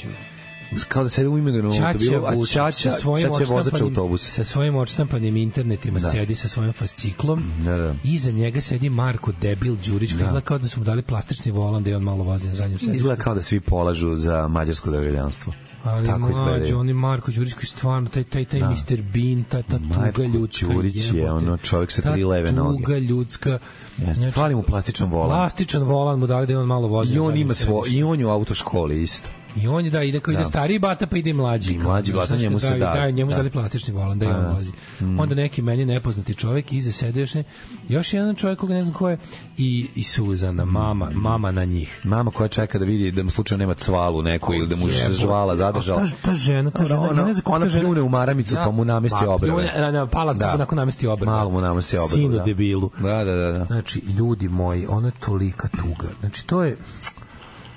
Kao da sedi u imaginarnom automobilu, a Čača, Čača vozač autobusa. Sa svojim odštampanim internetima da. sedi sa svojim fasciklom. Da, da. Iza njega sedi Marko Debil Đurić, koji da. izgleda kao da su mu dali plastični volan da je on malo vozi na zadnjem sedištu. Izgleda kao da svi polažu za mađarsko državljanstvo. Ali mlađe, on je Marko Đurić koji stvarno, taj, taj, taj da. mister Bean, ta, ta tuga ljudska. Marko Đurić je ono čovjek sa tri leve noge. Ta tuga ljudska. Jeste, hvali mu plastičan volan. Plastičan volan mu dali da je on malo vozi. I on ima svo, i on je u autoškoli isto. I on je da ide kao ide stariji bata pa ide mlađi. I mlađi bata njemu se da. Da, njemu dali plastični volan da je on vozi. Mm. Onda neki meni nepoznati čovjek iza sede još, ne, još jedan čovjek koga ne znam ko je i, i Suzana, mama, mama na njih. Mama koja čeka da vidi da mu slučajno nema cvalu neku oh, ili da mu se žvala zadržala. Ta, ta žena, ta žena, ona, ja ne znam ona pljune u maramicu pa mu namesti obrve. Na, na palac pa nakon namesti obrve. Malo mu namesti obrve. Sinu debilu. Da, da, da, da. Znači, ljudi moji, ona je tolika tuga. Znači, to je...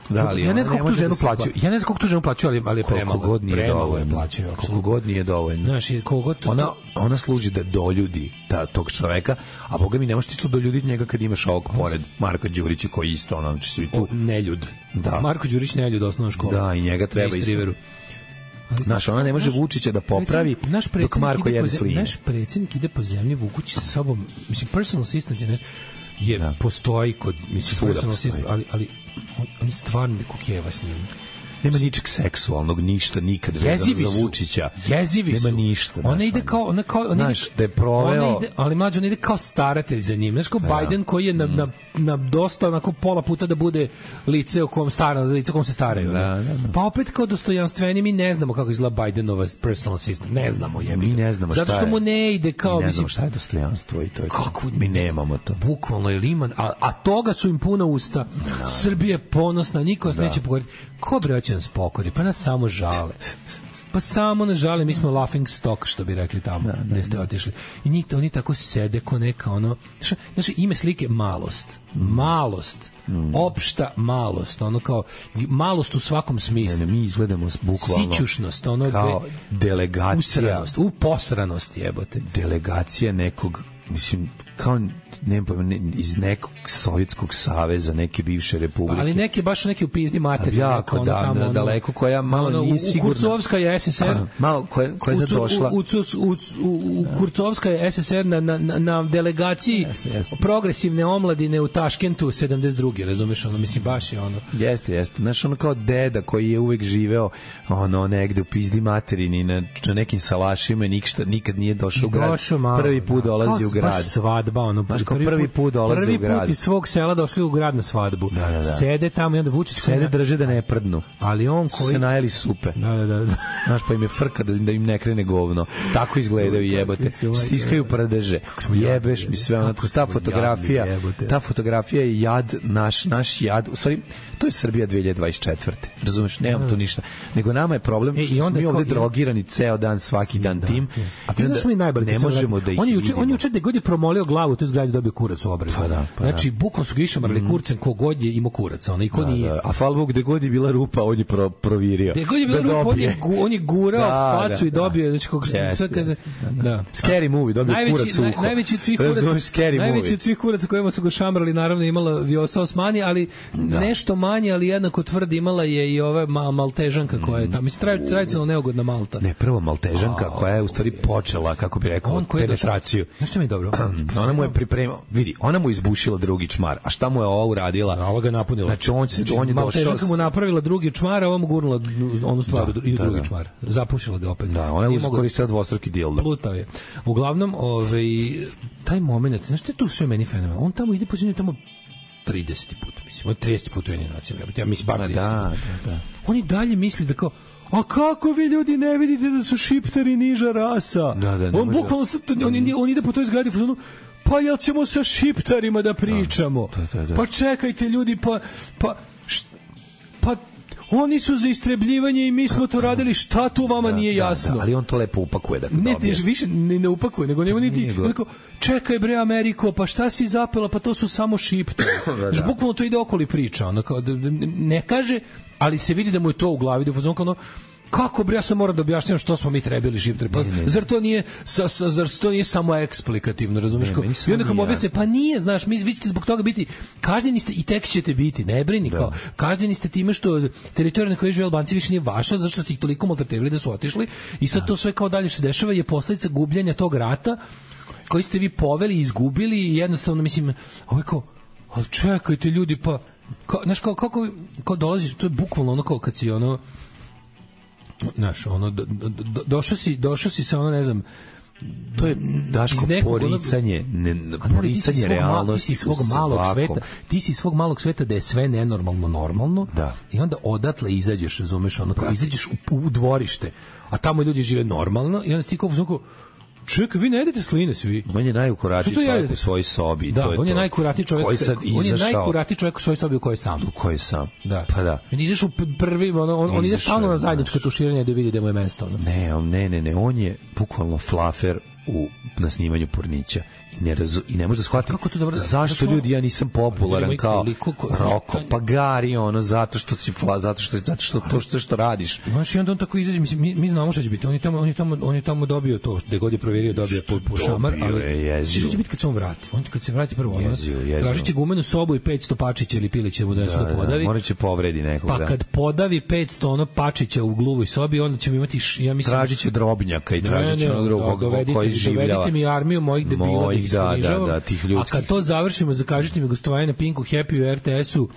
Da, ali ja ne znam kako tu ženu plaćaju. Ja ne znam kako tu ženu plaćaju, ali ali je premalo. God nije dovoljno. Plaćaju, koliko god nije dovoljno. Znaš, kogod to... ona ona služi da doljudi ta tog čoveka, a boga mi ne možeš ti to doljuditi njega kad imaš ovog pored Marka Đurića koji isto ono, znači svi tu neljud. Da. Marko Đurić neljud osnovna škola. Da, i njega treba isto. Znaš, ona ne može Vučića da popravi dok Marko jede slinje. Naš predsjednik ide po zemlji vukući sa sobom, mislim, personal assistant je, je da. postoji kod, mislim, personal assistant, ali, ali on, on je stvarno kukjeva s njim. Nema ničeg seksualnog, ništa, nikad vezano za Vučića. Jezivi Nema su. ništa. Ona ide kao, ona kao, ona znaš, ide, da je proveo... ide, ali mlađe, ona ide kao staratelj za njim. Znaš, kao ja. Biden koji je na, mm. na, na dosta, onako, pola puta da bude lice o kom, stara, lice o kom se staraju. Da, da, da. Pa opet kao dostojanstveni, mi ne znamo kako izgleda Bidenova personal assistant. Ne znamo, jebi. Mi ne znamo šta je. Zato što mu ne ide kao... Mi ne znamo šta je dostojanstvo i to je kako, mi nemamo to. Bukvalno je liman, a, a toga su im puna usta. Da. Srbija je ponosna, niko vas neće pokoriti. Ko bre hoće nas pokori? Pa nas samo žale. Pa samo nas žale, mi smo laughing stock, što bi rekli tamo, da, gde ste otišli. I njih, oni tako sede ko neka ono... Znači, ime slike malost. Malost. Mm. Opšta malost. Ono kao, malost u svakom smislu. Ne, ne, mi izgledamo bukvalno... Sićušnost. Ono kao gde, delegacija... Usranost, u posranost jebote. Delegacija nekog mislim, kao ne, ne, iz nekog Sovjetskog saveza, neke bivše republike. Ali neki baš neki u pizdi materije. Jako, da, tamo, ono, daleko, koja malo ono, nije sigurna. Kurcovska je S S R. Malo, koja, koja je zadošla. U, u, u, u, u Kurcovska je S S R na, na, na delegaciji jasne, jasne. progresivne omladine u Taškentu sedamdeset druge razumeš, ono, mislim, baš je ono. Jeste, jeste. Znaš, ono kao deda koji je uvek živeo ono, negde u pizdi materini na, na nekim salašima i nikad, nikad nije došao u grad. Došao malo, prvi put da. dolazi kao, u grad. Baš svadba, ono. Baš kao prvi put dolazi prvi u grad. Prvi put iz svog sela došli u grad na svadbu. Da, da, da. Sede tamo i onda vuče sede drže da ne prdnu. Ali on koji se najeli supe. Da, da, da. Znaš, pa im je frka da, da im ne krene govno. Tako izgledaju, jebote. Stiskaju prdeže. Jebeš mi sve ono. Ta fotografija, ta fotografija je jad, naš, naš jad. U stvari, to je Srbija dve hiljade dvadeset četvrte. Razumeš, nemam tu ništa. Nego nama je problem što smo mi ovde drogirani ceo dan, svaki dan tim. A ti znaš mi najbolje. Ne možemo da ih on je juče, on je juče da god je promolio glavu, to je zgradi dobio kurac u obrazu. Pa da, pa znači, bukvalno su ga išamarali mm. kurcem kogod je imao kurac, ona i ko da, nije. Da. A hvala Bogu, gde god je bila rupa, on je pro, provirio. Gde god je bila da rupa, on je, on je gurao da, facu da, i dobio. Znači, kog, yes, sad kada, yes, da. da. Scary movie, dobio najveći, kurac uho. Naj, najveći od svih kuraca, najveći od svih kuraca kojima su ga šamrali, naravno imala Vjosa Osmani, ali da. nešto manje, ali jednako tvrdi imala je i ova mal, maltežanka koja je tamo. Mislim, tradicionalno neugodna Malta. Ne, prvo maltežanka koja je u stvari počela, kako bi rekao, penetraciju. Znaš što mi je dobro? Ona mu je pripremila, vidi, ona mu izbušila drugi čmar, a šta mu je ova uradila? A ova ga napunila. Znači, on, se, on je došao... Maltežanka mu napravila drugi čmar, a ova mu gurnula onu stvar da, i u drugi da, čmar. Zapušila ga opet. Da, ona je koristila dvostruki dildo. Plutao je. Uglavnom, ovaj, taj moment, znaš što je tu sve meni fenomen? On tamo ide po zemlji tamo trideset puta, mislim, on trideset puta u jednim nacijama. Ja mislim, bar trideset da, da, da. On i dalje misli da kao, a kako vi ljudi ne vidite da su šiptari niža rasa? Da, da, on bukvalno, on, on ide po toj zgradi, pa jel ćemo sa šiptarima da pričamo? Da, da, da. Pa čekajte ljudi, pa, pa, št, pa oni su za istrebljivanje i mi smo to radili, šta tu vama da, nije jasno? Da, da, ali on to lepo upakuje da ne, ne, više ne, ne upakuje, nego nema niti, neko, čekaj bre Ameriko, pa šta si zapela, pa to su samo šiptari. da, da. Bukvalno to ide okoli priča, ono, kao, ne kaže, ali se vidi da mu je to u glavi, da je ono, kako bre, ja sam moram da objašnjam što smo mi trebali šiptari. Pa, ne, ne, ne. Zar to nije sa, sa, zar to nije samo eksplikativno, razumeš? I onda kao objasne, pa nije, znaš, mi vi ćete zbog toga biti kažnjeni ste i tek ćete biti, ne brini, kao kažnjeni ste time što teritorija na kojoj žive Albanci više nije vaša, zato što ste ih toliko maltretirali da su otišli i sad to sve kao dalje se dešava je posledica gubljenja tog rata koji ste vi poveli i izgubili i jednostavno, mislim, ovo je kao, ali čekajte ljudi, pa, kao, znaš, kao, kako, kao dolaziš, to je bukvalno ono kao kad si ono, znaš, ono, do, do, do, došao si, došao si sa ono, ne znam, to je Daško poricanje, ne, poricanje realnosti ti si svog malog sveta, ti si svog malog sveta da je sve nenormalno normalno da. I onda odatle izađeš, razumeš, ono, kao izađeš u, u dvorište, a tamo ljudi žive normalno i onda ti kao uzmano, čekaj, vi ne jedete sline svi. On je najukuratiji čovjek u svojoj sobi. Da, to je on je to. najkuratiji čovjek. On je najkuratiji čovjek u svojoj sobi u kojoj je sam. U kojoj je sam. Da. Pa da. On ideš u prvi, on, on, on ide stalno na zajedničko tuširanje da vidi da mu je mesto. Ono. Ne, on, ne, ne, ne, on je bukvalno flafer u, na snimanju Pornića. Ne razu, i ne može da shvati zašto ljudi, ja nisam popularan kao Roko, pa Gari, ono, zato što si fla, zato što, zato što to što, što radiš. Znaš, i onda on tako izađe, mi, mi znamo šta će biti, on je tamo, on je tamo, on je tamo dobio to, gde god je provjerio, dobio po, po šamar, ali što će biti kad se on vrati? On kad se vrati prvo, ono, tražit će gumenu sobu i petsto pačića ili pilića mu da se da podavi. Morat će povredi nekog, pa kad podavi petsto ono pačića u gluvoj sobi, onda ćemo imati, ja mislim... Tražit će drobnjaka i tražit će onog drugog koji življava. Dovedite mi armiju mojih debila da, da, da, tih ljudskih. A kad to završimo, zakažite mi gostovanje na Pinku, Happy u R T S-u,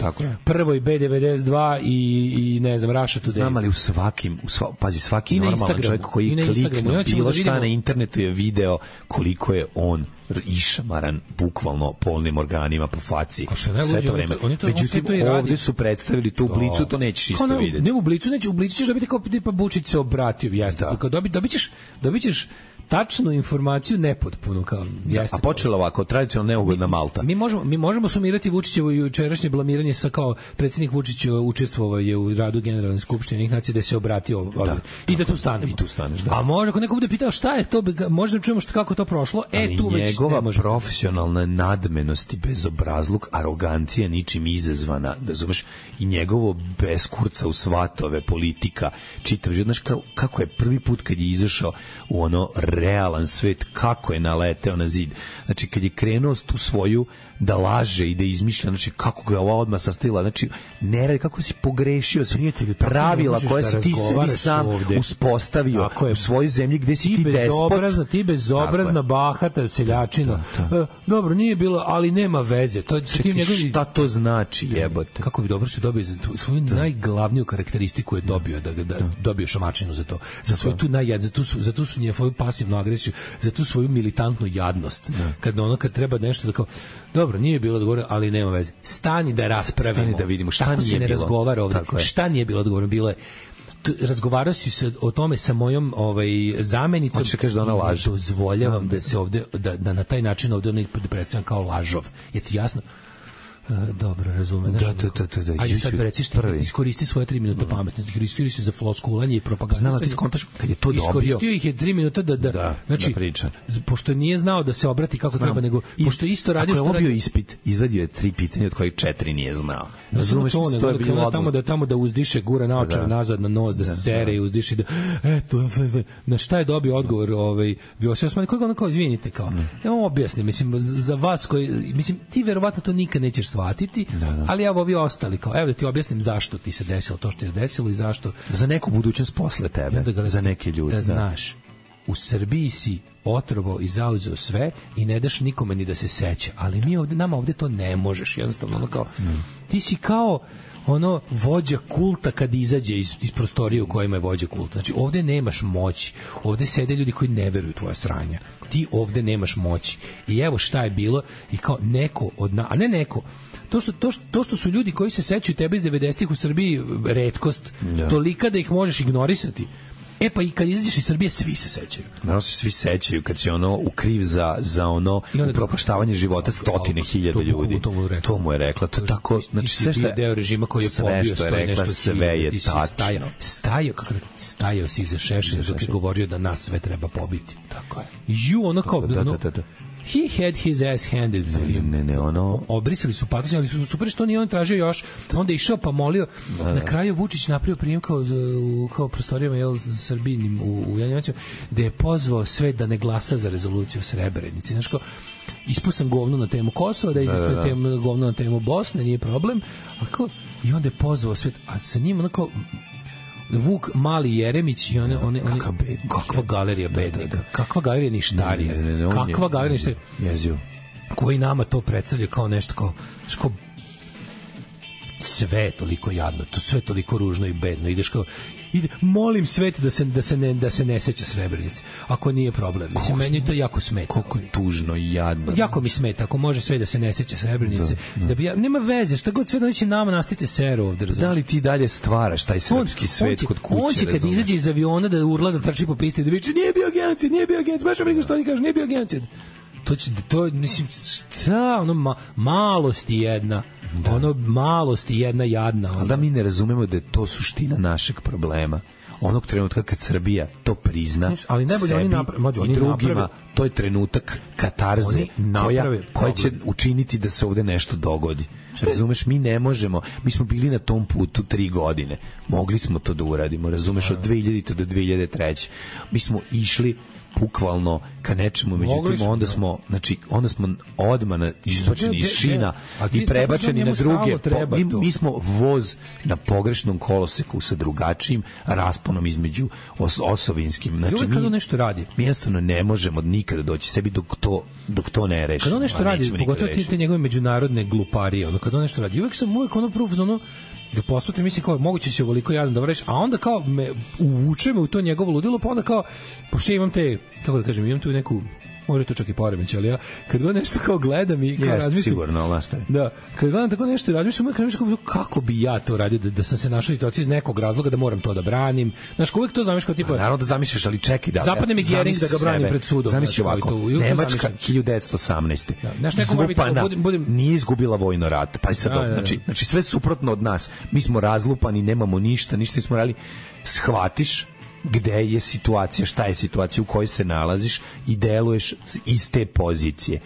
prvoj B devedeset dva i, i ne znam, Russia Today. Znam, ali u svakim, u sva, pazi, svaki normalan čovjek koji klikne bilo šta na internetu je video koliko je on išamaran bukvalno polnim organima po faci sve to vreme. Međutim, ovdje su predstavili tu Blicu, to nećeš isto vidjeti. Ne, u Blicu nećeš, u Blicu ćeš dobiti kao tipa Bučić se obratio, jeste. Dobit ćeš, dobit ćeš tačnu informaciju nepotpuno kao jeste. A počela ovako tradicionalno neugodna Malta. Mi možemo mi možemo sumirati Vučićevo jučerašnje blamiranje sa kao predsjednik Vučić učestvovao je u radu Generalne skupštine Ujedinjenih nacija da se obratio da, i da tu stane. I tu staneš, da. A može ako neko bude pitao šta je to, možda čujemo što kako to prošlo. E ali tu već njegova profesionalna nadmenost i bezobrazluk, arogancija ničim izazvana, da razumeš, i njegovo beskurca u svatove politika, čitav život, znaš kako je prvi put kad je izašao u ono realan svet, kako je naleteo na zid. Znači, kad je krenuo tu svoju da laže i da izmišlja, znači kako ga ova odmah sastavila, znači ne radi, kako si pogrešio si pravila koje si ti sebi sam ovde uspostavio u svojoj zemlji gde si ti, ti despot. Ti bezobrazna, bahata, seljačina. Da, da. E, dobro, nije bilo, ali nema veze. To, Čekaj, njegovi... šta to znači, jebote? Kako bi dobro se dobio za tu, svoju da. najglavniju karakteristiku je dobio, da, da, da. dobio šamačinu za to. Za svoju tu najjad, za tu, za tu su njegovu pasivnu agresiju, za tu svoju militantnu jadnost. Da. Kad ono, kad treba nešto da kao, dobro, nije bilo odgovoreno, ali nema veze. Stani da raspravimo. Stani da vidimo šta Tako nije se ne bilo. razgovara ovdje. Šta nije bilo odgovoreno? Bilo je razgovarao si se o tome sa mojom ovaj zamenicom. Hoće kaže da ona laže. Dozvoljavam da, da se ovde da, da na taj način ovde ne predstavljam kao lažov. Je ti jasno? Dobro, razumem. Da, da, da, da, da. Ajde sad reci što iskoristi svoje tri minuta pametnosti. Iskoristili su za floskulanje i propagandu. Znamo ti skontaš kad je to dobio. Iskoristio ih je tri minuta da da, da znači da priča. Pošto nije znao da se obrati kako Znam. treba, nego Is, pošto isto radio što radio ispit, izvadio je tri pitanja od kojih četiri nije znao. Razumeš to, što je bilo tamo da tamo da uzdiše gura naočare nazad na nos, da se sere i uzdiše da eto na šta je dobio odgovor, ovaj bio se osmani koji on kao izvinite kao. Ja vam objasnim, mislim za vas koji mislim ti verovatno to nikad nećeš shvatiti. Ali ja ovi ostali kao evo da ti objasnim zašto ti se desilo to što je desilo i zašto za neku budućnost posle tebe, ga, za neke ljude. Da, da znaš, u Srbiji si otrovo i zauzeo sve i ne daš nikome ni da se seća, ali mi ovde, nama ovde to ne možeš, jednostavno ono kao, mm. ti si kao ono vođa kulta kad izađe iz, iz prostorije u kojima je vođa kulta. Znači ovde nemaš moći, ovde sede ljudi koji ne veruju tvoja sranja, ti ovde nemaš moći i evo šta je bilo i kao neko od na, a ne neko To što, to, što, to što su ljudi koji se sećaju tebe iz devedesetih u Srbiji retkost, ja. tolika da ih možeš ignorisati. E pa i kad izađeš iz Srbije svi se sećaju. Naravno se svi sećaju kad si ono ukriv za, za ono upropaštavanje života stotine hiljada ljudi. To mu, to mu je rekla. To tako, znači sve što je deo režima koji je pobio što je rekla, sve je tačno. Stajao, stajao, kako rekao, stajao si iza Šešelja dok je govorio da nas sve treba pobiti. Tako je. Ju, ono kao, da, da, da, da. He had his ass handed to him. Ne, ne, ono... Obrisali su patos, ali su super što nije on tražio još. Onda je išao pa molio. Da, da. Na kraju Vučić napravio prijem kao, u, kao prostorijama jel, Srbinim u, u Janjevacima, da je pozvao sve da ne glasa za rezoluciju o Srebrenici. Znaš kao, ispao sam govno na temu Kosova, da je ispao da, da. govno na temu Bosne, nije problem. Ali kao, i onda je pozvao sve, a sa njim onako... Vuk Mali Jeremić i one one one kakva galerija bednika, kakva galerija ništarija, ne, ne, ne, kakva je, galerija ništarija, jezio, koji nama to predstavlja kao nešto kao što sve toliko jadno, to sve toliko ružno i bedno, ideš kao ide, molim svet da se da se ne da se ne seća Srebrenice. Ako nije problem. Mislim meni to jako smeta. Koliko je tužno i jadno. Jako mi smeta ako može sve da se ne seća Srebrenice. Da, da. da bi ja, nema veze, šta god sve doći nama nastite seru ovde, razumiješ. Da li ti dalje stvaraš taj srpski on, svet on kod kuće? On će kad izađe iz aviona da urla da trči po pisti da viče nije bio genocid, nije bio genocid, baš briga što oni kažu nije bio genocid. To će to mislim šta ono ma, malost jedna. Da. Ono malost i jedna jadna. Ali da mi ne razumemo da je to suština našeg problema. Onog trenutka kad Srbija to prizna ali sebi oni naprave, i drugima, naprave. To je trenutak katarze koja, koja će učiniti da se ovde nešto dogodi. Razumeš, mi ne možemo, mi smo bili na tom putu tri godine, mogli smo to da uradimo, razumeš, od dve hiljadite do dve hiljade treće. Mi smo išli bukvalno ka nečemu, međutim onda smo, znači onda smo odmah izbačeni iz šina i prebačeni na druge. Mi, mi smo voz na pogrešnom koloseku sa drugačijim rasponom između os, osovinskim. Znači mi, kad nešto radi, mi jednostavno ne možemo nikada doći sebi dok to, dok to ne rešimo. Kad on nešto radi, pogotovo ti te njegove međunarodne gluparije, ono kad on nešto radi, uvek sam uvek ono prvo ono ga posmatram, mislim kao moguće će ovoliko jadan da vreš, a onda kao me uvuče me u to njegovo ludilo, pa onda kao pošto imam te, kako da kažem, imam tu neku može to čak i poremeć, ali ja kad god nešto kao gledam i kao yes, razmišljam sigurno, nastavi. Da, kad gledam tako nešto i razmišljam, uvijek razmišljam kako bi ja to radio, da, da sam se našao u situaciji iz nekog razloga da moram to da branim. Znaš, uvijek to zamišljaš kao tipa... Naravno da zamišljaš, ali čekaj da... Zapadne mi Gering da ga branim pred sudom. Zamisli ovako, Nemačka hiljadu devetsto osamnaeste. Da, Zlupana budem, budem... nije izgubila vojno rat. Pa sad, da, da, da. Znači, znači sve suprotno od nas. Mi smo razlupani, nemamo ništa, ništa nismo radili. Shvatiš gde je situacija, šta je situacija u kojoj se nalaziš i deluješ iz te pozicije.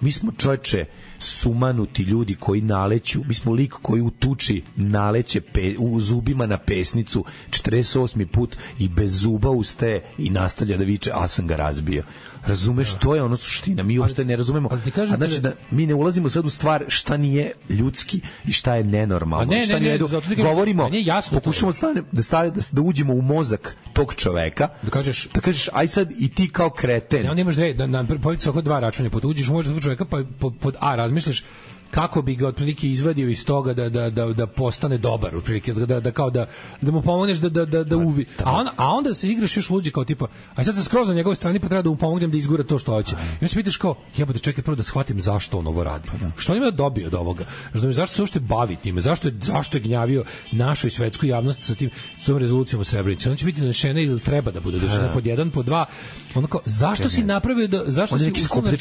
Mi smo, čoveče, sumanuti ljudi koji naleću, mi smo lik koji u tuči naleće pe, u zubima na pesnicu četrdeset osmi put i bez zuba ustaje i nastavlja da viče, a sam ga razbio. Razumeš, to je ono suština. Mi uopšte ne razumemo. A znači da mi ne ulazimo sad u stvar šta nije ljudski i šta je nenormalno. Ne, šta ne, ne, ne, ne, govorimo, jasno pokušamo stane, da, stave, da, da uđemo u mozak tog čoveka, da kažeš, da kažeš aj sad i ti kao kreten. Ne, on imaš dve, da, na polici oko dva računa, pod uđeš u mozak tog čoveka, pa pod, pod A razmišljaš kako bi ga otprilike izvadio iz toga da da da da postane dobar, otprilike da da kao da da mu pomogneš da da da da uvi. A on a onda se igraš još luđi kao tipa, a sad sam skroz na njegovoj strani pa treba da mu pomognem da izgura to što hoće. I onda se pitaš kao, jebote, čekaj prvo da shvatim zašto on ovo radi. Što on ima dobio od ovoga? Znači, zašto se uopšte bavi time? Zašto je zašto je gnjavio našu i svetsku javnost sa tim s tom rezolucijom o Srebrenici? On će biti donešena ili treba da bude donešena pod jedan, pod dva. Onako, zašto si napravio da zašto si uslovno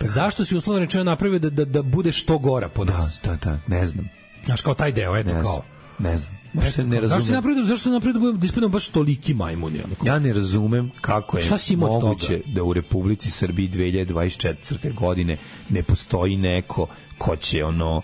zašto si uslovno rečeno napravio da da da bude što gora po nas? Da, da, ne znam. Znaš, kao taj deo, eto, ne kao. Ne znam. Ne znam. Ne zašto se napravio, zašto se napravio da ispadamo baš toliki majmuni? Onako? Ja ne razumem kako je moguće da u Republici Srbiji dve hiljade dvadeset četvrte godine ne postoji neko ko će ono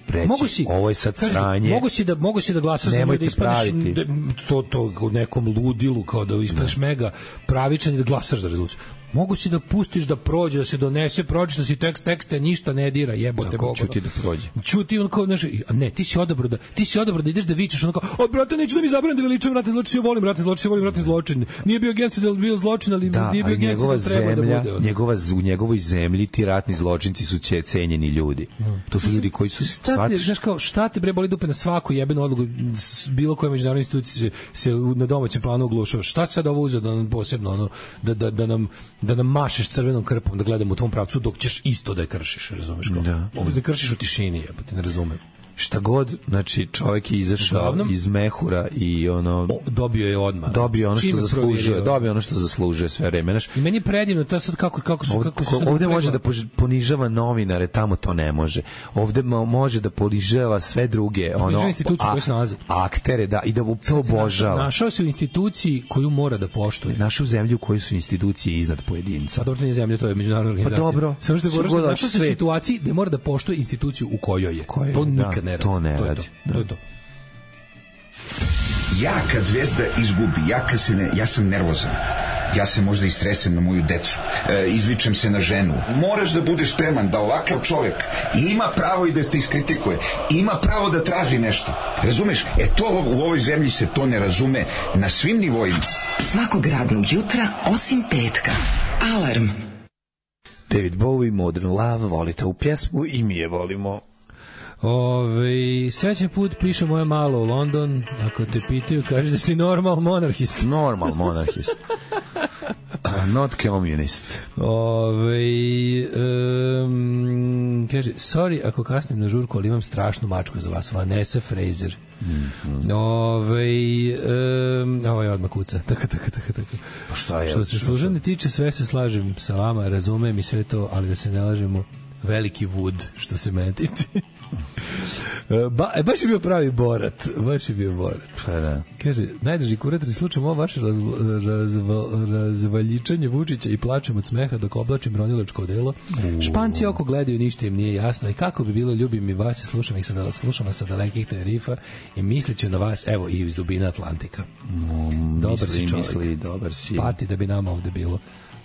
reći, si, ovo je sad kaži, sranje. Mogu si da, mogu si da glasaš za da ispadneš da, to, to u nekom ludilu, kao da ispadneš ne. mega pravičan i da glasaš za rezoluciju. Mogu si da pustiš da prođe, da se donese, pročita si tekst, tekste, ništa ne dira, jebote Boga. Čuti da prođe. Čuti on kao, znaš, ne, ti si odabrao da, ti si odabrao da ideš da vičeš, on kao, o, brate, neću da mi zabranim da veličam ratni zločin, ja volim ratni zločin, ja volim ratni zločin. Nije bio genocid da bio zločin, ali da, nije bio genocid da treba zemlja, da bude. Njegova, u njegovoj zemlji ti ratni zločinci su će cenjeni ljudi. Hmm. To su mislim, ljudi koji su šta te, znaš kao, šta te bre boli dupe na svaku jebenu odluku, bilo koje međunarodne institucije se, se na domaćem planu oglušava. Šta sad ovo uzeo da nam posebno ono da da da nam da nam mašeš crvenom krpom da gledamo u tom pravcu dok ćeš isto da je kršiš, razumeš kao? Da. Ovo da kršiš u tišini, jebote, ne razumem. Šta god, znači čovjek je izašao Uglavnom, iz mehura i ono o, dobio je odmah. Dobio ono što zaslužuje, dobio ono što zaslužuje sve vreme, znaš. I meni je predivno to sad kako kako su kako se ovde može da ponižava novinare, tamo to ne može. Ovde može da ponižava sve druge, ono institucije koje se nalaze. Aktere, da, i da to obožava. Našao se u instituciji koju mora da poštuje. Našu zemlju u kojoj su institucije iznad pojedinca. Pa dobro, nije zemlja, to je međunarodna organizacija. Pa dobro. Samo što je našao se u situaciji gde mora da poštuje instituciju u kojoj je. Koje, to nikad da. ne radi. To ne to radi. Je to. To je to. Ja kad Zvezda izgubi, ja kad se ne, ja sam nervozan. Ja se možda istresem na moju decu. E, izvičem se na ženu. Moraš da budeš spreman da ovakav čovjek ima pravo i da te iskritikuje. Ima pravo da traži nešto. Razumeš? E to u ovoj zemlji se to ne razume na svim nivoima. Svakog radnog jutra osim petka. Alarm. David Bowie, Modern Love, volite u pjesmu i mi je volimo. Ove, srećan put piše moje malo u London. Ako te pitaju, kaže da si normal monarhist. Normal monarhist. Not communist. Ove, um, kaže, sorry ako kasnim na žurku, ali imam strašnu mačku za vas. Vanessa Fraser. Mm-hmm. Ove, um, ovo je odmah kuca. Tako, tako, tako, tako. Pa šta je? Što se služene tiče, sve se slažem sa vama, razumem i sve to, ali da se ne lažemo, veliki Wood, što se mene tiče. Ba, e, baš je bio pravi Borat. Baš je bio Borat. Pa da. Kaže, najdrži kurator i slučaj ovo vaše raz, razva, razvaljičanje Vučića i plačem od smeha dok oblačim ronilačko delo. Uh. Španci oko gledaju, ništa im nije jasno i kako bi bilo ljubim i vas i slušam ih sada, slušam vas sa dalekih Tenerifa i misliću na vas, evo, i iz dubina Atlantika. Mm, dobar misli, si čovjek. Misli, dobar si. Pati da bi nama ovde bilo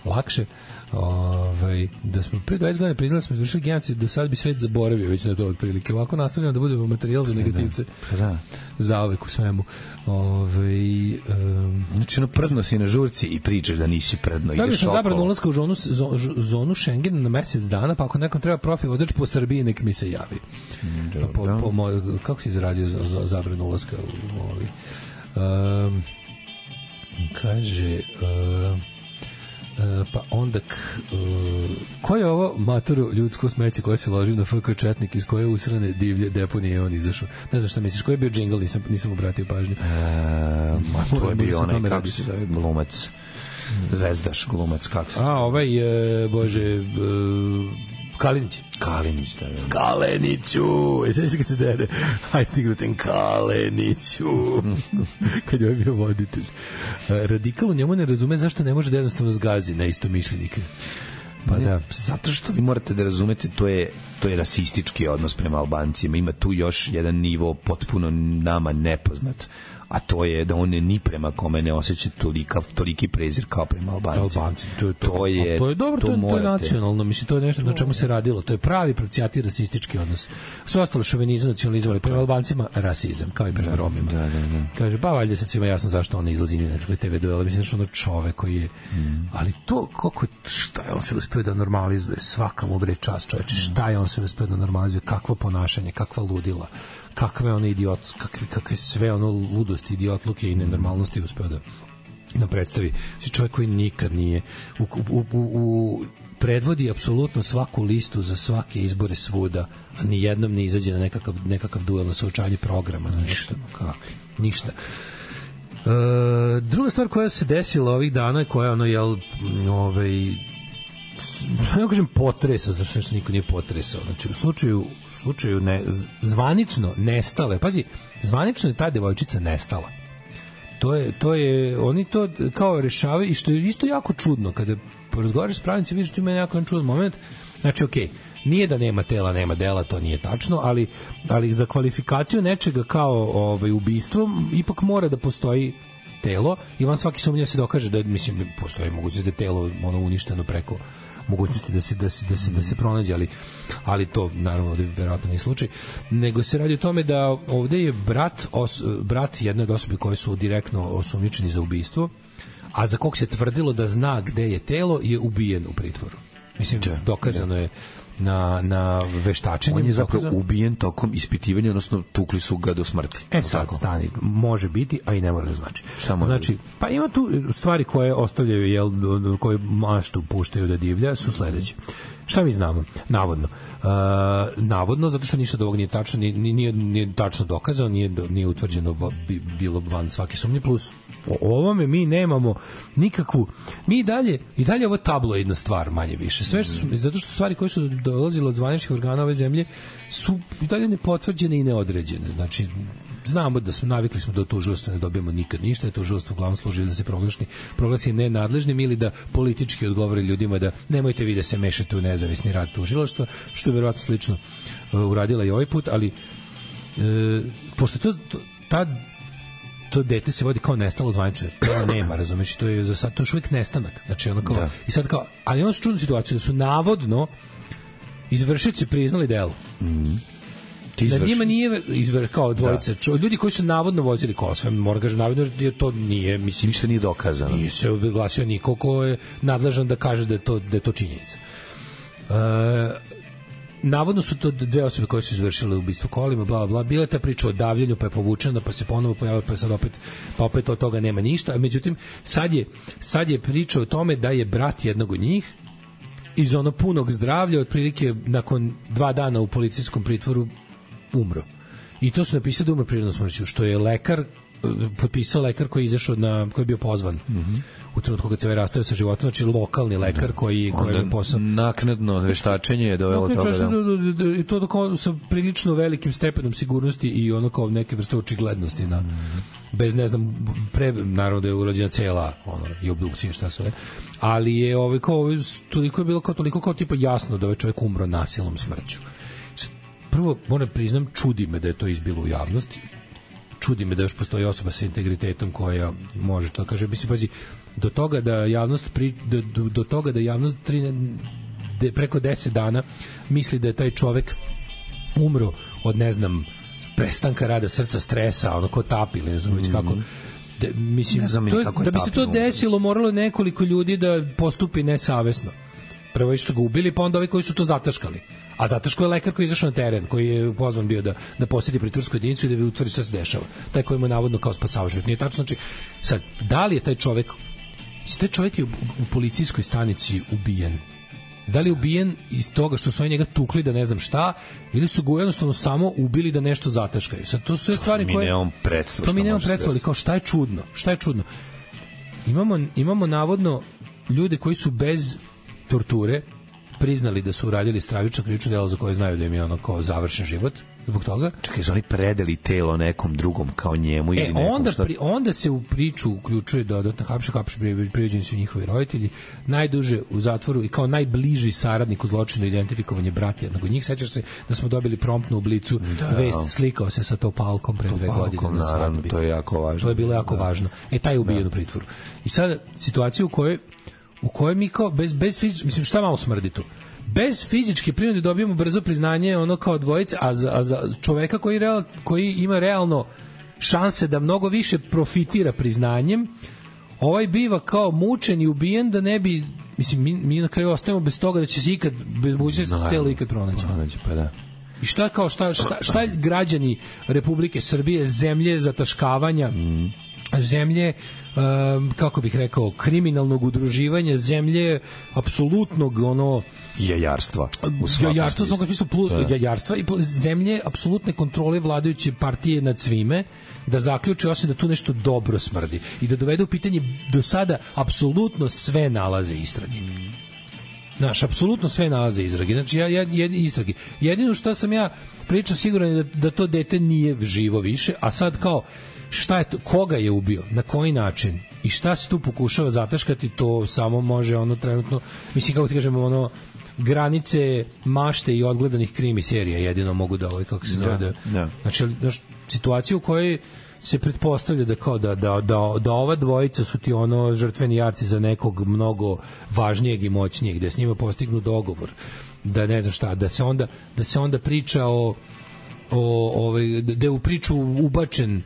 lakše. Ovaj, da smo pre dvadeset godina priznali smo izvršili genocid, do sad bi svet zaboravio već na to otprilike. Ovako nastavljamo da budemo materijal za negativce. Da, da. Zauvek u svemu. Ovaj um, znači, no, prdno si na žurci i pričaš da nisi prdno. Da, sam zabranu ulaska u zonu, zonu Schengen na mesec dana, pa ako nekom treba profi vozač po Srbiji, nek mi se javi. Dobro. Po, po moj, kako si izradio za, za zabranu ulaska u ovaj? Um, kaže... Um, Uh, pa onda k, uh, ko je ovo maturu ljudsko smeće koje se loži na F K Četnik iz koje usrane divlje deponije on izašao? Ne znam šta misliš, koji je bio džingl, nisam, nisam obratio pažnju. Uh, ma to je bio onaj, kako se zove, glumac, zvezdaš glumac, kako se zove. A, ovaj, uh, bože, uh, Kalinić. Kalinić, da, da. Kaleniću! E, sve se kad se dere. Aj, stignu ten Kaleniću! Kad je bio voditelj. Radikal u njemu ne razume zašto ne može da jednostavno zgazi na istomišljenike. Pa ne, da. Zato što vi morate da razumete, to je, to je rasistički odnos prema Albancima. Ima tu još jedan nivo potpuno nama nepoznat, a to je da on ni prema kome ne osjeća tolika, toliki prezir kao prema Albancima. Albanci, to je to. To je, to je dobro, to, to, morate. to je nacionalno, mislim, to je nešto na čemu se radilo. To je pravi pravcijati rasistički odnos. Sve ostalo šovinizam, nacionalizam, ali prema Albancima rasizam, kao i prema Romima. Da, da, da. Kaže, ba, valjda sad svima jasno zašto on ne izlazi ni na nekakve te ve duele. Mislim, što ono čovek koji je... Mm. Ali to, kako, šta je on se uspio da normalizuje? Svaka mu bre čast, čoveče. Šta je on se uspio da normalizuje? Kakvo ponašanje, kakva ludila, kakve one idiot, kakve, kakve sve ono ludosti, idiotluke i nenormalnosti uspeo da nam predstavi. Si čovjek koji nikad nije u, u, u, u predvodi apsolutno svaku listu za svake izbore svuda, a ni jednom ne izađe na nekakav, nekakav duel na suočanje programa, na ništa. Ništa. E, druga stvar koja se desila ovih dana, koja ono, jel, ovaj, ne kažem potresa, znači nešto niko nije potresao. Znači, u slučaju slučaju ne, zvanično nestale. Pazi, zvanično je ta devojčica nestala. To je, to je, oni to kao rešavaju i što je isto jako čudno kada razgovaraš s pravnicima, vidiš tu ima jako čudan moment. Znači, okej, okay, nije da nema tela, nema dela, to nije tačno, ali, ali za kvalifikaciju nečega kao ovaj, ubistvo ipak mora da postoji telo i van svaki sumnja se dokaže da, mislim, postoji mogućnost da je telo ono uništeno preko mogućnosti da se da se da se da se pronađe, ali ali to naravno da je verovatno nije slučaj, nego se radi o tome da ovde je brat os, brat jedne od osobe koje su direktno osumnjičeni za ubistvo, a za kog se tvrdilo da zna gde je telo, je ubijen u pritvoru. Mislim, da, dokazano da. je na, na veštačenju. On je zapravo dokazano. ubijen tokom ispitivanja, odnosno tukli su ga do smrti. E sad, tako? Stani, može biti, a i ne mora da znači. Samo znači, pa ima tu stvari koje ostavljaju, jel, koje maštu puštaju da divlja, su sledeće. Šta mi znamo? Navodno. Uh, navodno, zato što ništa od ovog nije tačno, nije, nije, nije tačno dokazano, nije, nije utvrđeno bilo van svake sumnje, plus o ovome mi nemamo nikakvu, mi i dalje, i dalje ovo tabloidna stvar manje više, sve što su, zato što stvari koje su dolazile od zvaničnih organa ove zemlje su i dalje nepotvrđene i neodređene, znači znamo da smo, navikli smo da u tužilaštvu ne dobijemo nikad ništa, da tužilaštvo uglavnom služi da se proglasi, proglasi nenadležnim ili da politički odgovori ljudima da nemojte vi da se mešate u nezavisni rad tužilaštva, što je verovatno slično uh, uradila i ovaj put, ali uh, pošto to, to ta to dete se vodi kao nestalo zvanično, to nema, razumeš, to je za sad to još uvijek nestanak, znači ono kao, da. I sad kao, ali ono su čudnu situaciju da su navodno izvršioci priznali delo. Mhm. Da njima nije izver, kao dvojica, da. Ljudi koji su navodno vozili kola, sve mora kaže navodno jer to nije, mislim, ništa nije dokazano. Nije se oglasio niko ko je nadležan da kaže da je to, da je to činjenica. E, navodno su to dve osobe koje su izvršile ubistvo kolima, bla, bla, bila je ta priča o davljenju, pa je povučena, pa se ponovo pojavila, pa sad opet, pa opet od toga nema ništa. Međutim, sad je, sad je priča o tome da je brat jednog od njih iz ono punog zdravlja, otprilike nakon dva dana u policijskom pritvoru umro. I to su napisali da umro prirodnom smrću, što je lekar potpisao lekar koji je izašao na, koji je bio pozvan mm-hmm. u trenutku kad se ovaj rastavio sa životom, znači lokalni lekar da. koji, koji je posao. Naknadno veštačenje je dovelo toga da... I to doko, sa prilično velikim stepenom sigurnosti i ono kao neke vrste očiglednosti na, mm-hmm. bez ne znam, pre, naravno da je urađena cela ono, i obdukcija šta sve, ali je ovaj, kao, toliko je bilo kao, toliko kao tipa jasno da ovaj čovjek umro nasilnom smrću. Prvo, moram priznam, čudi me da je to izbilo u javnosti. Čudi me da još postoji osoba sa integritetom koja može to kaže. Mislim, pazi, do toga da javnost pri, do, do, do toga da javnost tri, de, preko deset dana misli da je taj čovek umro od, ne znam, prestanka rada srca, stresa, ono ko tapi ili ne znam već kako. De, mislim, to je, da bi se to desilo, moralo nekoliko ljudi da postupi nesavesno. Prvo je što ga ubili, pa onda ovi koji su to zataškali. A zataško je lekar koji je izašao na teren, koji je pozvan bio da, da posjeti pritvorsku jedinicu i da bi utvrdi šta se dešava. Taj koji mu navodno kao spasao život. Nije tačno, znači, sad, da li je taj čovek, taj čovek je u, u policijskoj stanici ubijen? Da li je ubijen iz toga što su oni njega tukli da ne znam šta, ili su ga jednostavno samo ubili da nešto zataškaju? Sad, to su sve stvari koje... Mi nemamo predstav. To mi nemamo predstav, ali kao šta je čudno? Šta je čudno? Imamo, imamo navodno ljude koji su bez torture priznali da su uradili stravično krivično delo za koje znaju da im je ono kao završen život zbog toga. Čekaj, su oni predali telo nekom drugom kao njemu ili e, nekom onda, šta? pri, onda se u priču uključuje dodatno hapše, hapše, privođeni su njihovi roditelji, najduže u zatvoru i kao najbliži saradnik u zločinu identifikovanje brata jednog od njih. Sećaš se da smo dobili promptnu oblicu da, vest, slikao se sa Topalkom pre dve godine na svadbi. To je jako važno. To je bilo jako da. važno. E, taj je ubijen da. u pritvoru. I sad, situacija u kojoj u kojoj mi kao, bez, bez fizički, mislim, šta malo smrdi tu? Bez fizičke prinude dobijemo brzo priznanje ono kao dvojice, a za, a za čoveka koji, real, koji ima realno šanse da mnogo više profitira priznanjem, ovaj biva kao mučen i ubijen da ne bi, mislim, mi, mi na kraju ostajemo bez toga da će se ikad, bez mogućnosti telo ikad pronaći. Pronaći, pa da. I šta kao, šta, šta, šta građani Republike Srbije, zemlje zataškavanja, mm. zemlje, um, kako bih rekao, kriminalnog udruživanja, zemlje apsolutnog ono jajarstva. Jajarstva u svakom smislu plus da. jajarstva i plus, zemlje apsolutne kontrole vladajuće partije nad svime, da zaključi osim da tu nešto dobro smrdi i da dovede u pitanje do sada apsolutno sve nalaze istrage. Znaš, apsolutno sve nalaze istrage. Znači, ja, ja, jed, istrage. Jedino što sam ja pričao siguran je da, da to dete nije živo više, a sad kao šta je to, koga je ubio, na koji način i šta se tu pokušava zataškati, to samo može ono trenutno, mislim kako ti kažemo, ono granice mašte i odgledanih krimi serija jedino mogu da ovaj, kako se zove, da, da. Znači, znaš, situacija u kojoj se pretpostavlja da kao da, da, da, da ova dvojica su ti ono žrtveni jarci za nekog mnogo važnijeg i moćnijeg, da s njima postignu dogovor, da ne znam šta, da se onda, da se onda priča o, o ovaj, da je u priču ubačen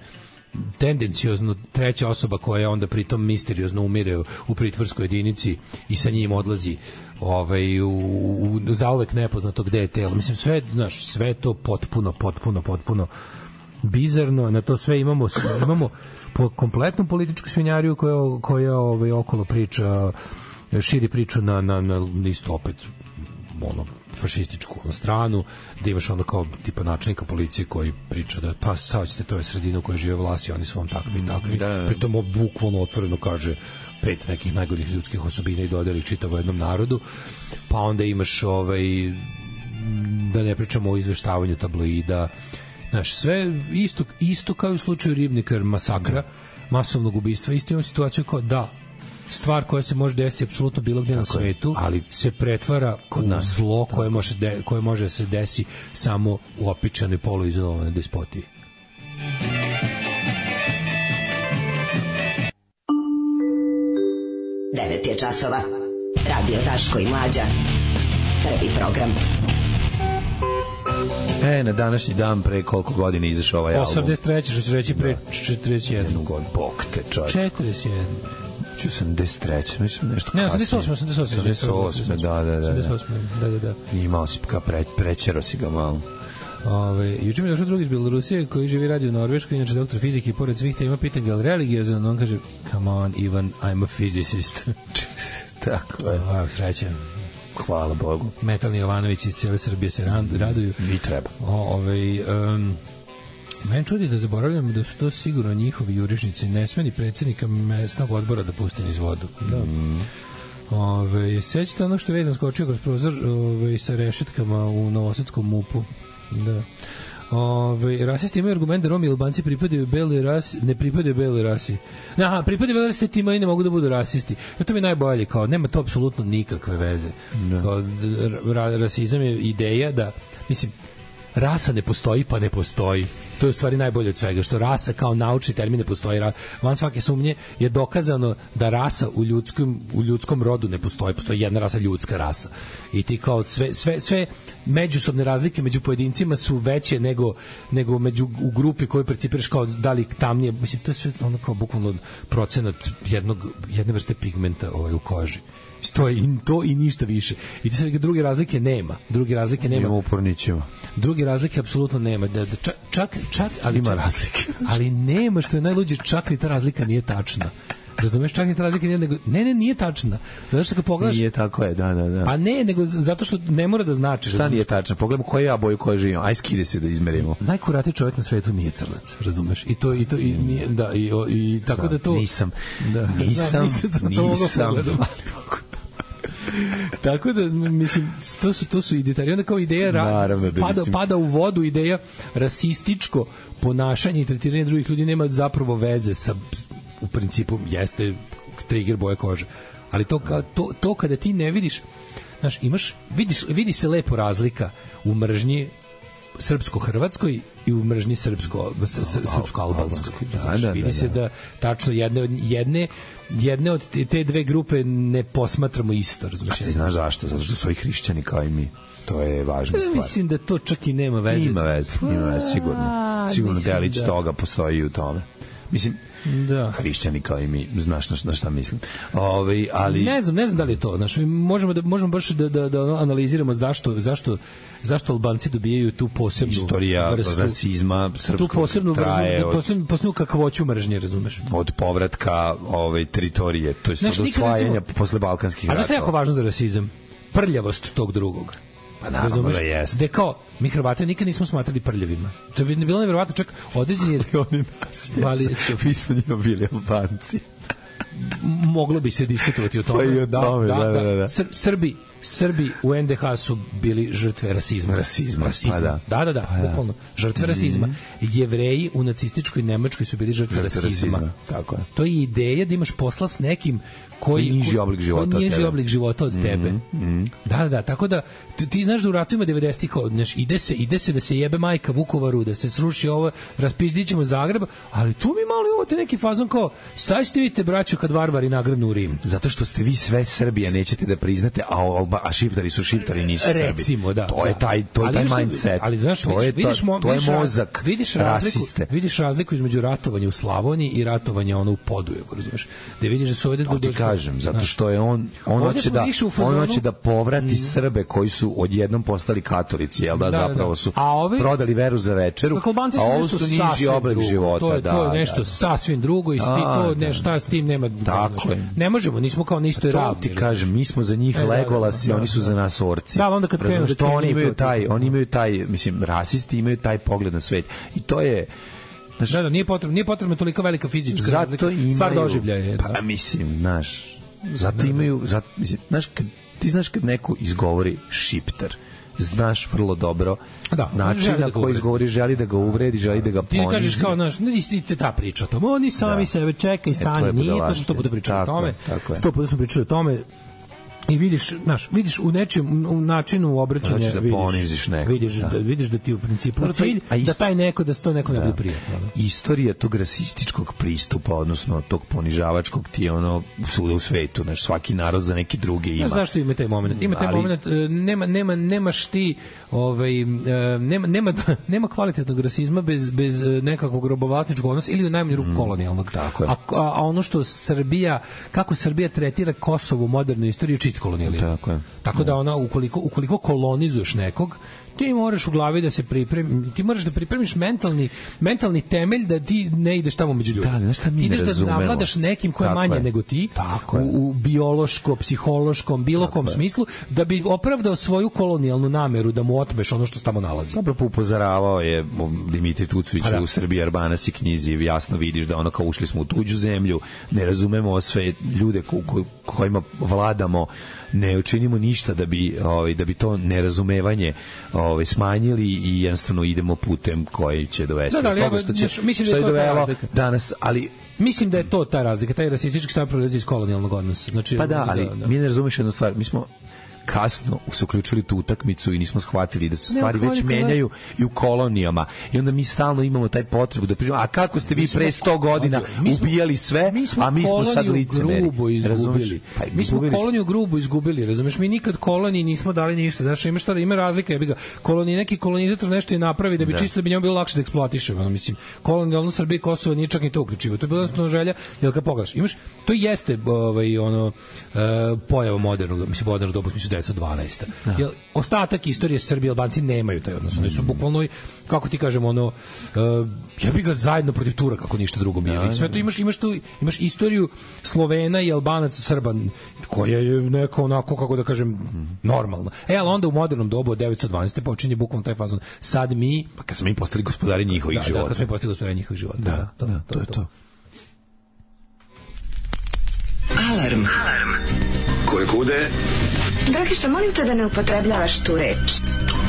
tendenciozno treća osoba koja onda pritom misteriozno umire u pritvorskoj jedinici i sa njim odlazi ovaj, u, u, zauvek nepoznato gde je telo. Mislim, sve, znaš, sve to potpuno, potpuno, potpuno bizarno. Na to sve imamo, imamo po kompletnu političku svinjariju koja, koja ovaj, okolo priča, širi priču na, na, na isto opet ono, fašističku stranu, da imaš onda kao tipa načelnika policije koji priča da pa stavite, to je sredina u kojoj žive vlasi, oni su vam takvi i takvi. Da, da. Pritom bukvalno otvoreno kaže pet nekih najgorih ljudskih osobina i dodeli čitavo jednom narodu. Pa onda imaš ovaj, da ne pričamo o izveštavanju tabloida. Znaš, sve isto, isto kao u slučaju Ribnikar masakra, masovnog ubistva, isto imamo situaciju kao da stvar koja se može desiti apsolutno bilo gde na svetu, ali se pretvara u zlo koje može, de, koje može da se desi samo u opičanoj poluizolovanoj despotiji. devet je časova. Radio Daško i Mlađa. Prvi program. E, na današnji dan pre koliko godina izašao ovaj album? osamdeset treće, što ću reći pre četrdeset jedan. God, bok te čovječ. četrdeset jedan. osamdeset treće, mislim nešto kasnije. Ne, osamdeset osam, osamdeset osam. osamdeset osam, da, da, da. Da, da, da. Imao si ka pre, prećero si ga malo. Ove, juče mi je došao drugi iz Belorusije koji živi radi u Norveškoj, inače doktor fizike i pored svih tema pitanja, je li religiozan? On kaže, come on, Ivan, I'm a physicist. Tako je. Ovo, srećan. Hvala Bogu. Metalni Jovanović iz cijele Srbije se raduju. Vi treba. O, ovaj, um, meni čudi da zaboravljam da su to sigurno njihovi jurišnici, ne sme ni predsjednika mesnog odbora da pusti niz vodu. Da. Mm. Ove, sećate ono što je vezan skočio kroz prozor ove, sa rešetkama u Novosadskom mupu. Da. Ove, rasisti imaju argument da Romi i Albanci pripadaju beloj rasi, ne pripadaju beloj rasi. Aha, pripadaju beloj rasi, ti imaju ne mogu da budu rasisti. Ja, to mi je najbolje, kao, nema to apsolutno nikakve veze. Da. Kao, ra, rasizam je ideja da, mislim, rasa ne postoji, pa ne postoji. To je u stvari najbolje od svega, što rasa kao naučni termin ne postoji. Van svake sumnje je dokazano da rasa u ljudskom, u ljudskom rodu ne postoji. Postoji jedna rasa, ljudska rasa. I ti kao sve, sve, sve međusobne razlike među pojedincima su veće nego, nego među, u grupi koju percipiraš kao da li tamnije. Mislim, to je sve ono kao bukvalno procenat jednog, jedne vrste pigmenta ovaj, u koži. To je to i ništa više. I ti sad druge razlike nema. Druge razlike nema. Nema upornićima. Druge razlike apsolutno nema. Da, da čak, čak, čak ali ima čak, razlike. Ali nema, što je najluđe, čak ni ta razlika nije tačna. Razumeš, čak ni ta razlika nije, nego, ne, ne, nije tačna. Zato što kad pogledaš... Nije tako je, da, da, da. Pa ne, nego zato što ne mora da znači. Šta nije tačno? Pogledamo koje ja boju koje živim. Aj skide se da izmerimo. Najkuratiji čovjek na svetu nije crnac, razumeš? I to, i to, i nije, da, i, i tako Znam, da to... Nisam, da, nisam, da, nisam, nisam, nisam Tako da, mislim, to su, to su idejari. Onda kao ideja Naravno, da pada, mislim... pada u vodu ideja rasističko ponašanje i tretiranje drugih ljudi nema zapravo veze sa, u principu, jeste trigger boje kože. Ali to, to, to kada ti ne vidiš, znaš, imaš, vidiš, vidi se lepo razlika u mržnji srpsko-hrvatskoj i u mržnji srpsko, srpsko-albanskoj. Da, da, vidi da, se da da tačno jedne, jedne, jedne od te dve grupe ne posmatramo isto. A ti znaš zašto? Zato što su i hrišćani kao i mi. To je važna stvar. Mislim da to čak i nema veze. Ima veze, ima veze, sigurno. Sigurno delić da. toga postoji u tome. Mislim, da. Hrišćani kao i mi, znaš na, na šta mislim. Ove, ali... Ne znam, ne znam da li je to. Znaš, možemo, da, možemo baš da, da, da analiziramo zašto, zašto, zašto Albanci dobijaju tu posebnu istorija vrstu, rasizma srpskog tu posebnu traje vrstu, posebnu, posebnu kakvoću mržnje, razumeš? Od povratka ove, teritorije, to je od osvajanja posle balkanskih ratova. A da je jako važno za rasizam? Prljavost tog drugog. Pa naravno da jeste. Gde kao, mi Hrvate nikad nismo smatrali prljavima. To bi bilo nevjerovatno, čak određeni... Oni nas jesu. Mi smo njima bili Albanci. Moglo bi se diskutovati o tome. Pa i o tome, da, da, da. da. Srbi, Srbi u en de ha su bili žrtve rasizma. Rasizma, rasizma. Pa da. Da, da, da, pa bukvalno. Žrtve mm-hmm. rasizma. Jevreji u nacističkoj Nemačkoj su bili žrtve, žrtve rasizma. rasizma. Tako je. To je ideja da imaš posla s nekim koji niži oblik života koji niži oblik života od tebe. Mm-hmm. Da, da, da, tako da ti, ti znaš da u ratovima devedesetih kao, znaš, ide se, ide se da se jebe majka Vukovaru, da se sruši ovo, raspizdićemo Zagreb, ali tu mi malo imate neki fazon kao, sad ćete vidite braću kad varvari nagrnu u Rim. Zato što ste vi sve Srbija, nećete da priznate, a, Alba, a šiptari su šiptari, nisu Srbi. Recimo, da. To je taj, to je taj mindset. Ali znaš, to je, vidiš, to, to je mozak vidiš rasiste. Razliku, vidiš razliku između ratovanja u Slavoniji i ratovanja ono u Podujevu, razumeš? Da vidiš da su ovde... To ti kažem, zato što je on on hoće da on hoće da povrati mm. Srbe koji su odjednom postali katolici, jel da, da zapravo su da. Ovi, prodali veru za večeru, a ovo su niži oblik života. To je, da, to je nešto da, da. sasvim drugo i a, to ne šta s tim nema. Tako je. Ne možemo, nismo kao na istoj ravni. Ti kažem, mi smo za njih e, Legolas i oni su za nas orci. Da, onda kad krenu što oni imaju taj, oni imaju taj, mislim, rasisti imaju taj pogled na svet. I to je Znaš, da, da, nije potrebno, nije potrebno toliko velika fizička razlika. Stvar doživljaja. Pa da. Mislim, znaš, zato imaju, zato, mislim, znaš, kad, ti znaš kad neko izgovori šiptar, znaš vrlo dobro da, način na koji izgovori, želi da ga uvredi, želi da ga ponizi. Ti kažeš kao, znaš, ne istite ta priča o tome, oni sami da. Sebe čekaj, stani, e, nije, to smo sto puta pričali o tome, sto puta smo pričali o tome, i vidiš, znaš, vidiš u nečem u načinu obraćanja da vidiš, vidiš, da. Da, vidiš da ti u principu da, cilj, isto, da taj neko da sto neko da. Ne bude prijatno. Da. Istorija tog rasističkog pristupa, odnosno tog ponižavačkog ti je ono svuda u svetu, znaš, svaki narod za neki drugi ima. Znaš zašto ima taj moment? Ima taj ali, moment, nema, nema, nemaš ti ovaj, nema, nema, nema kvalitetnog rasizma bez, bez nekakvog robovlasničkog odnosa ili u najmanju ruku kolonijalnog. Tako je. A, a ono što Srbija, kako Srbija tretira Kosovo u modernoj istoriji je čist kolonijalizam. Tako je. Tako da ona ukoliko ukoliko kolonizuješ nekog, ti moraš u glavi da se pripremi, ti moraš da pripremiš mentalni mentalni temelj da ti ne ideš tamo među ljudima. Da, šta mi ti ideš da navladaš nekim ko je manje je. nego ti u, u biološko, psihološkom, bilo kom Tako smislu da bi opravdao svoju kolonijalnu nameru da mu otmeš ono što se tamo nalazi. Dobro upozoravao je Dimitrij Tucović da. u Srbiji Arbanac i knjizi, jasno vidiš da ono kao ušli smo u tuđu zemlju, ne razumemo sve ljude ko, ko, kojima vladamo, ne učinimo ništa da bi ovaj da bi to nerazumevanje ovaj smanjili i jednostavno idemo putem koji će dovesti da, da, do toga što će znaš, mislim što da je to dovelo danas, ali mislim da je to ta razlika, taj rasistički stav proizilazi iz kolonijalnog odnosa. Znači pa da, ali da, da. mi ne razumeš jednu stvar, mi smo kasno se uključili tu utakmicu i nismo shvatili da se stvari već menjaju i u kolonijama i onda mi stalno imamo taj potrebu da pričamo, a kako ste vi pre sto godina ubijali sve, a mi smo sad licemeri. Grubo izgubili. Pa, mi smo koloniju grubo izgubili, razumeš? Mi nikad koloniji nismo dali ništa. Znaš, ima šta, ima razlika, jebi ga. Kolonije, neki kolonizator nešto je napravi da bi da. čisto da bi njemu bilo lakše da eksploatiše, ono mislim. Kolonijalno Srbija i Kosovo nije čak ni to uključivo. To je bila jednostavno želja, jel kad pogledaš, imaš to jeste ovaj ono uh, pojava modernog, mislim modernog doba, mislim devetsto dvanaesta. Da. Jel, ostatak istorije Srbije i Albanci nemaju taj odnos. Oni su bukvalno, kako ti kažemo, ono, uh, ja bih ga zajedno protiv Turaka, kako ništa drugo bili. Da, sve to imaš, imaš tu, imaš istoriju Slovena i Albanaca, Srba, koja je neko onako, kako da kažem, normalna. E, ali onda u modernom dobu od devetsto dvanaeste počinje bukvalno taj fazon. Sad mi... Pa kad smo mi postali gospodari njihovih da, života. Da, kad smo mi postali gospodari njihovih života. Da, da, to, da, to, to je to. to. Alarm. Koje kude... Dragiša, molim te da ne upotrebljavaš tu reč.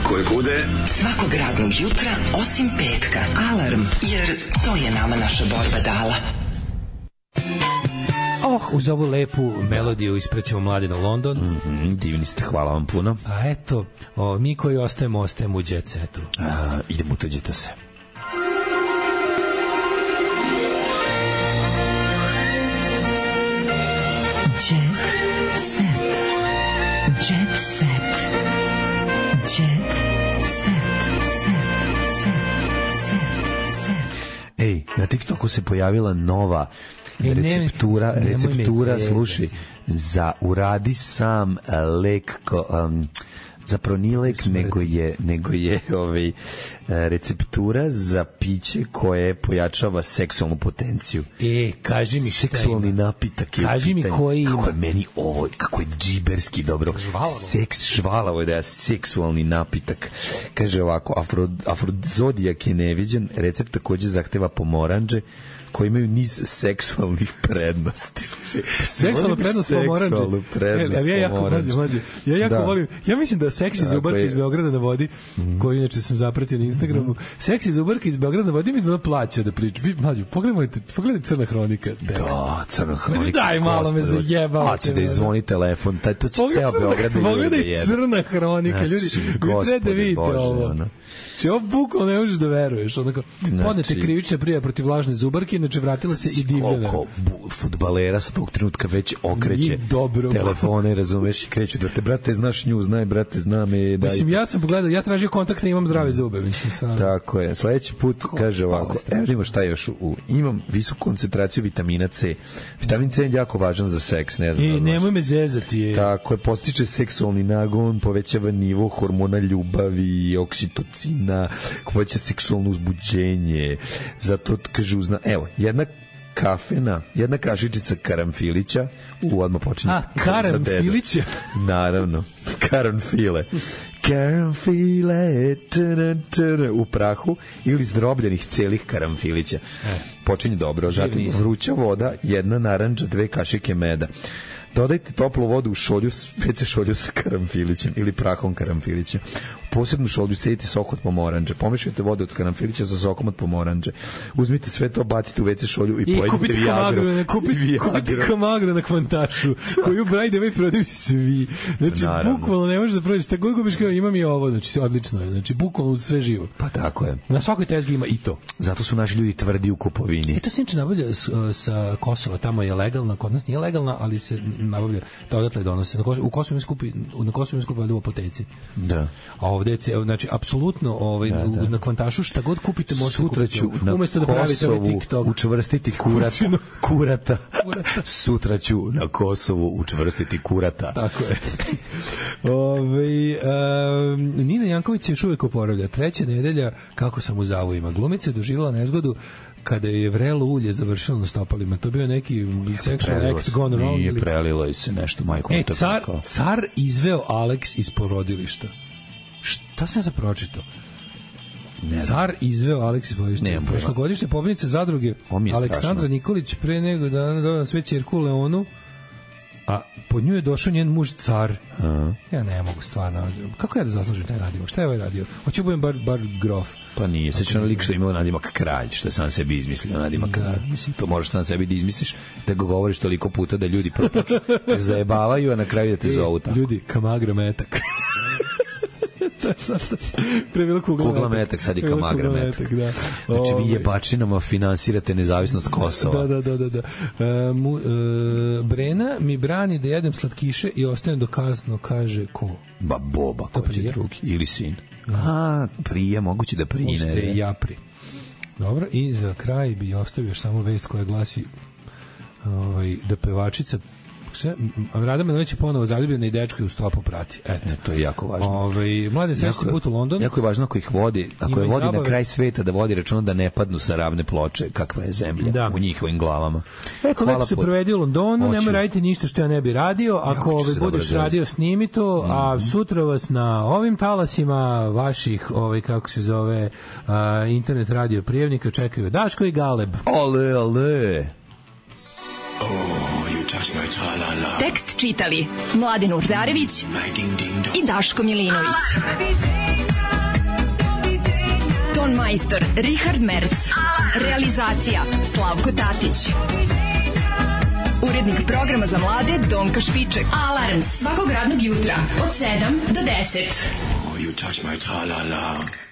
Koje kude? Svakog radnog jutra, osim petka. Alarm, jer to je nama naša borba dala. Oh, uz ovu lepu melodiju isprećemo Mladina London. Mm-hmm, divni ste, hvala vam puno. A eto, o, mi koji ostajemo, ostajemo u Jet Setu. A, idemo, tuđite se. Jet Set. Jet Set. Jet Set. Set. Set. Set. Ej, na TikToku se pojavila nova E, receptura, ne, receptura slušaj, za uradi sam lek ko, um, zapravo nije lek, nego je, nego je ovaj, receptura za piće koje pojačava seksualnu potenciju. E, kaži mi šta seksualni ima. Napitak je kaži mi koji ima. Kako je meni ovo, kako je džiberski dobro. Žvalavo. Seks, žvalavo je da je seksualni napitak. Kaže ovako, afro, afrodizodijak je neviđen, recept takođe zahteva pomoranđe, koji imaju niz seksualnih prednosti. Seksualna prednost pomoranđe. Prednost ja jako mlađe, mlađe. Ja jako da. volim. Ja mislim da seksi zubarka iz Beograda na vodi, mm. koji inače sam zapratio na Instagramu, mm. seksi zubarka iz Beograda na vodi, mislim da plaća da priča. Mlađe, pogledajte, pogledajte Crna hronika. Tekst. Da, Crna hronika. Daj malo me zajebao. A će da izvoni telefon, taj to će ceo Beograd da pogledaj Crna hronika, ljudi. Vi treba da vidite ovo. Če ovo bukvalno ne možeš da veruješ. Onako, podnete krivične prijave protiv lažne zubarke, inače vratila se i divljena. Koliko fudbalera sa tog trenutka već okreće telefone, razumeš, i kreću da te, brate, znaš nju, znaj, brate, zna me. Daj. Mislim, ja sam pogledao, ja tražio kontakte, imam zdrave zube. Mislim, stvarno. Tako je. Sledeći put Ko, kaže ovako, evo vidimo šta je još u, imam visoku koncentraciju vitamina C. Vitamin C je jako važan za seks, ne znam. E, nemoj me zezati. Je. Tako je, postiče seksualni nagon, povećava nivo hormona ljubavi, oksitocina, poveća seksualno uzbuđenje. Zato kaže uzna, evo, jedna kafena, jedna kašičica karamfilića, u odmah počinje. A, karamfilića? Naravno, karamfile. Karamfile tana, tana, u prahu ili zdrobljenih celih karamfilića. E. Počinje dobro, zatim vruća voda, jedna narandža, dve kašike meda. Dodajte toplu vodu u šolju, ve ce šolju sa karamfilićem ili prahom karamfilića. U posebnu šolju stavite sok od pomoranđe. Pomešajte vodu od karamfilića sa sokom od pomoranđe. Uzmite sve to, bacite u ve ce šolju i, i pojedite Viagru. I kupite Kamagru na kvantašu, koju brajde već prodaju svi. Znači, naravno, bukvalno ne možeš da prođeš. Šta god gubiš, kao imam i ovo, znači, odlično je. Znači, bukvalno sve živo. Pa tako je. Na svakoj tezgi ima i to. Zato su naši ljudi tvrdi u kupovini. E to se inče nabavlja sa Kosova, tamo je legalna, kod nas nije legalna, ali se nabavlja, da odatle donose. Na Kosovu, u Kosovu mi skupi, na Kosovu mi skupi u apoteci. Da. A ovde je, znači, apsolutno ovaj, da, da. na kvantašu šta god kupite možete kupiti. Umesto da pravite ovaj TikTok. Učvrstiti kurata. kurata. Sutra ću na Kosovu učvrstiti kurata. Tako je. Ove, um, Nina Janković se još uvijek oporavlja. Treća nedelja kako sam u zavojima. Glumica je doživjela nezgodu kada je vrelo ulje završilo na stopalima. To bio neki sexual act gone wrong. Nije prelilo i se nešto, majko. E, car, car izveo Alex iz porodilišta. Šta sam za pročitao? Car izveo Alex iz porodilišta. Prošlogodišnja pobjednica zadruge Aleksandra Nikolić pre nego dana dobila na sve ćerku Leonu, a pod nju je došao njen muž car. Aha. Ja ne mogu stvarno. Kako ja da zaslužim taj radio? Šta je ovaj radio? Hoću budem bar, bar grof. Pa nije. Sećam lik što imao nadimak kralj, što je sam sebi izmislio nadimak kralj. Da. Mislim, to možeš sam sebi da izmisliš, da ga govoriš toliko puta da ljudi prvo počnu te zajebavaju, a na kraju da te zovu tako. Ljudi, Kamagra metak. Pre bilo kugla, kugla metak, metak sad je Kamagra metak. metak da. Znači vi jebačinama finansirate nezavisnost Kosova. Da, da, da, da. E, mu, e, Brena mi brani da jedem slatkiše i ostanem do kazno, kaže ko? Ba Boba, ko će drugi ili sin. A, prije, moguće da prije. Možete ja pri. Dobro, i za kraj bi ostavio još samo vest koja glasi ovaj, da pevačica Rada Manović je ponovo zaljubljena i dečko je u stopu prati. Eto. E, to je jako važno. Ove, mlade srećni put u London. Jako je važno ako ih vodi, ako je vodi zabave na kraj sveta, da vodi računa da ne padnu sa ravne ploče, kakva je zemlja da. U njihovim glavama. Eto, lepo se provedi u Londonu, nemoj raditi ništa što ja ne bi radio. Ako ove, budeš radio, snimi to, mm. a sutra vas na ovim talasima vaših, ovaj, kako se zove, uh, internet radio prijemnika čekaju Daško i Galeb. Ale, ale. Oh, you Tekst čitali Mladen Urdarević i Daško Milinović. Ton majstor Richard Merc. Realizacija Slavko Tatić. Urednik programa za mlade Donka Špiček. Alarms svakog radnog jutra od sedam do deset. You touch my tra-la-la.